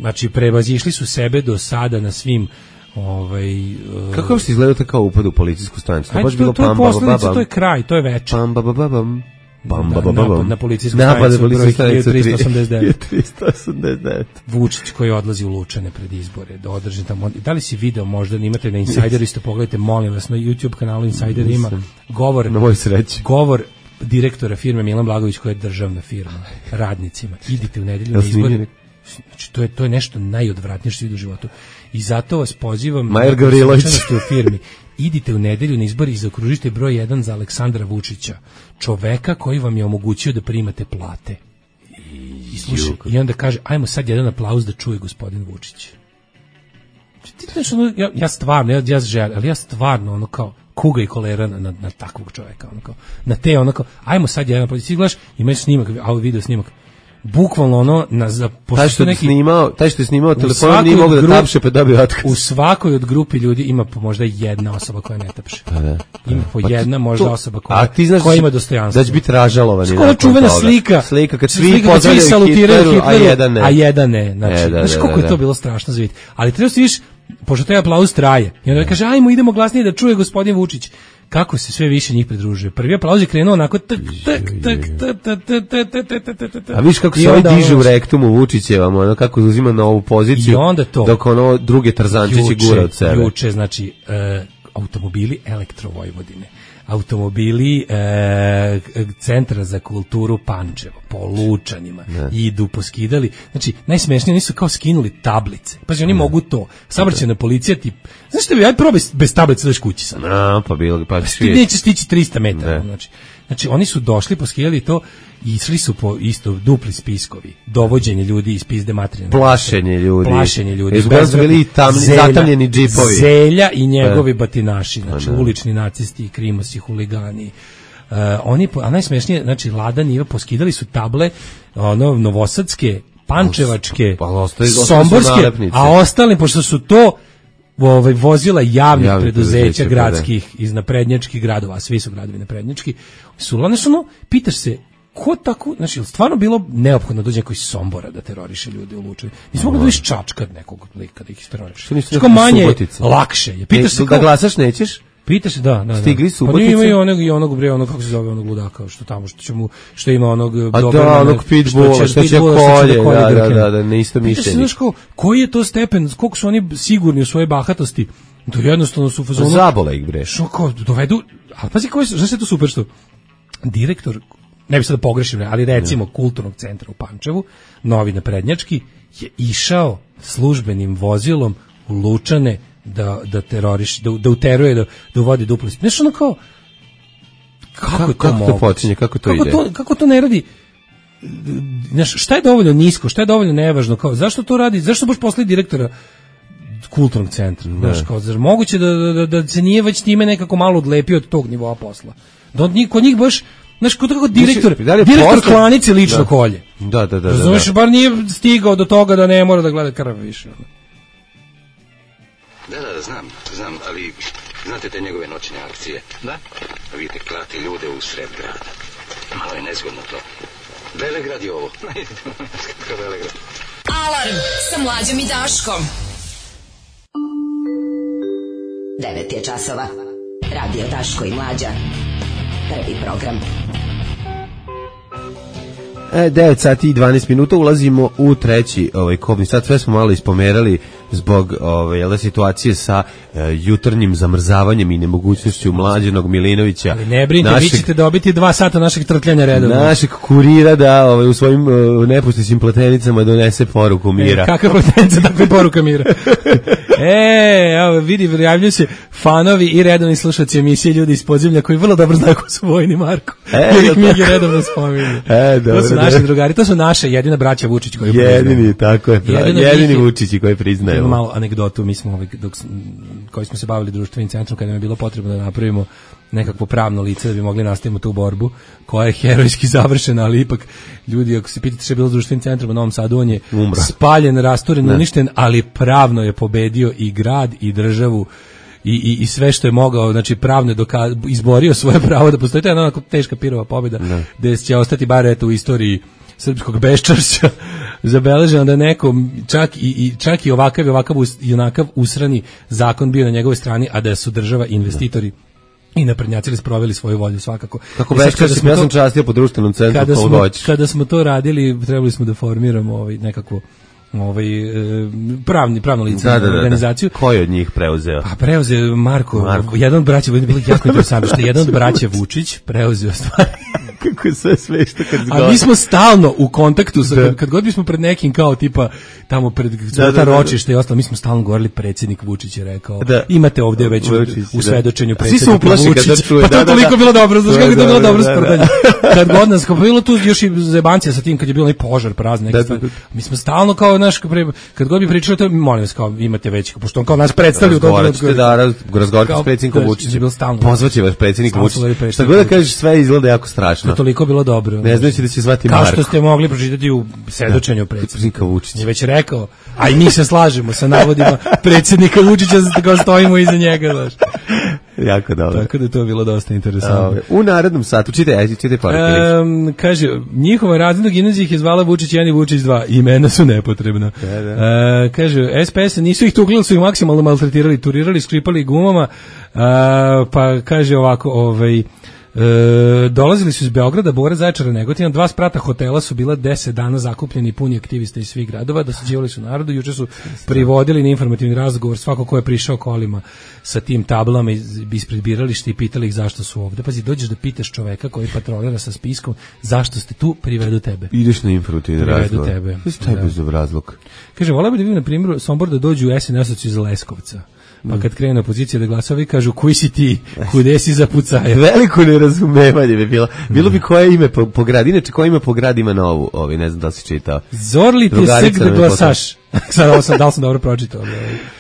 Znači, prevazišli su sebe do sada na svim ovaj uh, kako ste izgledao to kao upad u policijsku stanicu? To baš bilo pam baba baba. To je kraj, to je večer. Pam baba baba. Pam baba baba. Na policijsku stanicu broj trista osamdeset devet. trista osamdeset devet. Vučić koji odlazi u Lučane pred izbore da održi tamo. Da li si video, možda imate na Insideru, isto pogledajte, molim vas, na YouTube kanalu Insider ima govor, na moj sreći. Govor direktora firme Milan Blagović, koja je državna firma, radnicima. Idite u nedelju na izbore. Znači, to je, to je nešto najodvratnije što se vidi u životu. I zato vas pozivam Majer Gavrilović u firmi. Idite u nedelju na izbor i zaokružite broj jedan za Aleksandra Vučića, čoveka koji vam je omogućio da primate plate. I, slušaj, i onda kaže, ajmo sad jedan aplauz da čuje gospodin Vučić. Ti znaš, ono, ja, ja stvarno, ja, ja želim, ali ja stvarno, ono kao, kuga i kolera na, na, na takvog čoveka, ono kao, na te, ono kao, ajmo sad jedan aplauz. Ti gledaš, imaš snimak, audio video snimak, bukvalno ono na za taj što neki, snimao, taj što je snimao telefonom nije mogao da tapše pa dobio otkaz. U svakoj od grupi ljudi ima po možda jedna osoba koja ne tapše. Pa da, pa ima po pa jedna možda to, osoba koja, koja ima dostojanstvo. Da će biti ražalovan. Skoro čuvena slika. Slika kad svi pozdravljaju Hitleru, a jedan ne. A jedan ne. Znači, e, da, znaš koliko da, da, je to bilo strašno za vidjeti. Ali treba se viš, pošto taj aplauz traje. I onda kaže, ajmo idemo glasnije da čuje gospodin Vučić. kako se sve više njih pridružuje. Prvi aplauz je krenuo onako tak, tak, tak, tak, tak, tak, tak, tak, tak, tak. A viš kako se ovaj diže u rektumu Vučićevam, ono kako uzima na ovu poziciju, dok ono druge Tarzančići gura od sebe. Juče, znači, e, automobili Elektro Vojvodine, automobili e, Centra za kulturu Pančevo, po Lučanima, ne. Idu, poskidali. Znači, najsmešnije, oni su kao skinuli tablice. Pa oni ne. Mogu to. Saobraćajna policija ti... Znaš što bi, aj probaj bez tablice daš kući sad. No, pa bilo, pa ti nećeš stići trista metara. Znači, znači, oni su došli, poskidali to i išli su po isto dupli spiskovi. Dovođenje ljudi iz pizde materijalne. Plašenje ljudi. Plašenje ljudi. Izgleda su bili tam, zatamljeni džipovi. Zelja i njegovi batinaši. Znači, ne. Ulični nacisti, krimosi, huligani. Uh, oni, a najsmešnije, znači, Lada Niva poskidali su table, ono, novosadske, pančevačke, pa, ostaje, somborske, a ostali, pošto su to ovaj, vozila javnih Javni preduzeća gradskih, da. Iz naprednjačkih gradova, a svi su gradovi naprednjački, su, ono, ono, pitaš se, ko tako, znači, stvarno bilo neophodno dođe neko iz Sombora da teroriše ljude u Lučevi. Nismo mogli da viš čačkat nekog lika da ih teroriše. Što manje, Subotica. Lakše je. Pitaš e, se da glasaš nećeš? Pitaš se, da, da. Stigli su pa ima i onog, i onog bre, onog, kako se zove, onog ludaka, što tamo, što će mu, što ima onog... A da, onog pitbulla, što će kolje, da, da, da, da, ne isto mišljenje. Znaš ko, koji je to stepen, koliko su oni sigurni u svojoj bahatosti, to jednostavno su u fazonu... Zabole ih bre. Što kao, dovedu, ali pazi koji su, znaš je to super što, direktor, ne bi sad da pogrešim, ali recimo kulturnog centra u Pančevu, novi naprednjački, je išao službenim vozilom u Lučane da da teroriš, da da uteruje, da da uvodi dupli. Znaš ono kao kako, kako to kako to počinje, kako to kako ide? To, kako to ne radi? Znaš, šta je dovoljno nisko, šta je dovoljno nevažno, kao zašto to radi? Zašto baš posle direktora kulturnog centra? Znaš, kao zar moguće da, da, da se nije već time nekako malo odlepio od tog nivoa posla? Da od njih, kod njih baš, znaš, kod kako direktor, da direktor posle... klanice lično da. Kolje. Da, da, da. Razumeš, da, da. bar nije stigao do toga da ne mora da gleda krv više. Da, da, znam, znam, ali znate te njegove noćne akcije? Da. Vidite, klati ljude u sred grada. Malo je nezgodno to. Velegrad je ovo. Kako Velegrad? Alarm sa Mlađom i Daškom. devet je časova. Radio Daško i Mlađa. Prvi program. E, devet sati i dvanaest minuta, ulazimo u treći ovaj kobni sat. Sve smo malo ispomerali zbog ove situacije sa e, jutarnjim zamrzavanjem i nemogućnošću Mlađenog Milinovića. Ali ne brinite, vi ćete dobiti dva sata našeg trtljanja redovno. Našeg kurira da ovaj, u svojim uh, nepustićim pletenicama donese poruku mira. E, kakva pletenica, takva poruka mira. E, evo, vidi, javljaju se fanovi i redovni slušaci emisije Ljudi iz podzemlja koji vrlo dobro znaju ko su Vojni Marko. E, jer ih mi redovno spominju. E, dobro, to su naši drugari, to su naše jedina braća Vučić koji priznaju. Jedini, tako je, jedini, jedini Vučići koji priznaju. Malo anegdotu, mi smo, dok, koji smo se bavili društvenim centrom, kada nam je bilo potrebno da napravimo nekakvo pravno lice da bi mogli nastaviti tu borbu, koja je herojski završena, ali ipak ljudi, ako se pitate što je bilo s društvenim centrom u Novom Sadu, on je Umra. spaljen, rasturen, ne. uništen, ali pravno je pobedio i grad i državu i, i, i sve što je mogao, znači pravno je doka- izborio svoje pravo da postoji. To je onako teška pirova pobjeda, ne. gde će ostati bar eto u istoriji srpskog beščašća zabeleženo da neko čak i, i čak i ovakav i ovakav i onakav usrani zakon bio na njegovoj strani, a da su država investitori i naprednjaci sproveli svoju volju svakako. Kako beščašće, ja sam častio po društvenom centru kada smo, kada smo to radili, trebali smo da formiramo ovaj nekako ovaj pravni pravno lice da, da, da, organizaciju. Da. Ko je od njih preuzeo? Pa preuzeo Marko, Marko. jedan od braća, bilo jako interesantno što jedan od braća Vučić preuzeo stvari. Kako je sve smešno kad zgodno. A mi smo stalno u kontaktu sa, kad, kad god bismo pred nekim kao tipa tamo pred da, da, ročište i ostalo, mi smo stalno govorili predsjednik Vučić je rekao da. Imate ovdje već Vučić, u svedočenju predsjednika Vučić. Čuje, pa to da, je toliko da, bilo dobro, znaš kako je to bilo dobro da, sprdanje. Kad god nas, kao bilo tu još i zebancija sa tim kad je bilo onaj požar praznik. Mi smo stalno kao naš, kad god bi pričali to, molim vas, kao imate već, pošto on kao nas predstavlja u dobro. Da, razgovarate s predsjednikom Vučićem. Pozvaće vas predsjednik Vučić. Šta god da kažeš, sve izgleda jako strašno. To toliko bilo dobro. Ne znajući da će zvati Marko. Kao što ste mogli pročitati u svedočenju predsjednika Vučića. Je već rekao, a i mi se slažemo sa navodima predsjednika Vučića, kao stojimo iza njega, znaš. Jako dobro. Tako da je to bilo dosta interesantno. U narednom satu, čitaj, ajde, čitaj poruke. Um, kaže, njihova razredna gimnazija ih je zvala Vučić jedan i Vučić dva. Imena su nepotrebna. Da, da. Uh, kaže, S P S nisu ih tukli, su ih maksimalno maltretirali, turirali, skripali gumama. Uh, pa kaže ovako, ovaj... E, dolazili su iz Beograda, Bora, Zaječara, Negotina, dva sprata hotela su bila deset dana zakupljeni puni aktivista iz svih gradova, dosađivali su narodu, juče su privodili na informativni razgovor svako ko je prišao kolima sa tim tablama ispred birališta i pitali ih zašto su ovde. Pazi, dođeš da pitaš čoveka koji patrolira sa spiskom zašto ste tu, privedu tebe. Ideš na informativni razgovor. Privedu tebe. Šta je bez razlog? Kaže, volao bi da vidim na primjeru Sombor da dođu u S N S-oci iz Leskovca. Pa kad krene opozicija da glasovi, kažu, koji si ti, kude si za pucaje? Veliko nerazumevanje bi bilo. Bilo bi koje ime po, po grad. Inače, koje ime po grad ima novu? Ovi, ne znam da li si čitao. Zorli ti sek da glasaš. Sad ovo sam, da li sam dobro pročitao?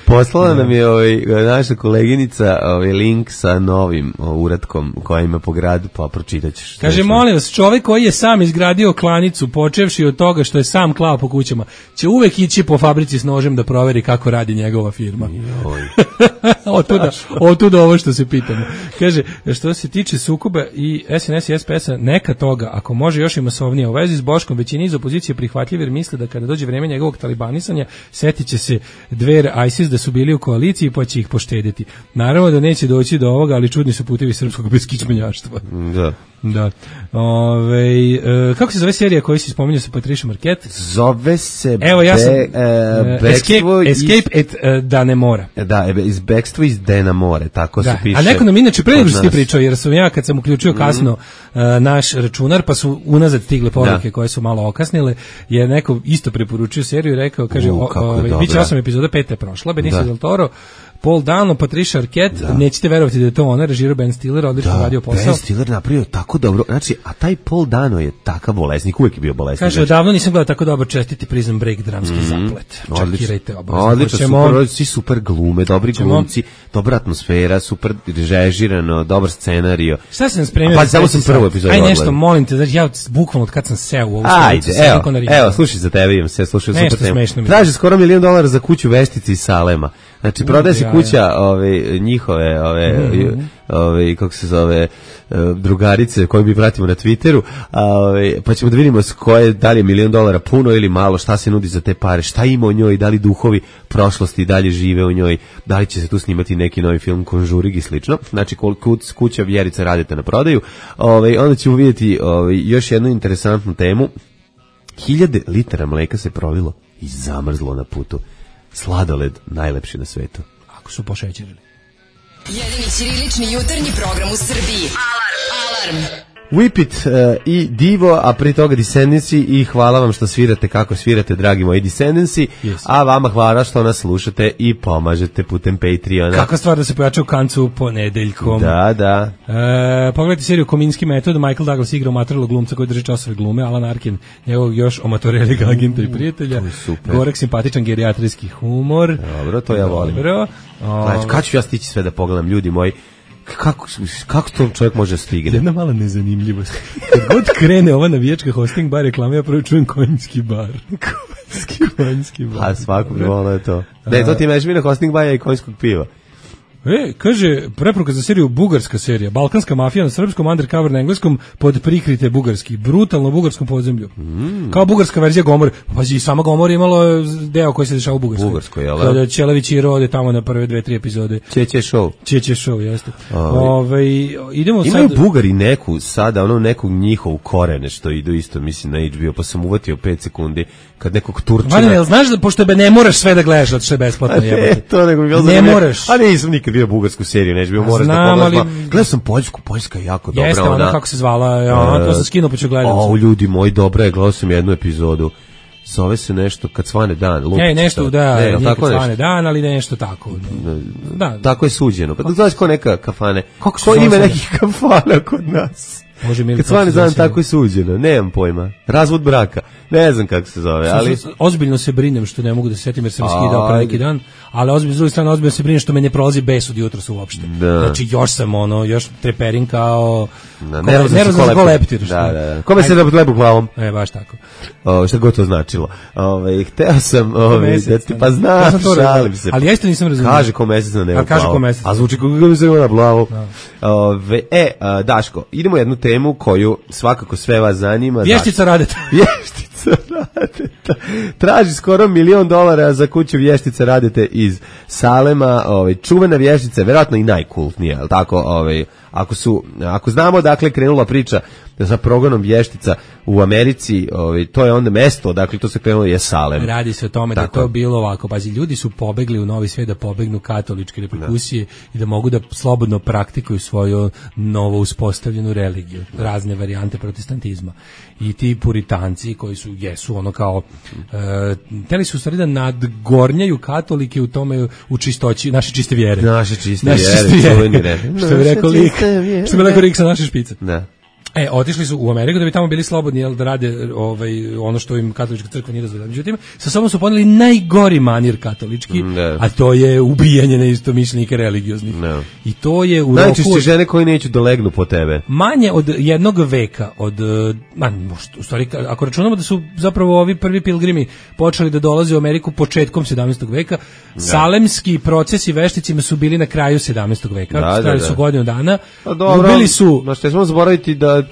Poslala nam je ovaj, naša koleginica ovaj, link sa novim o, uratkom koja ima po gradu, pa pročitat ćeš. Kaže, molim vas, čovjek koji je sam izgradio klanicu, počevši od toga što je sam klao po kućama, će uvek ići po fabrici s nožem da proveri kako radi njegova firma. Otuda, otuda ovo što se pitamo. Kaže, što se tiče sukoba i S N S i S P S-a, neka toga, ako može još i masovnije, u vezi s Boškom, većini iz opozicije prihvatljiv jer misle da kada dođe vreme njegovog talibanisanja, setit će se Dver, ISIS da su bili u koaliciji pa će ih poštediti. Naravno da neće doći do ovoga, ali čudni su putevi srpskog beskičmenjaštva. Da. Da. Ove, e, kako se zove serija koju si spominjao sa Patricia Marquette? Zove se Evo, ja sam, be, uh, Escape, Escape at uh, Danemora. Da, iz Bekstvo iz Danemore, tako da. se piše. A neko nam inače pre nego što ti pričao, jer sam ja kad sam uključio kasno mm. uh, naš računar, pa su unazad stigle poruke koje su malo okasnile, je neko isto preporučio seriju i rekao, kaže, U, ovaj biće osam epizoda, peta je prošla, Benicio del Toro, Paul Dano, Patricia Arquette, da. Nećete verovati da je to ona, režirao Ben Stiller, odlično radio posao. Ben Stiller napravio tako dobro, znači, a taj Paul Dano je takav bolesnik, uvijek je bio bolesnik. Kaže, znači. Odavno nisam gledao tako dobro, čestiti Prison Break, dramski mm, zaplet. Čekirajte obavezno. Odlično, super, svi super glume, dobri glumci, dobra atmosfera, super režirano, dobar scenario. Šta sam spremio? Pa samo sam prvu epizodu. Aj nešto, molim te, znači ja bukvalno od kad sam seo u ovu Ajde, evo, evo, slušaj za tebe, imam se, slušaj super temu. Traži skoro milion dolara za kuću veštici iz Salema. Znači, prodaje se kuća ove, njihove, ove, mm-hmm. ove, kako se zove, drugarice koje mi pratimo na Twitteru, a, ove, pa ćemo da vidimo s koje, da li je milion dolara puno ili malo, šta se nudi za te pare, šta ima u njoj, da li duhovi prošlosti dalje žive u njoj, da li će se tu snimati neki novi film Konžurig i slično. Znači, kuća Vjerica radite na prodaju. Ove, onda ćemo vidjeti ove, još jednu interesantnu temu. Hiljade litara mleka se prolilo i zamrzlo na putu. Sladoled najlepši na svetu. Ako su pošećerili. Jedini ćirilični jutarnji program u Srbiji. Alarm! Alarm! Whip It uh, i Divo, a pri toga Descendancy i hvala vam što svirate kako svirate, dragi moji Descendancy, yes. A vama hvala što nas slušate i pomažete putem Patreona. Kakva stvar da se pojača u kancu ponedeljkom. Da, da. E, pogledajte seriju Kominski metod, Michael Douglas igra amatorelog glumca koji drži časove glume, Alan Arkin, njegovog još amatorelog agenta i prijatelja, Gorek simpatičan gerijatrijski humor. Dobro, to ja volim. Dobro. Znači, kad ću ja stići sve da pogledam, ljudi moji, Kako, kako to čovjek može stigne? Jedna mala nezanimljivost. Kad god krene ova navijačka hosting bar reklama, ja prvo čujem konjski bar. Konjski, konjski bar. A svakog volno je to. Ne, to ti imaš mi na hosting bar i konjskog piva. E, kaže, preporuka za seriju bugarska serija, balkanska mafija na srpskom, undercover na engleskom, pod prikrite bugarski, brutalno bugarskom podzemlju. Mm. Kao bugarska verzija Gomore. Pazi, sama Gomore imalo deo koji se dešava u Bugarskoj. Bugarskoj, jel? Kada Ćelević i Rode tamo na prve dve, tri epizode. Čeće show. Čeće show, jeste. Ove, idemo imaju sad... Bugari neku, sada, ono nekog njihovu korene što idu isto, mislim, na H B O, pa sam uvatio pet sekundi kad nekog Turčina... Vane, jel znaš da, pošto be ne moraš sve da gledaš, zato što je besplatno jebati. to nego mi bilo ne moraš. A nisam nikad bio bugarsku seriju, neću bio moraš da pogledaš. Ali... Gledao sam Poljsku, Poljska je jako dobra. Jeste, ona kako se zvala, ja, to sam skinuo pa ću gledati. O, ljudi moji, dobra je, gledao sam jednu epizodu. Zove se nešto kad svane dan. Lupić, ne, nešto, da, ne, nije kad svane dan, ali nešto tako. Da. Tako je suđeno. Pa da znaš ko neka kafane. Kako ko ima nekih kafana kod nas? Može mi kad svane dan tako je suđeno. Nemam pojma. Razvod braka. Ne znam kako se zove, ali... Ozbiljno se brinem što ne mogu da se setim jer sam skidao pre neki dan. ali ozbiljno, s druge strane, ozbiljno se brinem što me ne prolazi bes od jutros uopšte. Da. Znači, još sam, ono, još treperim kao... Da, nervozan za koleptir. Da, da. Kome se da lebu glavom? E, baš tako. O, šta god to značilo. Ove, hteo sam, ove, da ti, pa znam, šalim se. Ali ja isto nisam razumio. Kaže ko mesec na nebu glavu. Kaže ko mesec. A zvuči kako mi se na glavu. Ove, e, a, Daško, idemo jednu temu koju svakako sve vas zanima. Vještica Radeta. Vještica Radeta. Traži skoro milion dolara za kuću Vještica Radete iz Salema. Ove, čuvena vještica, verovatno i najkultnija, je li tako? Ove, ako su, ako znamo dakle krenula priča sa progonom vještica u Americi, ovaj, to je onda mesto, dakle to se krenulo je Salem. Radi se o tome tako. Da je to bilo ovako, pazi, ljudi su pobegli u Novi Svet da pobegnu katoličke reperkusije da. I da mogu da slobodno praktikuju svoju novo uspostavljenu religiju, razne varijante protestantizma. I ti puritanci koji su, jesu ono kao, e, teli su u stvari da nadgornjaju katolike u tome, u čistoći, naše čiste vjere. Naše čiste naše vjere, čiste vjere. čuveni red. Što bi rekao lik, što bi rekao lik sa naše špice. Da. E, otišli su u Ameriku da bi tamo bili slobodni, jel, da rade ovaj, ono što im katolička crkva nije dozvoljava. Međutim, sa sobom su poneli najgori manir katolički, ne. A to je ubijanje neistomišljenika religioznih. Ne. I to je u najčešće roku... žene koji neću dolegnu po tebe. Manje od jednog veka, od, man, u stvari, ako računamo da su zapravo ovi prvi pilgrimi počeli da dolaze u Ameriku početkom sedamnaestog veka, ne. Salemski procesi vešticima su bili na kraju sedamnaestog veka, da, trajali da, da. su godinu dana, ubili su... Znaš, te smo zaboraviti da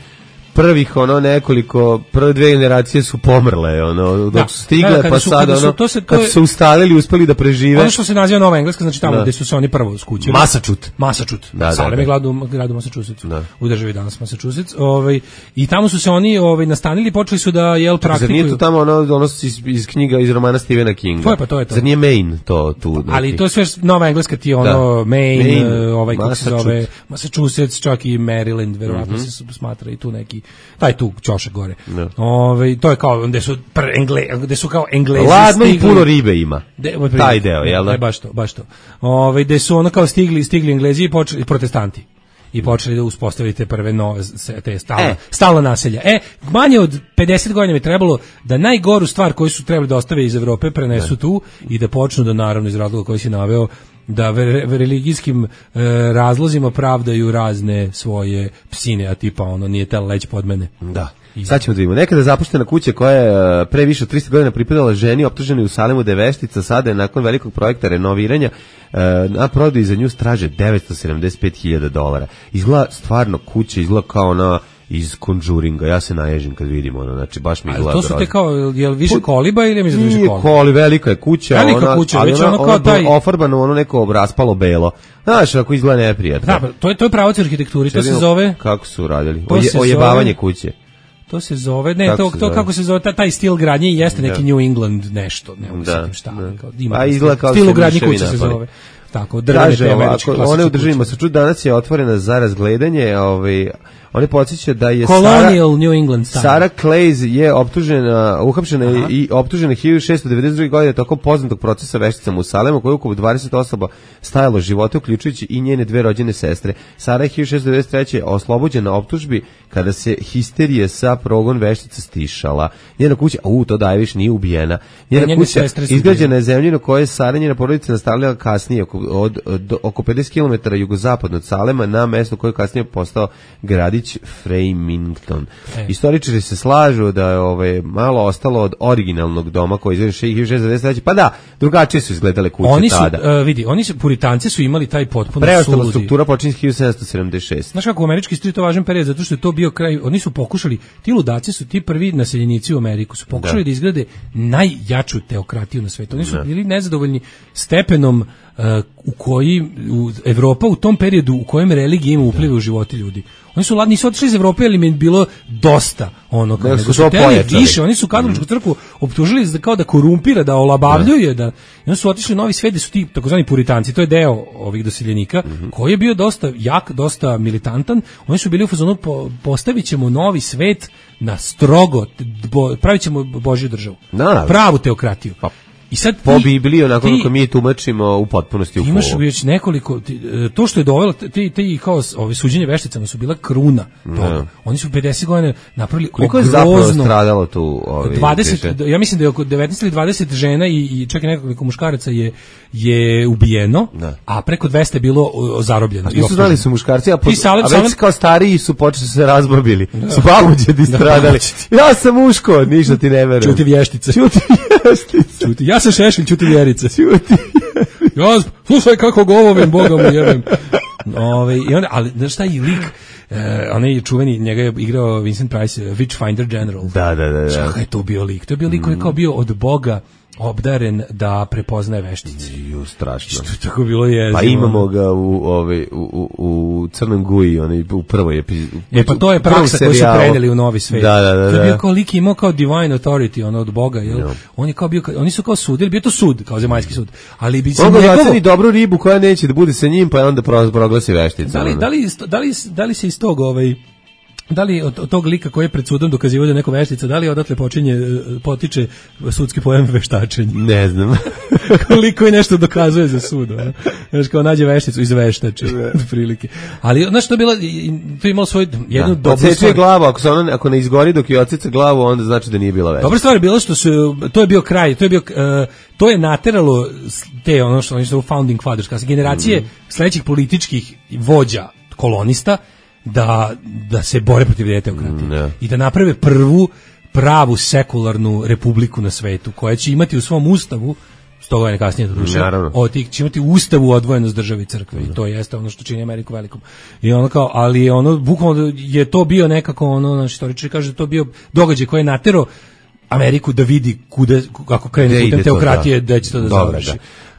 prvih ono nekoliko prve dve generacije su pomrle ono dok da, su stigle da, pa su, sad ono su, kad su se ustalili uspeli da prežive ono što se naziva Nova Engleska, znači tamo da. Gde su se oni prvo skućili Massachusetts Massachusetts da, Salem da, je grad u gradu Massachusettsu da. U državi danas Massachusetts ovaj i tamo su se oni ovaj nastanili, počeli su da jel praktikuju. Zar nije to tamo ono ono iz, iz knjiga iz romana Stephena Kinga? To je pa to je to. Zar nije Maine to tu neki. Ali to je sve Nova Engleska ti ono da. Maine, Maine ovaj kako se zove Massachusetts, čak i Maryland verovatno mm-hmm. se smatra i tu neki taj tu ćošak gore. No. Ove, to je kao gde su pr Engle, gde su kao Englezi ladno stigli. I puno ribe ima. De, taj deo, jel da? Ne, baš to, baš to. Ove, gde su ono kao stigli, stigli Englezi i počeli protestanti. I počeli da uspostavite prve nove te stalne, e. stalna naselja. E, manje od pedeset godina mi trebalo da najgoru stvar koju su trebali da ostave iz Evrope prenesu ne. Tu i da počnu da naravno iz razloga koji si naveo da ve, ve religijskim e, razlozima pravdaju razne svoje psine, a tipa ono nije tel leć pod mene. Da. Sad ćemo da vidimo. Nekada zapuštena kuća koja je pre više od tristo godina pripadala ženi optuženoj u Salemu da je veštica, sada je nakon velikog projekta renoviranja na prodaju za nju straže devetsto sedamdeset pet hiljada dolara. Izgleda stvarno kuća, izgleda kao ona iz Conjuringa, ja se naježim kad vidim ono, znači baš mi izgleda. To su te kao, je li više koliba ili mi za više koliba? Koli, velika je kuća, velika ona, kuća, ali već ona, ono kao ona taj... ofarbano ono neko raspalo belo. Znaš, ako izgleda neprijatno. Da, to je, to je pravac arhitekturi, to se zove... Kako su radili? Oje, ojebavanje kuće. To se zove, ne, kako to, to zove? Kako se zove, taj, taj stil gradnje jeste neki da. New England nešto, ne mogu da, šta. Da. Kao, ima a izgleda kao stil gradnje kuće se zove. Tako, drvene te američke klasične one u državima su čut, danas je otvorena za razgledanje, ovaj, oni podsjeća da je Colonial Sara, New England style. Sarah Clays je optužena, uhapšena Aha. i optužena hiljadu šessto devedeset druge godine tokom poznatog procesa vešticama u Salemu, koji je oko dvadeset osoba stajalo živote, uključujući i njene dve rođene sestre. Sara je hiljadu šessto devedeset treće oslobođena optužbi kada se histerije sa progon veštica stišala. Njena kuća, u, to daje više, nije ubijena. Njena njene kuća izgrađena je zemljino koje je Sara njena porodica nastavljala kasnije, oko, od, od, oko pedeset kilometara jugozapadno od Salema, na mesto koje je kasnije postao gradić Framingham. E. Istoričari se slažu da je ovaj, malo ostalo od originalnog doma koji je iz hiljadu šessto devedeset treće. Pa da, drugačije su izgledale kuće oni su, tada. Uh, vidi, oni su, puritanci su imali taj potpuno preostala suludi. Struktura počinje hiljadu sedamsto sedamdeset šeste. Znaš kako u američki istoriji to važan period, zato što je to bio kraj, oni su pokušali, ti ludaci su ti prvi naseljenici u Ameriku, su pokušali da, da izgrade najjaču teokratiju na svetu. Oni su da. bili nezadovoljni stepenom uh, u koji u Evropa u tom periodu u kojem religija ima upliva u živote ljudi. Oni su ladni, nisu otišli iz Evrope, ali mi je bilo dosta ono kao nego su hteli više. Oni su katoličku crkvu optužili da kao da korumpira, da olabavljuje, da i oni su otišli u Novi Svet, su ti takozvani puritanci, to je deo ovih doseljenika mm-hmm. koji je bio dosta jak, dosta militantan. Oni su bili u fazonu po, postavit ćemo Novi Svet na strogo, bo, pravit ćemo Božju državu, da, pravu teokratiju. Pa. I sad po Bibliji, onako kako mi tumačimo u potpunosti u imaš već nekoliko, ti, to što je dovelo, ti, ti kao ove suđenje vešticama su bila kruna toga. Oni su pedeset godina napravili koliko je zapravo stradalo tu ovi, dvadeset, ja mislim da je oko devetnaest ili dvadeset žena i, i čak i nekoliko muškaraca je, je ubijeno, da. A preko dvesta je bilo zarobljeno. Nisu znali su muškarci, a, po, salem, a već salem, kao stariji su počeli se razbabili. Da. Su babuđedi stradali. Ja sam muško, ništa ti ne verujem. Čuti vještica. Čuti vještica. Čuti, ja sam Šešelj, čuti vjerice. Čuti ja, slušaj kako govovim, Boga mu jebem. Ove, i onda, ali znaš šta je lik, uh, onaj je čuveni, njega je igrao Vincent Price, uh, Witchfinder General. Da, da, da. da. Šta je to bio lik? To je bio lik koji je kao bio od Boga obdaren da prepoznaje veštice. Ju, strašno. Što tako bilo je. Pa imamo ga u ovaj u u, u Crnom Guji, onaj u prvoj epizodi. E pa to je praksa koju su preneli u Novi svet. Da, da, da. To je bio kao lik imao kao divine authority, ono od Boga, jel? No. On je kao bio, oni su kao sudili, bio to sud, kao zemaljski sud. Ali bi se on ga oceni dobru ribu koja neće da bude sa njim, pa je onda proglasi veštica. Da li, da li, da li, da li se iz tog ovaj da li od, od tog lika koji je pred sudom dokazivao da je neko veštica, da li odatle počinje, potiče sudski pojam veštačenja? Ne znam. Koliko je nešto dokazuje za sud. Znaš, kao nađe vešticu iz veštače, od prilike. Ali, znaš, to je bila, to je imalo svoju jednu da, dobru stvar. Glavu, ako, se ona, ako ne izgori dok je ocica glavu, onda znači da nije bila veštica. Dobra stvar je bila što su, to je bio kraj, to je bio, uh, to je nateralo te, ono što oni su founding fathers, kao generacije mm. sledećih političkih vođa, kolonista, da, da se bore protiv teokratije mm, yeah. i da naprave prvu pravu sekularnu republiku na svetu koja će imati u svom ustavu sto godina kasnije do duše, od tih će imati u ustavu odvojenost države i crkve mm. i to jeste ono što čini Ameriku velikom. I ono kao, ali ono bukvalno je to bio nekako ono, naš istoričari kaže da to bio događaj koji je naterao Ameriku da vidi kuda, kako krene putem teokratije, da će to da završi.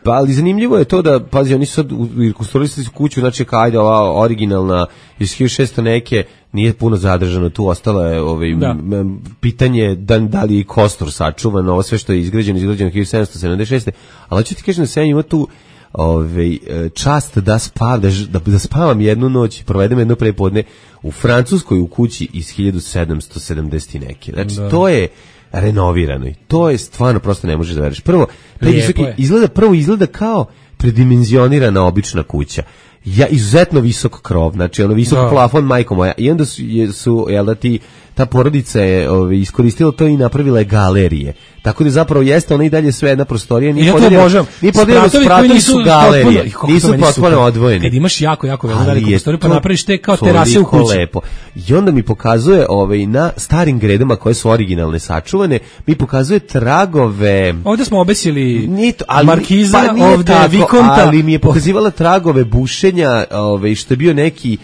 Pa, ali zanimljivo je to da, pazi, oni su sad rekonstruisali kuću, znači ajde ova originalna iz hiljadu šessto neke, nije puno zadržano tu, ostalo je ovaj, da. m, pitanje da, da li je i kostur sačuvan, ovo sve što je izgrađeno, izgrađeno hiljadu sedamsto sedamdeset šeste. Ali ću ti kažem da se ja ima tu ovaj, čast da, spav, da, da, da spavam jednu noć, provedem jedno prepodne u Francuskoj u kući iz hiljadu sedamsto sedamdeset neke. Znači, da. To je renovirano i to je stvarno prosto ne možeš da veruješ. Prvo, visoki, izgleda prvo izgleda kao predimenzionirana obična kuća. Ja izuzetno visok krov, znači ono visok no. plafon, majko moja. I onda su, su jel da ti ta porodica je ovaj, iskoristila to i napravila je galerije. Tako da zapravo jeste ona i dalje sve jedna prostorija, nije podeljena. Nije podeljena, spratovi su galerije. Potpuno, nisu potpuno odvojeni. Kad imaš jako jako veliku prostoriju, pa napraviš te kao terase u kući. Lepo. I onda mi pokazuje ovaj na starim gredama koje su originalne sačuvane, mi pokazuje tragove. Ovde smo obesili to, ali, markiza, pa ovde tako, vikonta, ali mi je pokazivala tragove bušenja, ovaj što je bio neki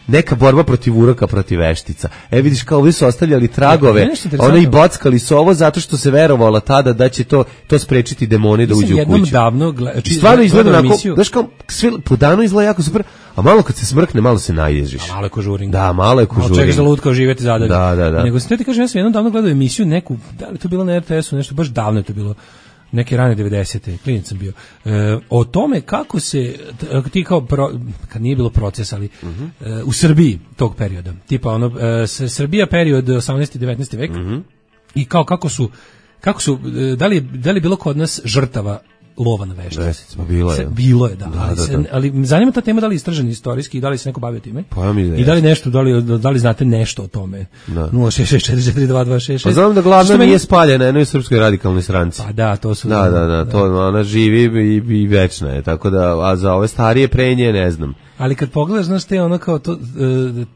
neka borba protiv uroka, protiv veštica. E vidiš kao ovdje su ostavljali tragove, oni i bockali su ovo zato što se verovalo tada da će to to sprečiti demone da uđu u kuću. Davno I stvarno izgleda onako, znaš kao, sve po danu izgleda jako super, a malo kad se smrkne, malo se naježiš. A malo je kožuring. Da, malo je kožuring. Malo čekaš da lutkao živjeti zadalje. Da, da, da. Nego sam te ti kažem, ja sam jednom davno gledao emisiju neku, da li to bilo na er te esu, nešto, baš davno je to bilo. Neke rane devedesete, klinac sam bio. E, o tome kako se ti kao pro, kad nije bilo proces, ali uh-huh. e, u Srbiji tog perioda, tipa ono e, Srbija period osamnaesti i devetnaesti vek uh-huh. i kao kako su kako su da li da li bilo kod nas žrtava lova na veštice. Bilo je. Bilo je, da. da, ali, da, se, da. ali zanima ta tema da li je istražena istorijski i da li se neko bavio time. Pa mi da I da li nešto, da li, da li znate nešto o tome. nula šest šest četiri četiri dva dva šest šest. Pa znam da glavna nije spaljena na jednoj srpskoj radikalnoj stranci. Pa da, to su. Da, da, da, da. to ona živi i, i večna je, tako da, a za ove starije prenje ne znam. Ali kad pogledaš, znaš te ono kao to,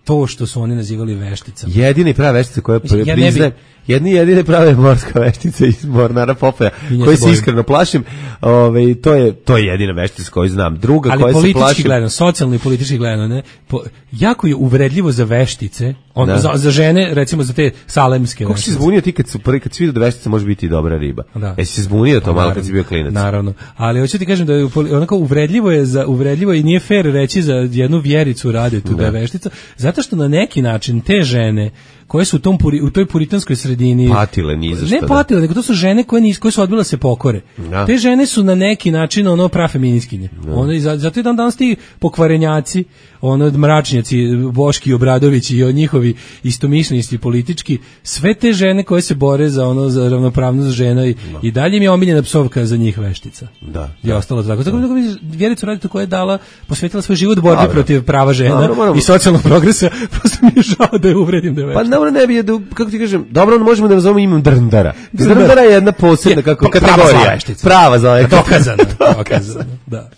to što su oni nazivali vešticama. Jedini prava veštica koja Mislim, ja priznaje, jedni jedine prave morska veštica iz Mornara Popaja, koji se iskreno plašim, ovaj to je to je jedina veštica koju znam. Druga ali koja se plašim. Ali politički gledano, socijalno i politički gledano, ne, po, jako je uvredljivo za veštice, on, za, za žene, recimo za te salemske. Kako si zbunio ti kad su prvi kad si vidio da veštica može biti dobra riba? Da. Jesi se zbunio to malo kad si bio klinac? Naravno. Ali hoću ti kažem da je onako uvredljivo je za uvredljivo i nije fer reći za jednu vjericu rade tu da je veštica, zato što na neki način te žene koje su u, tom puri, u toj puritanskoj sredini patile ni za šta. Ne patile, nego to su žene koje, nis, koje su odbile se pokore. Da. Te žene su na neki način ono prafeminiskinje. Ono, i zato je dan danas ti pokvarenjaci, ono mračnjaci, Boški Obradović i njihovi istomišljenici politički, sve te žene koje se bore za ono za ravnopravnost žena i, no. i dalje mi je omiljena psovka za njih veštica. Da. I ostalo tako. Tako da Vjericu Radetu koja je dala, posvetila svoj život borbi Dobre. protiv prava žena Dobre, moramo... i socijalnog progresa, prosto mi je žao da je uvredim da je veštica. Pa dobro ne bi, da, kako ti kažem, dobro možemo da nazovemo imam Drndara. Drndara je jedna posebna kako je, kategorija. Prava za veštica. Dokazano. Dokazano, da.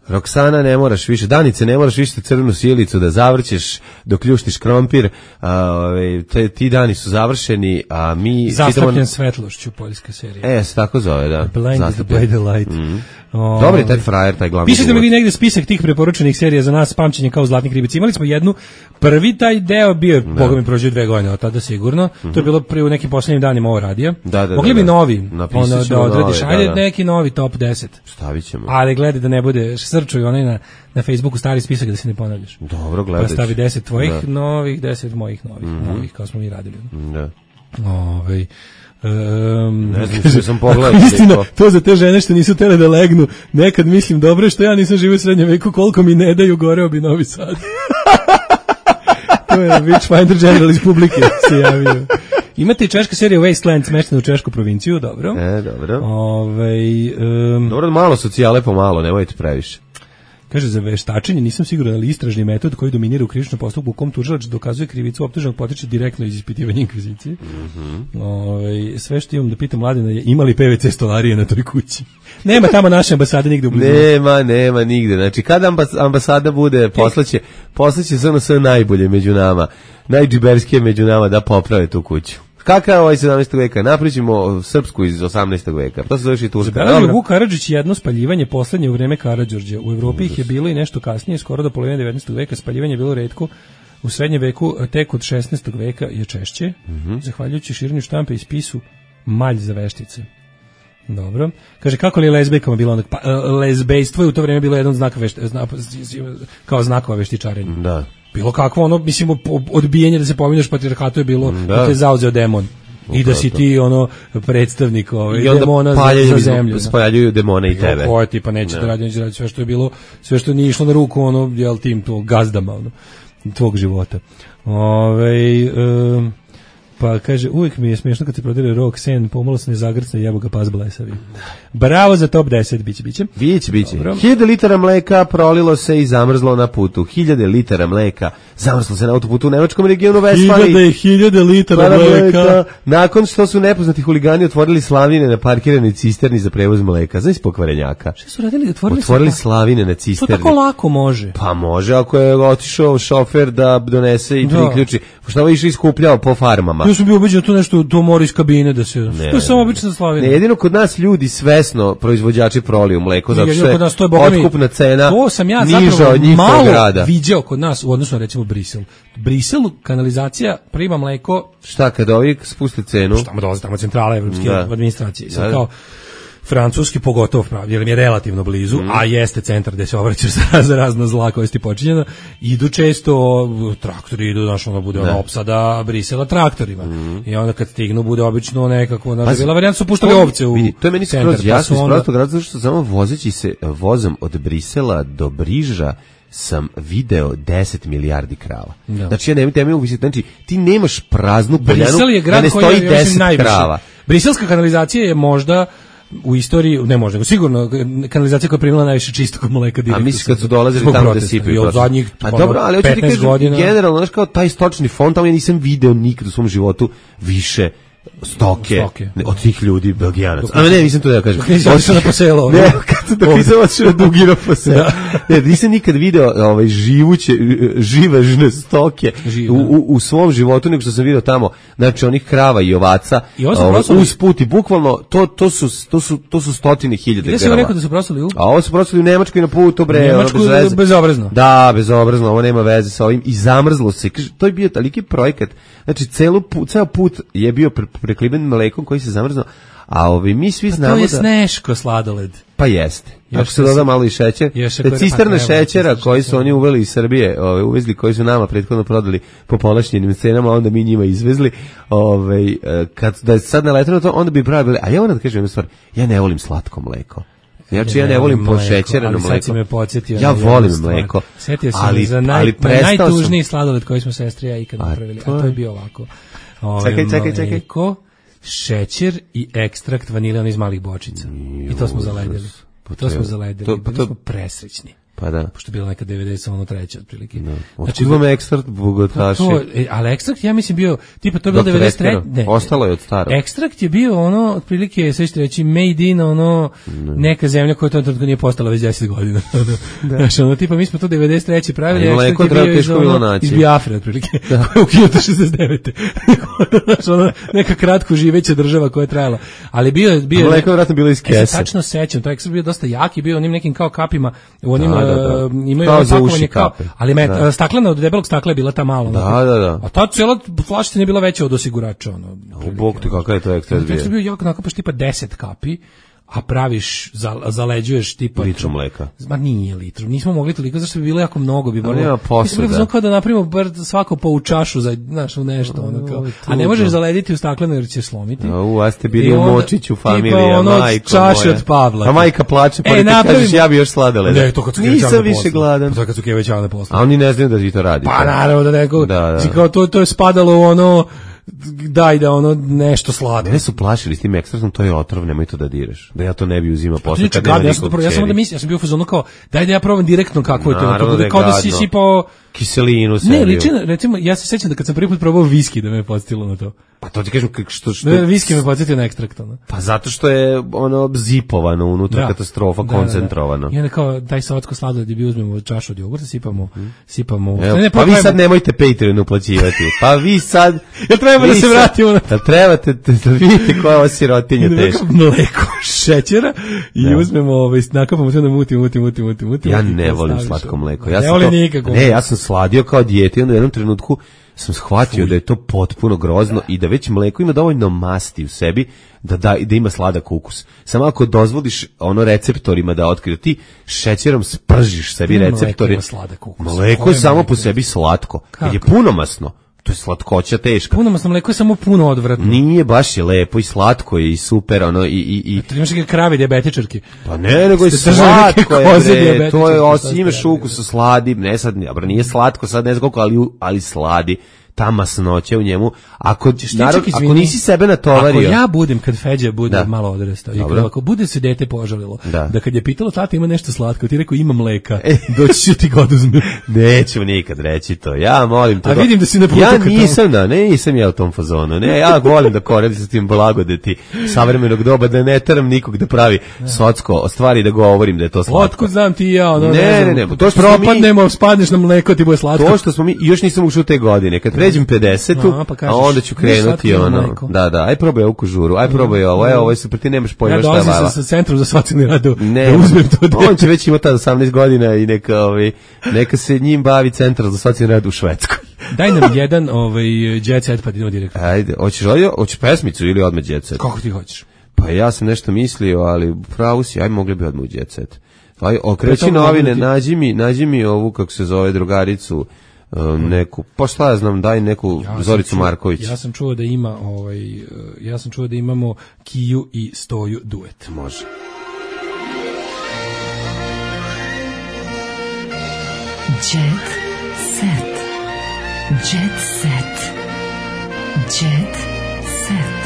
Roksana, ne moraš više, Danice, ne moraš više crvenu sjelicu da zavrćeš dok ljuštiš krompir, a, ove, te, ti dani su završeni, a mi... Zastapljen čitamo... svetlošću, poljska serija. E, se tako zove, da. Blinded by the light. Mm. O, Dobar je taj frajer, taj glavni. Pišete mi vi negde spisak tih preporučenih serija za nas, pamćenje kao Zlatnik ribic. Imali smo jednu, prvi taj deo bio je, boga mi prođe dve godine od tada sigurno, mm-hmm. to je bilo pri u nekim poslednjim danima ovo radija. Da, da, Mogli bi da, da. novi, ono, da odradiš, ajde da, da. neki novi top deset. Stavit ćemo. Ali gledaj da ne bude, srčuj onaj na, na Facebooku stari spisak da se ne ponavljaš. Dobro, gledaj. Pa stavi deset tvojih da. novih, deset mojih novih, mm-hmm. novih, kao smo mi radili. Da. Ovaj Um, ne znam što sam pogledao. Istina, to za te žene što nisu tele da legnu, nekad mislim dobro što ja nisam živio u srednjem veku, koliko mi ne daju, goreo bi Novi Sad. To je Witchfinder General iz publike se javio. Imate i češka serija Wasteland smeštena u češku provinciju, dobro. E, dobro. Ove, um, dobro, malo socijale pomalo, nemojte previše. Kaže, za veštačenje nisam siguran, ali istražni metod koji dominira u krivičnom postupku u kom tužilac dokazuje krivicu optuženog potiče direktno iz ispitivanja inkvizicije. Mm-hmm. Ove, sve što imam da pitam Mladena je imali P V C stolarije na toj kući. Nema tamo naše ambasade nigde u blizu. Nema, nema nigde. Znači, kada ambas- ambasada bude, poslaće, poslaće sve ono sve najbolje među nama, najdžiberskije među nama da poprave tu kuću. Kakav je ovaj sedamnaestog veka? Napričimo srpsku iz osamnaestog veka. To se zove i turska. Zabranio Vuk Karadžić jedno spaljivanje poslednje u vreme Karađorđa. U Evropi ih je bilo i nešto kasnije, skoro do polovine devetnaestog veka. Spaljivanje je bilo retko. U srednjem veku, tek od šesnaestog veka je češće. Mm-hmm. Zahvaljujući širenju štampe i spisu malj za veštice. Dobro. Kaže, kako li je lezbejkama bilo onda? Pa, lezbejstvo je u to vreme bilo jedan znak vešte, zna, kao znakova veštičarenja. Da. Bilo kakvo ono, mislim, odbijanje da se pominješ patrijarhatu je bilo da, da te zauzeo demon. I da si ti ono predstavnik ovaj demona za zemlju. Spaljuju demone i tebe. Ko ti pa neće da radi, neće raditi sve što je bilo, sve što nije išlo na ruku ono, jel tim to gazdama ono, tvog života. Ovaj um, pa kaže, uvijek mi je smiješno kad se prodire Roxanne, pomalo se ne zagrcne, jebo ga pas blesavi. Bravo za top deset, biće, biće. Biće, biće. Hiljade litara mleka prolilo se i zamrzlo na putu. Hiljade litara mleka zamrzlo se na autoputu u nemačkom regionu Vestfali. Hiljade, hiljade litara mleka. mleka. Nakon što su nepoznati huligani otvorili slavine na parkiranoj cisterni za prevoz mleka. Znaš pokvarenjaka? Što su radili? Otvorili, otvorili slavine na cisterni. To tako lako može. Pa može, ako je otišao šofer da donese i priključi. Što ovo išao iskupljao po farmama. Ja sam bio ubeđen to nešto, to mora iz kabine da se... Ne, to je samo obična slavina. Ne, jedino kod nas ljudi svesno proizvođači proliju mleko, zato što je nas, to je otkupna cena to sam ja niža od njihovog grada. Malo viđao kod nas u odnosu na recimo Brisel. Brisel, kanalizacija, prima mleko... Šta, kad ovi spuste cenu? Šta mu dolaze tamo centrala evropske administracije. Sad kao... Francuski pogotovo pravi, jer mi je relativno blizu, mm. a jeste centar gde se obraćaš za, za razna zla koja je počinjena, idu često, traktori idu, znaš, ono bude ono opsada Brisela traktorima. Mm. I onda kad stignu, bude obično nekako, znaš, bila varijanta su puštali ovce u vidi, to je meni centar. Skroz jasno, iz onda... prostog razloga što samo vozeći se vozom od Brisela do Briža sam video deset milijardi krava. Da. Znači, ja nemam teme uvisiti, znači, ti nemaš praznu poljanu, da ne stoji deset krava. Briselska kanalizacija je možda u istoriji, ne možda, sigurno kanalizacija koja je primila najviše čistog mleka direktno. A misliš kad su dolazili tamo da sipaju? Od zadnjih pa dobro, ali hoću ti kažem, generalno, znaš kao taj stočni fond, tamo ja nisam video nikad u svom životu više stoke, stoke. Ne, od tih ljudi belgijanaca. A ne, nisam to da kažem. Otišao na poselo. Ne, kad sam dok nisam otišao na dugino poselo. Ne, nisam nikad video ovaj, živuće, živežne stoke u, u, u svom životu, nego što sam video tamo, znači onih krava i ovaca, I ovaj, uz put i bukvalno, to, to, su, to, su, to su stotine hiljade grama. Gde si rekao da su prosali u? A ovo su prosali u Nemačkoj na putu, bre. Nemačku bez bezobrazno. Da, bezobrazno, ovo nema veze sa ovim. I zamrzlo se. To je bio taliki projekat. Znači, celu, ceo put je bio prekliben mlekom koji se zamrznuo. A ovi mi svi znamo da... To je sneško sladoled. Pa jeste. Još Ako se doda malo i šećer, te cisterne šećera koji su oni uveli iz Srbije, ove, uvezli, koji su nama prethodno prodali po povlašćenim cenama, onda mi njima izvezli, ove, kad da je sad naletano to, onda bi pravi bili, a ja moram da kažem jednu stvar, ja ne volim slatko mleko. Znači ja ne volim pošećereno mleko. Ja volim mleko. Setio sam ali, za naj, najtužniji sladoled koji smo sestri ja ikad napravili, a to je bio ovako. Ove, čekaj, čekaj, čekaj. Mleko, šećer i ekstrakt vanilija iz malih bočica. I to smo zaledili. To smo zaledili. Bili smo presrećni. Pa da. Pošto je bila neka devedeset treća otprilike. No. Znači, imam ekstrakt bogotaši. To, e, ali ekstrakt, ja mislim, bio, tipa, to je bilo devedeset treća. Ne, ostalo je od starog. Ekstrakt je bio ono, otprilike, sve ćete reći, made in, ono, no. neka zemlja koja to trenutno nije postala već deset godina. Da. Znači, ono, tipa, mi smo to devedeset treće pravili, ekstrakt je bio iz, ono, iz Biafre, otprilike, koja je ukinuta šezdeset devete Znači, ono, neka kratko živeća država koja je trajala. Ali bio je... Bio, mleko je vratno bilo iz kese. Ja se tačno sećam, to ekstrakt bio dosta jaki, bio onim nekim kao kapima, u onim Da, da. Imaju kao za uši kao, ali met, da. Staklena od debelog stakla je bila ta malo. Da, da, da. A ta cijela flašica nije bila veća od osigurača. Ono, u bog ti kakav je to ekstrakt bio. Ekstrakt bio jako nakapaš tipa deset kapi, a praviš, zaleđuješ tipa... Litru mleka. Ma nije litru, nismo mogli toliko, zašto bi bilo jako mnogo. Bi ali nema posle, da. Mislim kao da napravimo bar svako po u čašu, za, znaš, u nešto. Ono, kao. A ne možeš zalediti u stakleno jer će slomiti. U, a ste bili u Močiću familija, ono, majko čaše od Pavla. A majka plače, pa ti kažeš ja bi još sladoleda. Ne, to kad su nisam više gladan. To kad su kevećavane posle. A oni ne znaju da vi to radite. Pa naravno da neko, da, da. Kao, to, to je spadalo u ono... daj da ono nešto slatko. Ne su plašili s tim ekstraktom, to je otrov, nemoj to da direš. Da ja to ne bi uzimao posle kad nema nikog čeri. Ja sam onda mislio, ja sam bio u fazonu kao, daj da ja probam direktno kako je to. Naravno da je gadno. Kao da si sipao... Kiselinu sebi. Ne, liči, recimo, ja se sećam da kad sam prvi put probao viski da me je podsjetilo na to. Pa to ti kažem što... što... Da, viski me podsjetio na ekstrakt, ono. Pa zato što je ono zipovano unutra, da. Katastrofa, da, koncentrovano. Da, da. I onda kao, daj slatko sladoled gdje bi uzmemo čašu od jogurta, sipamo, hmm. sipamo... Evo, ne, pa vi sad nemojte Patreon uplaćivati. Pa vi sad... ja treba da se vratimo na... Da trebate da vidite koja je ova sirotinja teška. Mleko šećera i da. Uzmemo, ovaj, nakapamo sve da muti, muti, muti, muti, muti. Ja ne volim slatko mleko. Ja ne volim nikako. Ne, ja sam sladio kao dijete i onda u jednom trenutku sam shvatio Fuj. Da je to potpuno grozno i da već mleko ima dovoljno masti u sebi da, da, da ima sladak ukus. Samo ako dozvoliš ono receptorima da otkriju, ti šećerom spržiš sebi receptori. Mleko, sladak ukus. Mleko je samo po sebi slatko. Kad je punomasno, to je slatkoća teška. Punomasno mleko je samo puno odvratno. Nije, baš je lepo i slatko je i super, ono i i i. A ti imaš neke krave dijabetičarke. Pa ne, nego i slatko je, to je osim imaš ukus sladi, ne sad, dobro, nije slatko, sad ne znam koliko, ali ali sladi. Ta masnoća u njemu, ako, narod, ako nisi sebe natovario... Ako ja budem, kad Feđa bude da. Malo odrastao, i kad, ako bude se dete požalilo, da. Da kad je pitalo tata ima nešto slatko, ti rekao ima mleka, doći ću ti ga oduzme. Neću nikad reći to, ja molim to. A vidim da si na putu. Ja nisam, da, ne, nisam ja u tom fazonu, ne, ja volim da koristim s tim blagodeti savremenog doba, da ne teram nikog da pravi socko, stvari da govorim da je to slatko. Otkud znam ti ja, ono, ne, ne, ne, ne, to što propadnemo, mi, spadneš na mleko, ti bude slatko. To što smo mi, još nisam ušao te godine, kad pređem pedesetu, a, pa kažeš, a onda ću krenuti ono. Mleko. Da, da, aj probaj ovu kužuru, aj probaj ovo, aj ovo je super, ti nemaš pojma ja šta je lava. Ja dolazim sa centrom za socijalni rad da uzmem to dete. On će već imati osamnaest godina i neka, ovaj, neka se njim bavi centar za socijalni rad u Švedskoj. Daj nam jedan ovaj, jet set pa idemo direktno. Ajde, hoćeš, hoćeš pesmicu ili odmah jet set? Kako ti hoćeš? Pa ja sam nešto mislio, ali pravo si, aj mogli bi odmah u jet set. Aj, okreći novine, nađi mi, nađi mi ovu, kako se zove, drugaricu, Um, neku, pa šta ja znam, daj neku ja Zoricu čuo, Marković. Ja sam čuo da ima ovaj, ja sam čuo da imamo Kiju i Stoju duet. Može. Jet set. Jet set. Jet set.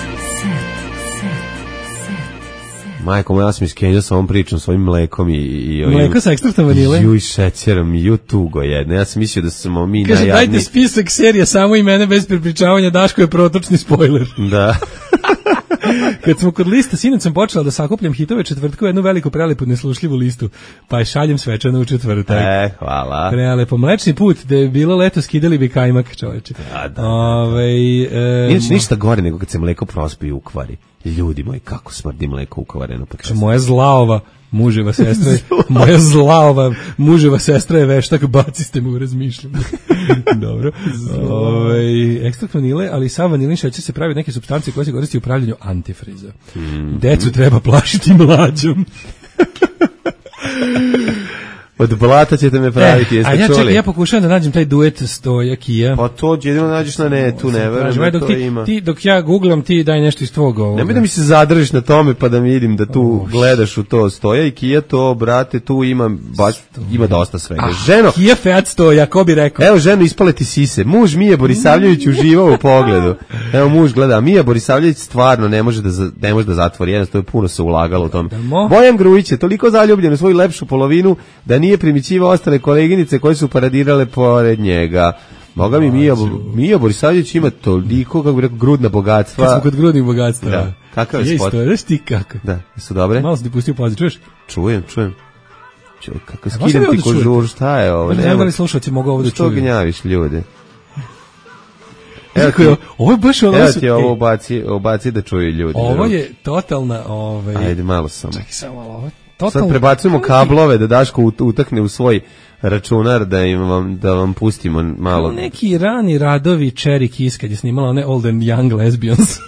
Majko moja, ja sam iskenjao sa ovom pričom, s ovim mlekom i... i ovim, mleko sa ekstraktom vanile? Ju i šećerom, ju tugo jedno. Ja sam mislio da smo mi Kaže, najjadni. Kaže, dajte spisak serija, samo i mene bez prepričavanja, Daško je protočni spojler. Da. Kad smo kod lista, sinoć sam počela da sakupljam hitove četvrtka u jednu veliku prelepu neslušljivu listu, pa je šaljem svečano u četvrtak. E, hvala. Prelepo. Mlečni put, da je bilo leto, skidali bi kajmak, čoveče. Da, da. Ove, e, Inače, ništa gore nego kad se mleko prospi i ukvari. Ljudi moji, kako smrdi mleko ukvareno. Pa moja zlaova. muževa sestra je, moja zla ova muževa sestra je veštak, baciste me u razmišljanje. Dobro. Ovaj ekstrakt vanile, ali sa vanilin šećer se pravi neke supstance koje se koriste u pravljenju antifriza. Mm. Decu treba plašiti mlađom. Od blata ćete me praviti, jeste čuli? A ja čekaj, čuli? ja pokušavam da nađem taj duet Stoja Kija. Pa to jedino nađeš na netu, ne verujem da to ti, ima. Ti, dok ja googlam, ti daj nešto iz tvog ovoga. Nemoj da mi se zadržiš na tome pa da mi vidim da tu oh, gledaš u to Stoja i Kija, to, brate, tu ima, baš, ima dosta svega. Ah, ženo, Kija Fiat Stoja, ko bi rekao? Evo, ženo, ispale ti sise. Muž Mije Borisavljević uživao u pogledu. Evo, muž gleda, a Mija Borisavljević stvarno ne može da, ne može da zatvori, jednostavno puno se ulagalo u tome. Bojan Grujić je toliko zaljubljen u svoju lepšu polovinu da nije primićivao ostale koleginice koje su paradirale pored njega. Boga mi, Mija, Mija Borisavljević ima toliko, kako bi rekao, grudna bogatstva. Kad smo kod grudnih bogatstva. Da. Kakav je spot? Znaš ti kako? Da, su dobre? Malo sam ti pustio pauzu, čuješ? Čujem, čujem. Čuj, kako skidem ti kožur, šta je ovo? Ne znam da li slušalci mogu ovo da čuju. Što gnjaviš ljude? Evo ti, ovo je baš ono... Evo ti ovo obaci, obaci da čuju ljudi. Ovo je totalna... Ovaj... Ajde, malo samo. Čekaj, samo malo ovo. Totalno... Sad prebacujemo kablove da Daško utakne u svoj računar da im vam, da vam pustimo malo. Neki rani radovi Cherry Kiss kad je snimala one Old and Young Lesbians.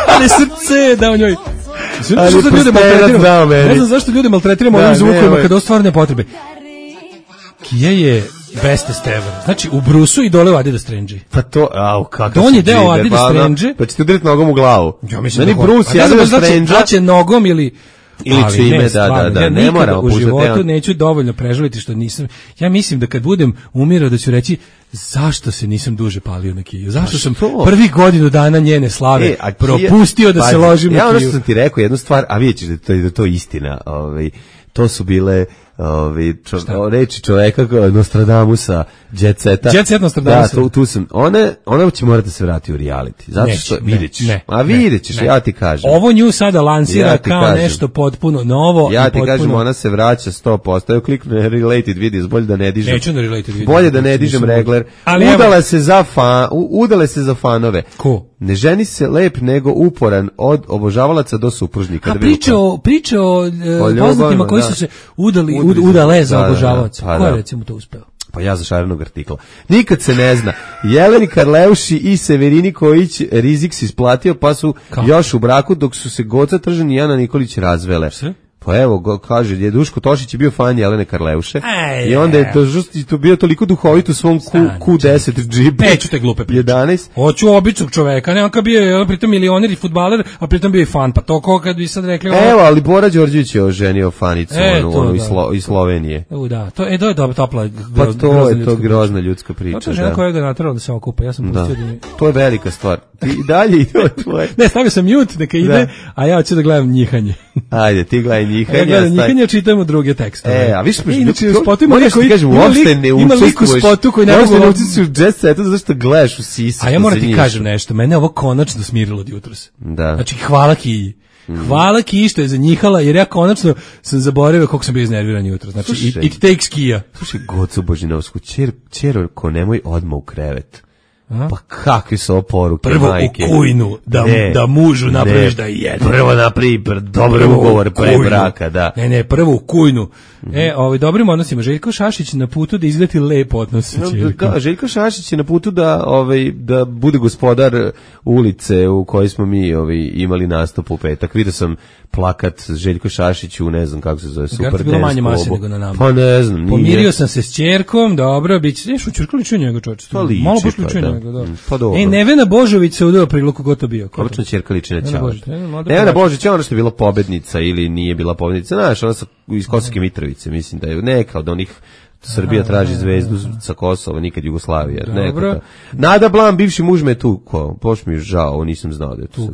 Ali srce da u njoj. Ali što ljude maltretiramo? Ne znam zašto ljude maltretiramo ovim zvukovima kad ostvarne potrebe. Kija je bestest ever. Znači, u Brusu i dole u Adidas Strange. Pa to, au, kakav Donji deo Adidas Strange. Pa ćete udariti nogom u glavu. Ja mislim Meni Bruce i Adidas Strange. Znači, nogom ili... Ili čime, ne, da, da, da, ja ne moramo u životu puštati, neću dovoljno prežaliti što nisam, ja mislim da kad budem umirao da ću reći zašto se nisam duže palio na Kiju, zašto sam prvi godinu dana njene slave e, a propustio Kija, da se ložim ja na Kiju. Ja ono što sam ti rekao, jednu stvar, a vidjet ćeš da to, da to je istina, ovaj, to su bile ovaj čo, reči čoveka Nostradamusa, Jet Seta. Jet Set Nostradamusa. Da, tu, tu sam. Ona, ona će morati da se vrati u reality. Zato Neći, što ne, vidjet ćeš. Ne, a vidjet ćeš, ne. ja ti kažem. Ovo nju sada lansira ja kao kažem. nešto potpuno novo. Ja i ti potpuno... kažem, ona se vraća sto posto. Evo kliknu na related videos, bolje da ne dižem. Neću na related videos. Bolje da ne dižem regler. Ali udala evo... se za fan, udale se za fanove. Ko? Ne ženi se lep nego uporan od obožavalaca do supružnika. A priče o, priče o, o poznatima koji da. su se udali, ud, udale za obožavaoca. Pa, ko je da. recimo to uspeo? Pa ja za šarenog artikla. Nikad se ne zna. Jeleni Karleuši i Severini Kojić rizik se isplatio, pa su Kako? još u braku, dok su se Goca Tržan i Jana Nikolić razvele. Sve? Pa evo, go, kaže, je Duško Tošić je bio fan Jelene Karleuše. Ej, i onda je to, to bio toliko duhovit u svom Q deset džipu. Neću te glupe priče. jedanaest. Hoću običnog čoveka, ne on kad bio je pritom milioner i fudbaler, a pritom bio i fan, pa to ko kad bi sad rekli... Evo, ovo... ali Bora Đorđević je oženio fanicu, e, onu, onu da. iz, Slo, iz Slovenije. U, da, to, e, to je dobra, topla, pa to je to grozna ljudska priča. To je žena da. koja ga naterala da se okupa, ja sam da. pustio da mi... To je velika stvar. Ti i dalje ide od tvoje. Ne, stavio sam mute, neka ide, da. a ja hoću da gledam njihanje. Ajde, ti gledaj njihanje. Ja gledam njihanje, čitamo druge tekstove. E, a viš, inače u spotu ima lik koji kažem, uopšte ne učestvuješ. U spotu koji ne mogu da učestvuješ u Jet Setu zato što gledaš u sisi. A ja moram ti kažem nešto, mene ovo konačno smirilo od jutros. Da. Znači, hvala Kiji. Hvala Kiji što je zanjihala, jer ja konačno sam zaboravio koliko sam bio iznerviran jutros. Znači, Slušaj, it, it takes Kija. Slušaj, Gocu Božinovsku, čer, čerko, nemoj odmah u krevet. A? Pa kakve su ovo poruke, prvo majke? U kujnu, da, ne, da mužu napraviš da je jedno. Prvo napravi dobar ugovor pre braka, da. Ne, ne, prvo u kujnu. Mm-hmm. E, ovaj, dobrim odnosima. Željko Šašić na putu da izgledi lepo odnos sa ćerkom. No, Željko Šašić je na putu da, ovaj, da bude gospodar ulice u kojoj smo mi ovaj, imali nastup u petak. Vidio sam plakat Željko Šašić u, ne znam kako se zove, Super Dance bilo manje mase nego na nama. Pa ne znam. Nije. Pomirio sam se s ćerkom, dobro, bit će, u ćerku ličio njega čoče. Pa liči, malo baš pa, ličio da. njega, da. Pa dobro. E, Nevena Božović se udao priluku ko to bio. Obično ćerka liči na Ćao. Nevena Božović je ona što je bila pobednica ili nije bila pobednica. Znaš, ona sa, iz Kosovske Mitrovice, mislim da je neka od onih Srbija traži zvezdu sa Kosova, nikad Jugoslavija. Neka. Nada Blam, bivši muž me tu, ko, poš mi je žao, ovo nisam znao da je tu.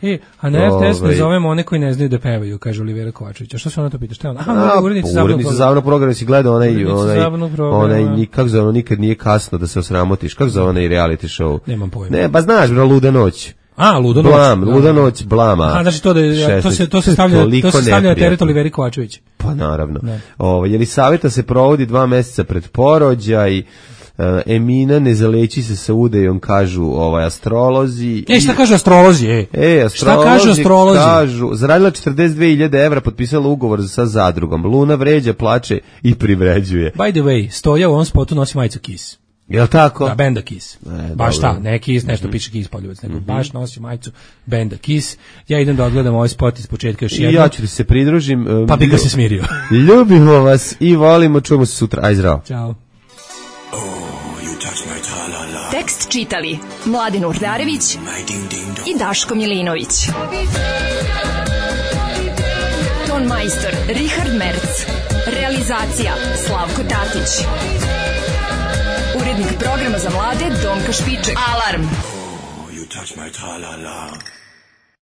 E, a na R T S ne zovemo one koji ne znaju da pevaju, kaže Olivera Kovačević. A što se ona to pita? Šta je ona? Aha, urednica zabavnog programa. Si gledao onaj, onaj, onaj, kako zove, nikad nije kasno da se osramotiš. Kako zove onaj reality show? Nemam pojma. Ne, ba znaš, bro, Luda noć. A, Luda noć. Blam, Luda noć, Blama. A, znači to, da, to se, to se stavlja, to se stavlja na teret Oliveri Kovačević. Pa naravno. Ovo, Jelisaveta se provodi dva meseca pred porođaj. Uh, Emina ne zaleći se sa udejom, kažu ovaj astrolozi. E, šta kažu astrolozi? E, e astrolozi, šta kažu astrolozi? Kažu, zaradila četrdeset dve hiljade evra, potpisala ugovor sa zadrugom. Luna vređa, plače i privređuje. By the way, Stoja u ovom spotu nosi majicu Kiss. Jel tako? Da, benda Kiss. E, baš dobro. ta, ne Kiss, nešto Mm-hmm. piše Kiss poljubac, nego Mm-hmm. baš nosi majicu benda Kiss. Ja idem da odgledam ovaj spot iz početka još jednom. I ja ću ti se pridružim. Um, pa bi ga se smirio. Ljubimo vas i volimo, čujemo se sutra. Aj, zdravo. Ćao. Tekst čitali Mladin Urdarević i Daško Milinović. Ton majstor Richard Merc. Realizacija Slavko Tatić. Urednik programa za mlade Donka Špiček. Alarm! You touch my tra-la-la.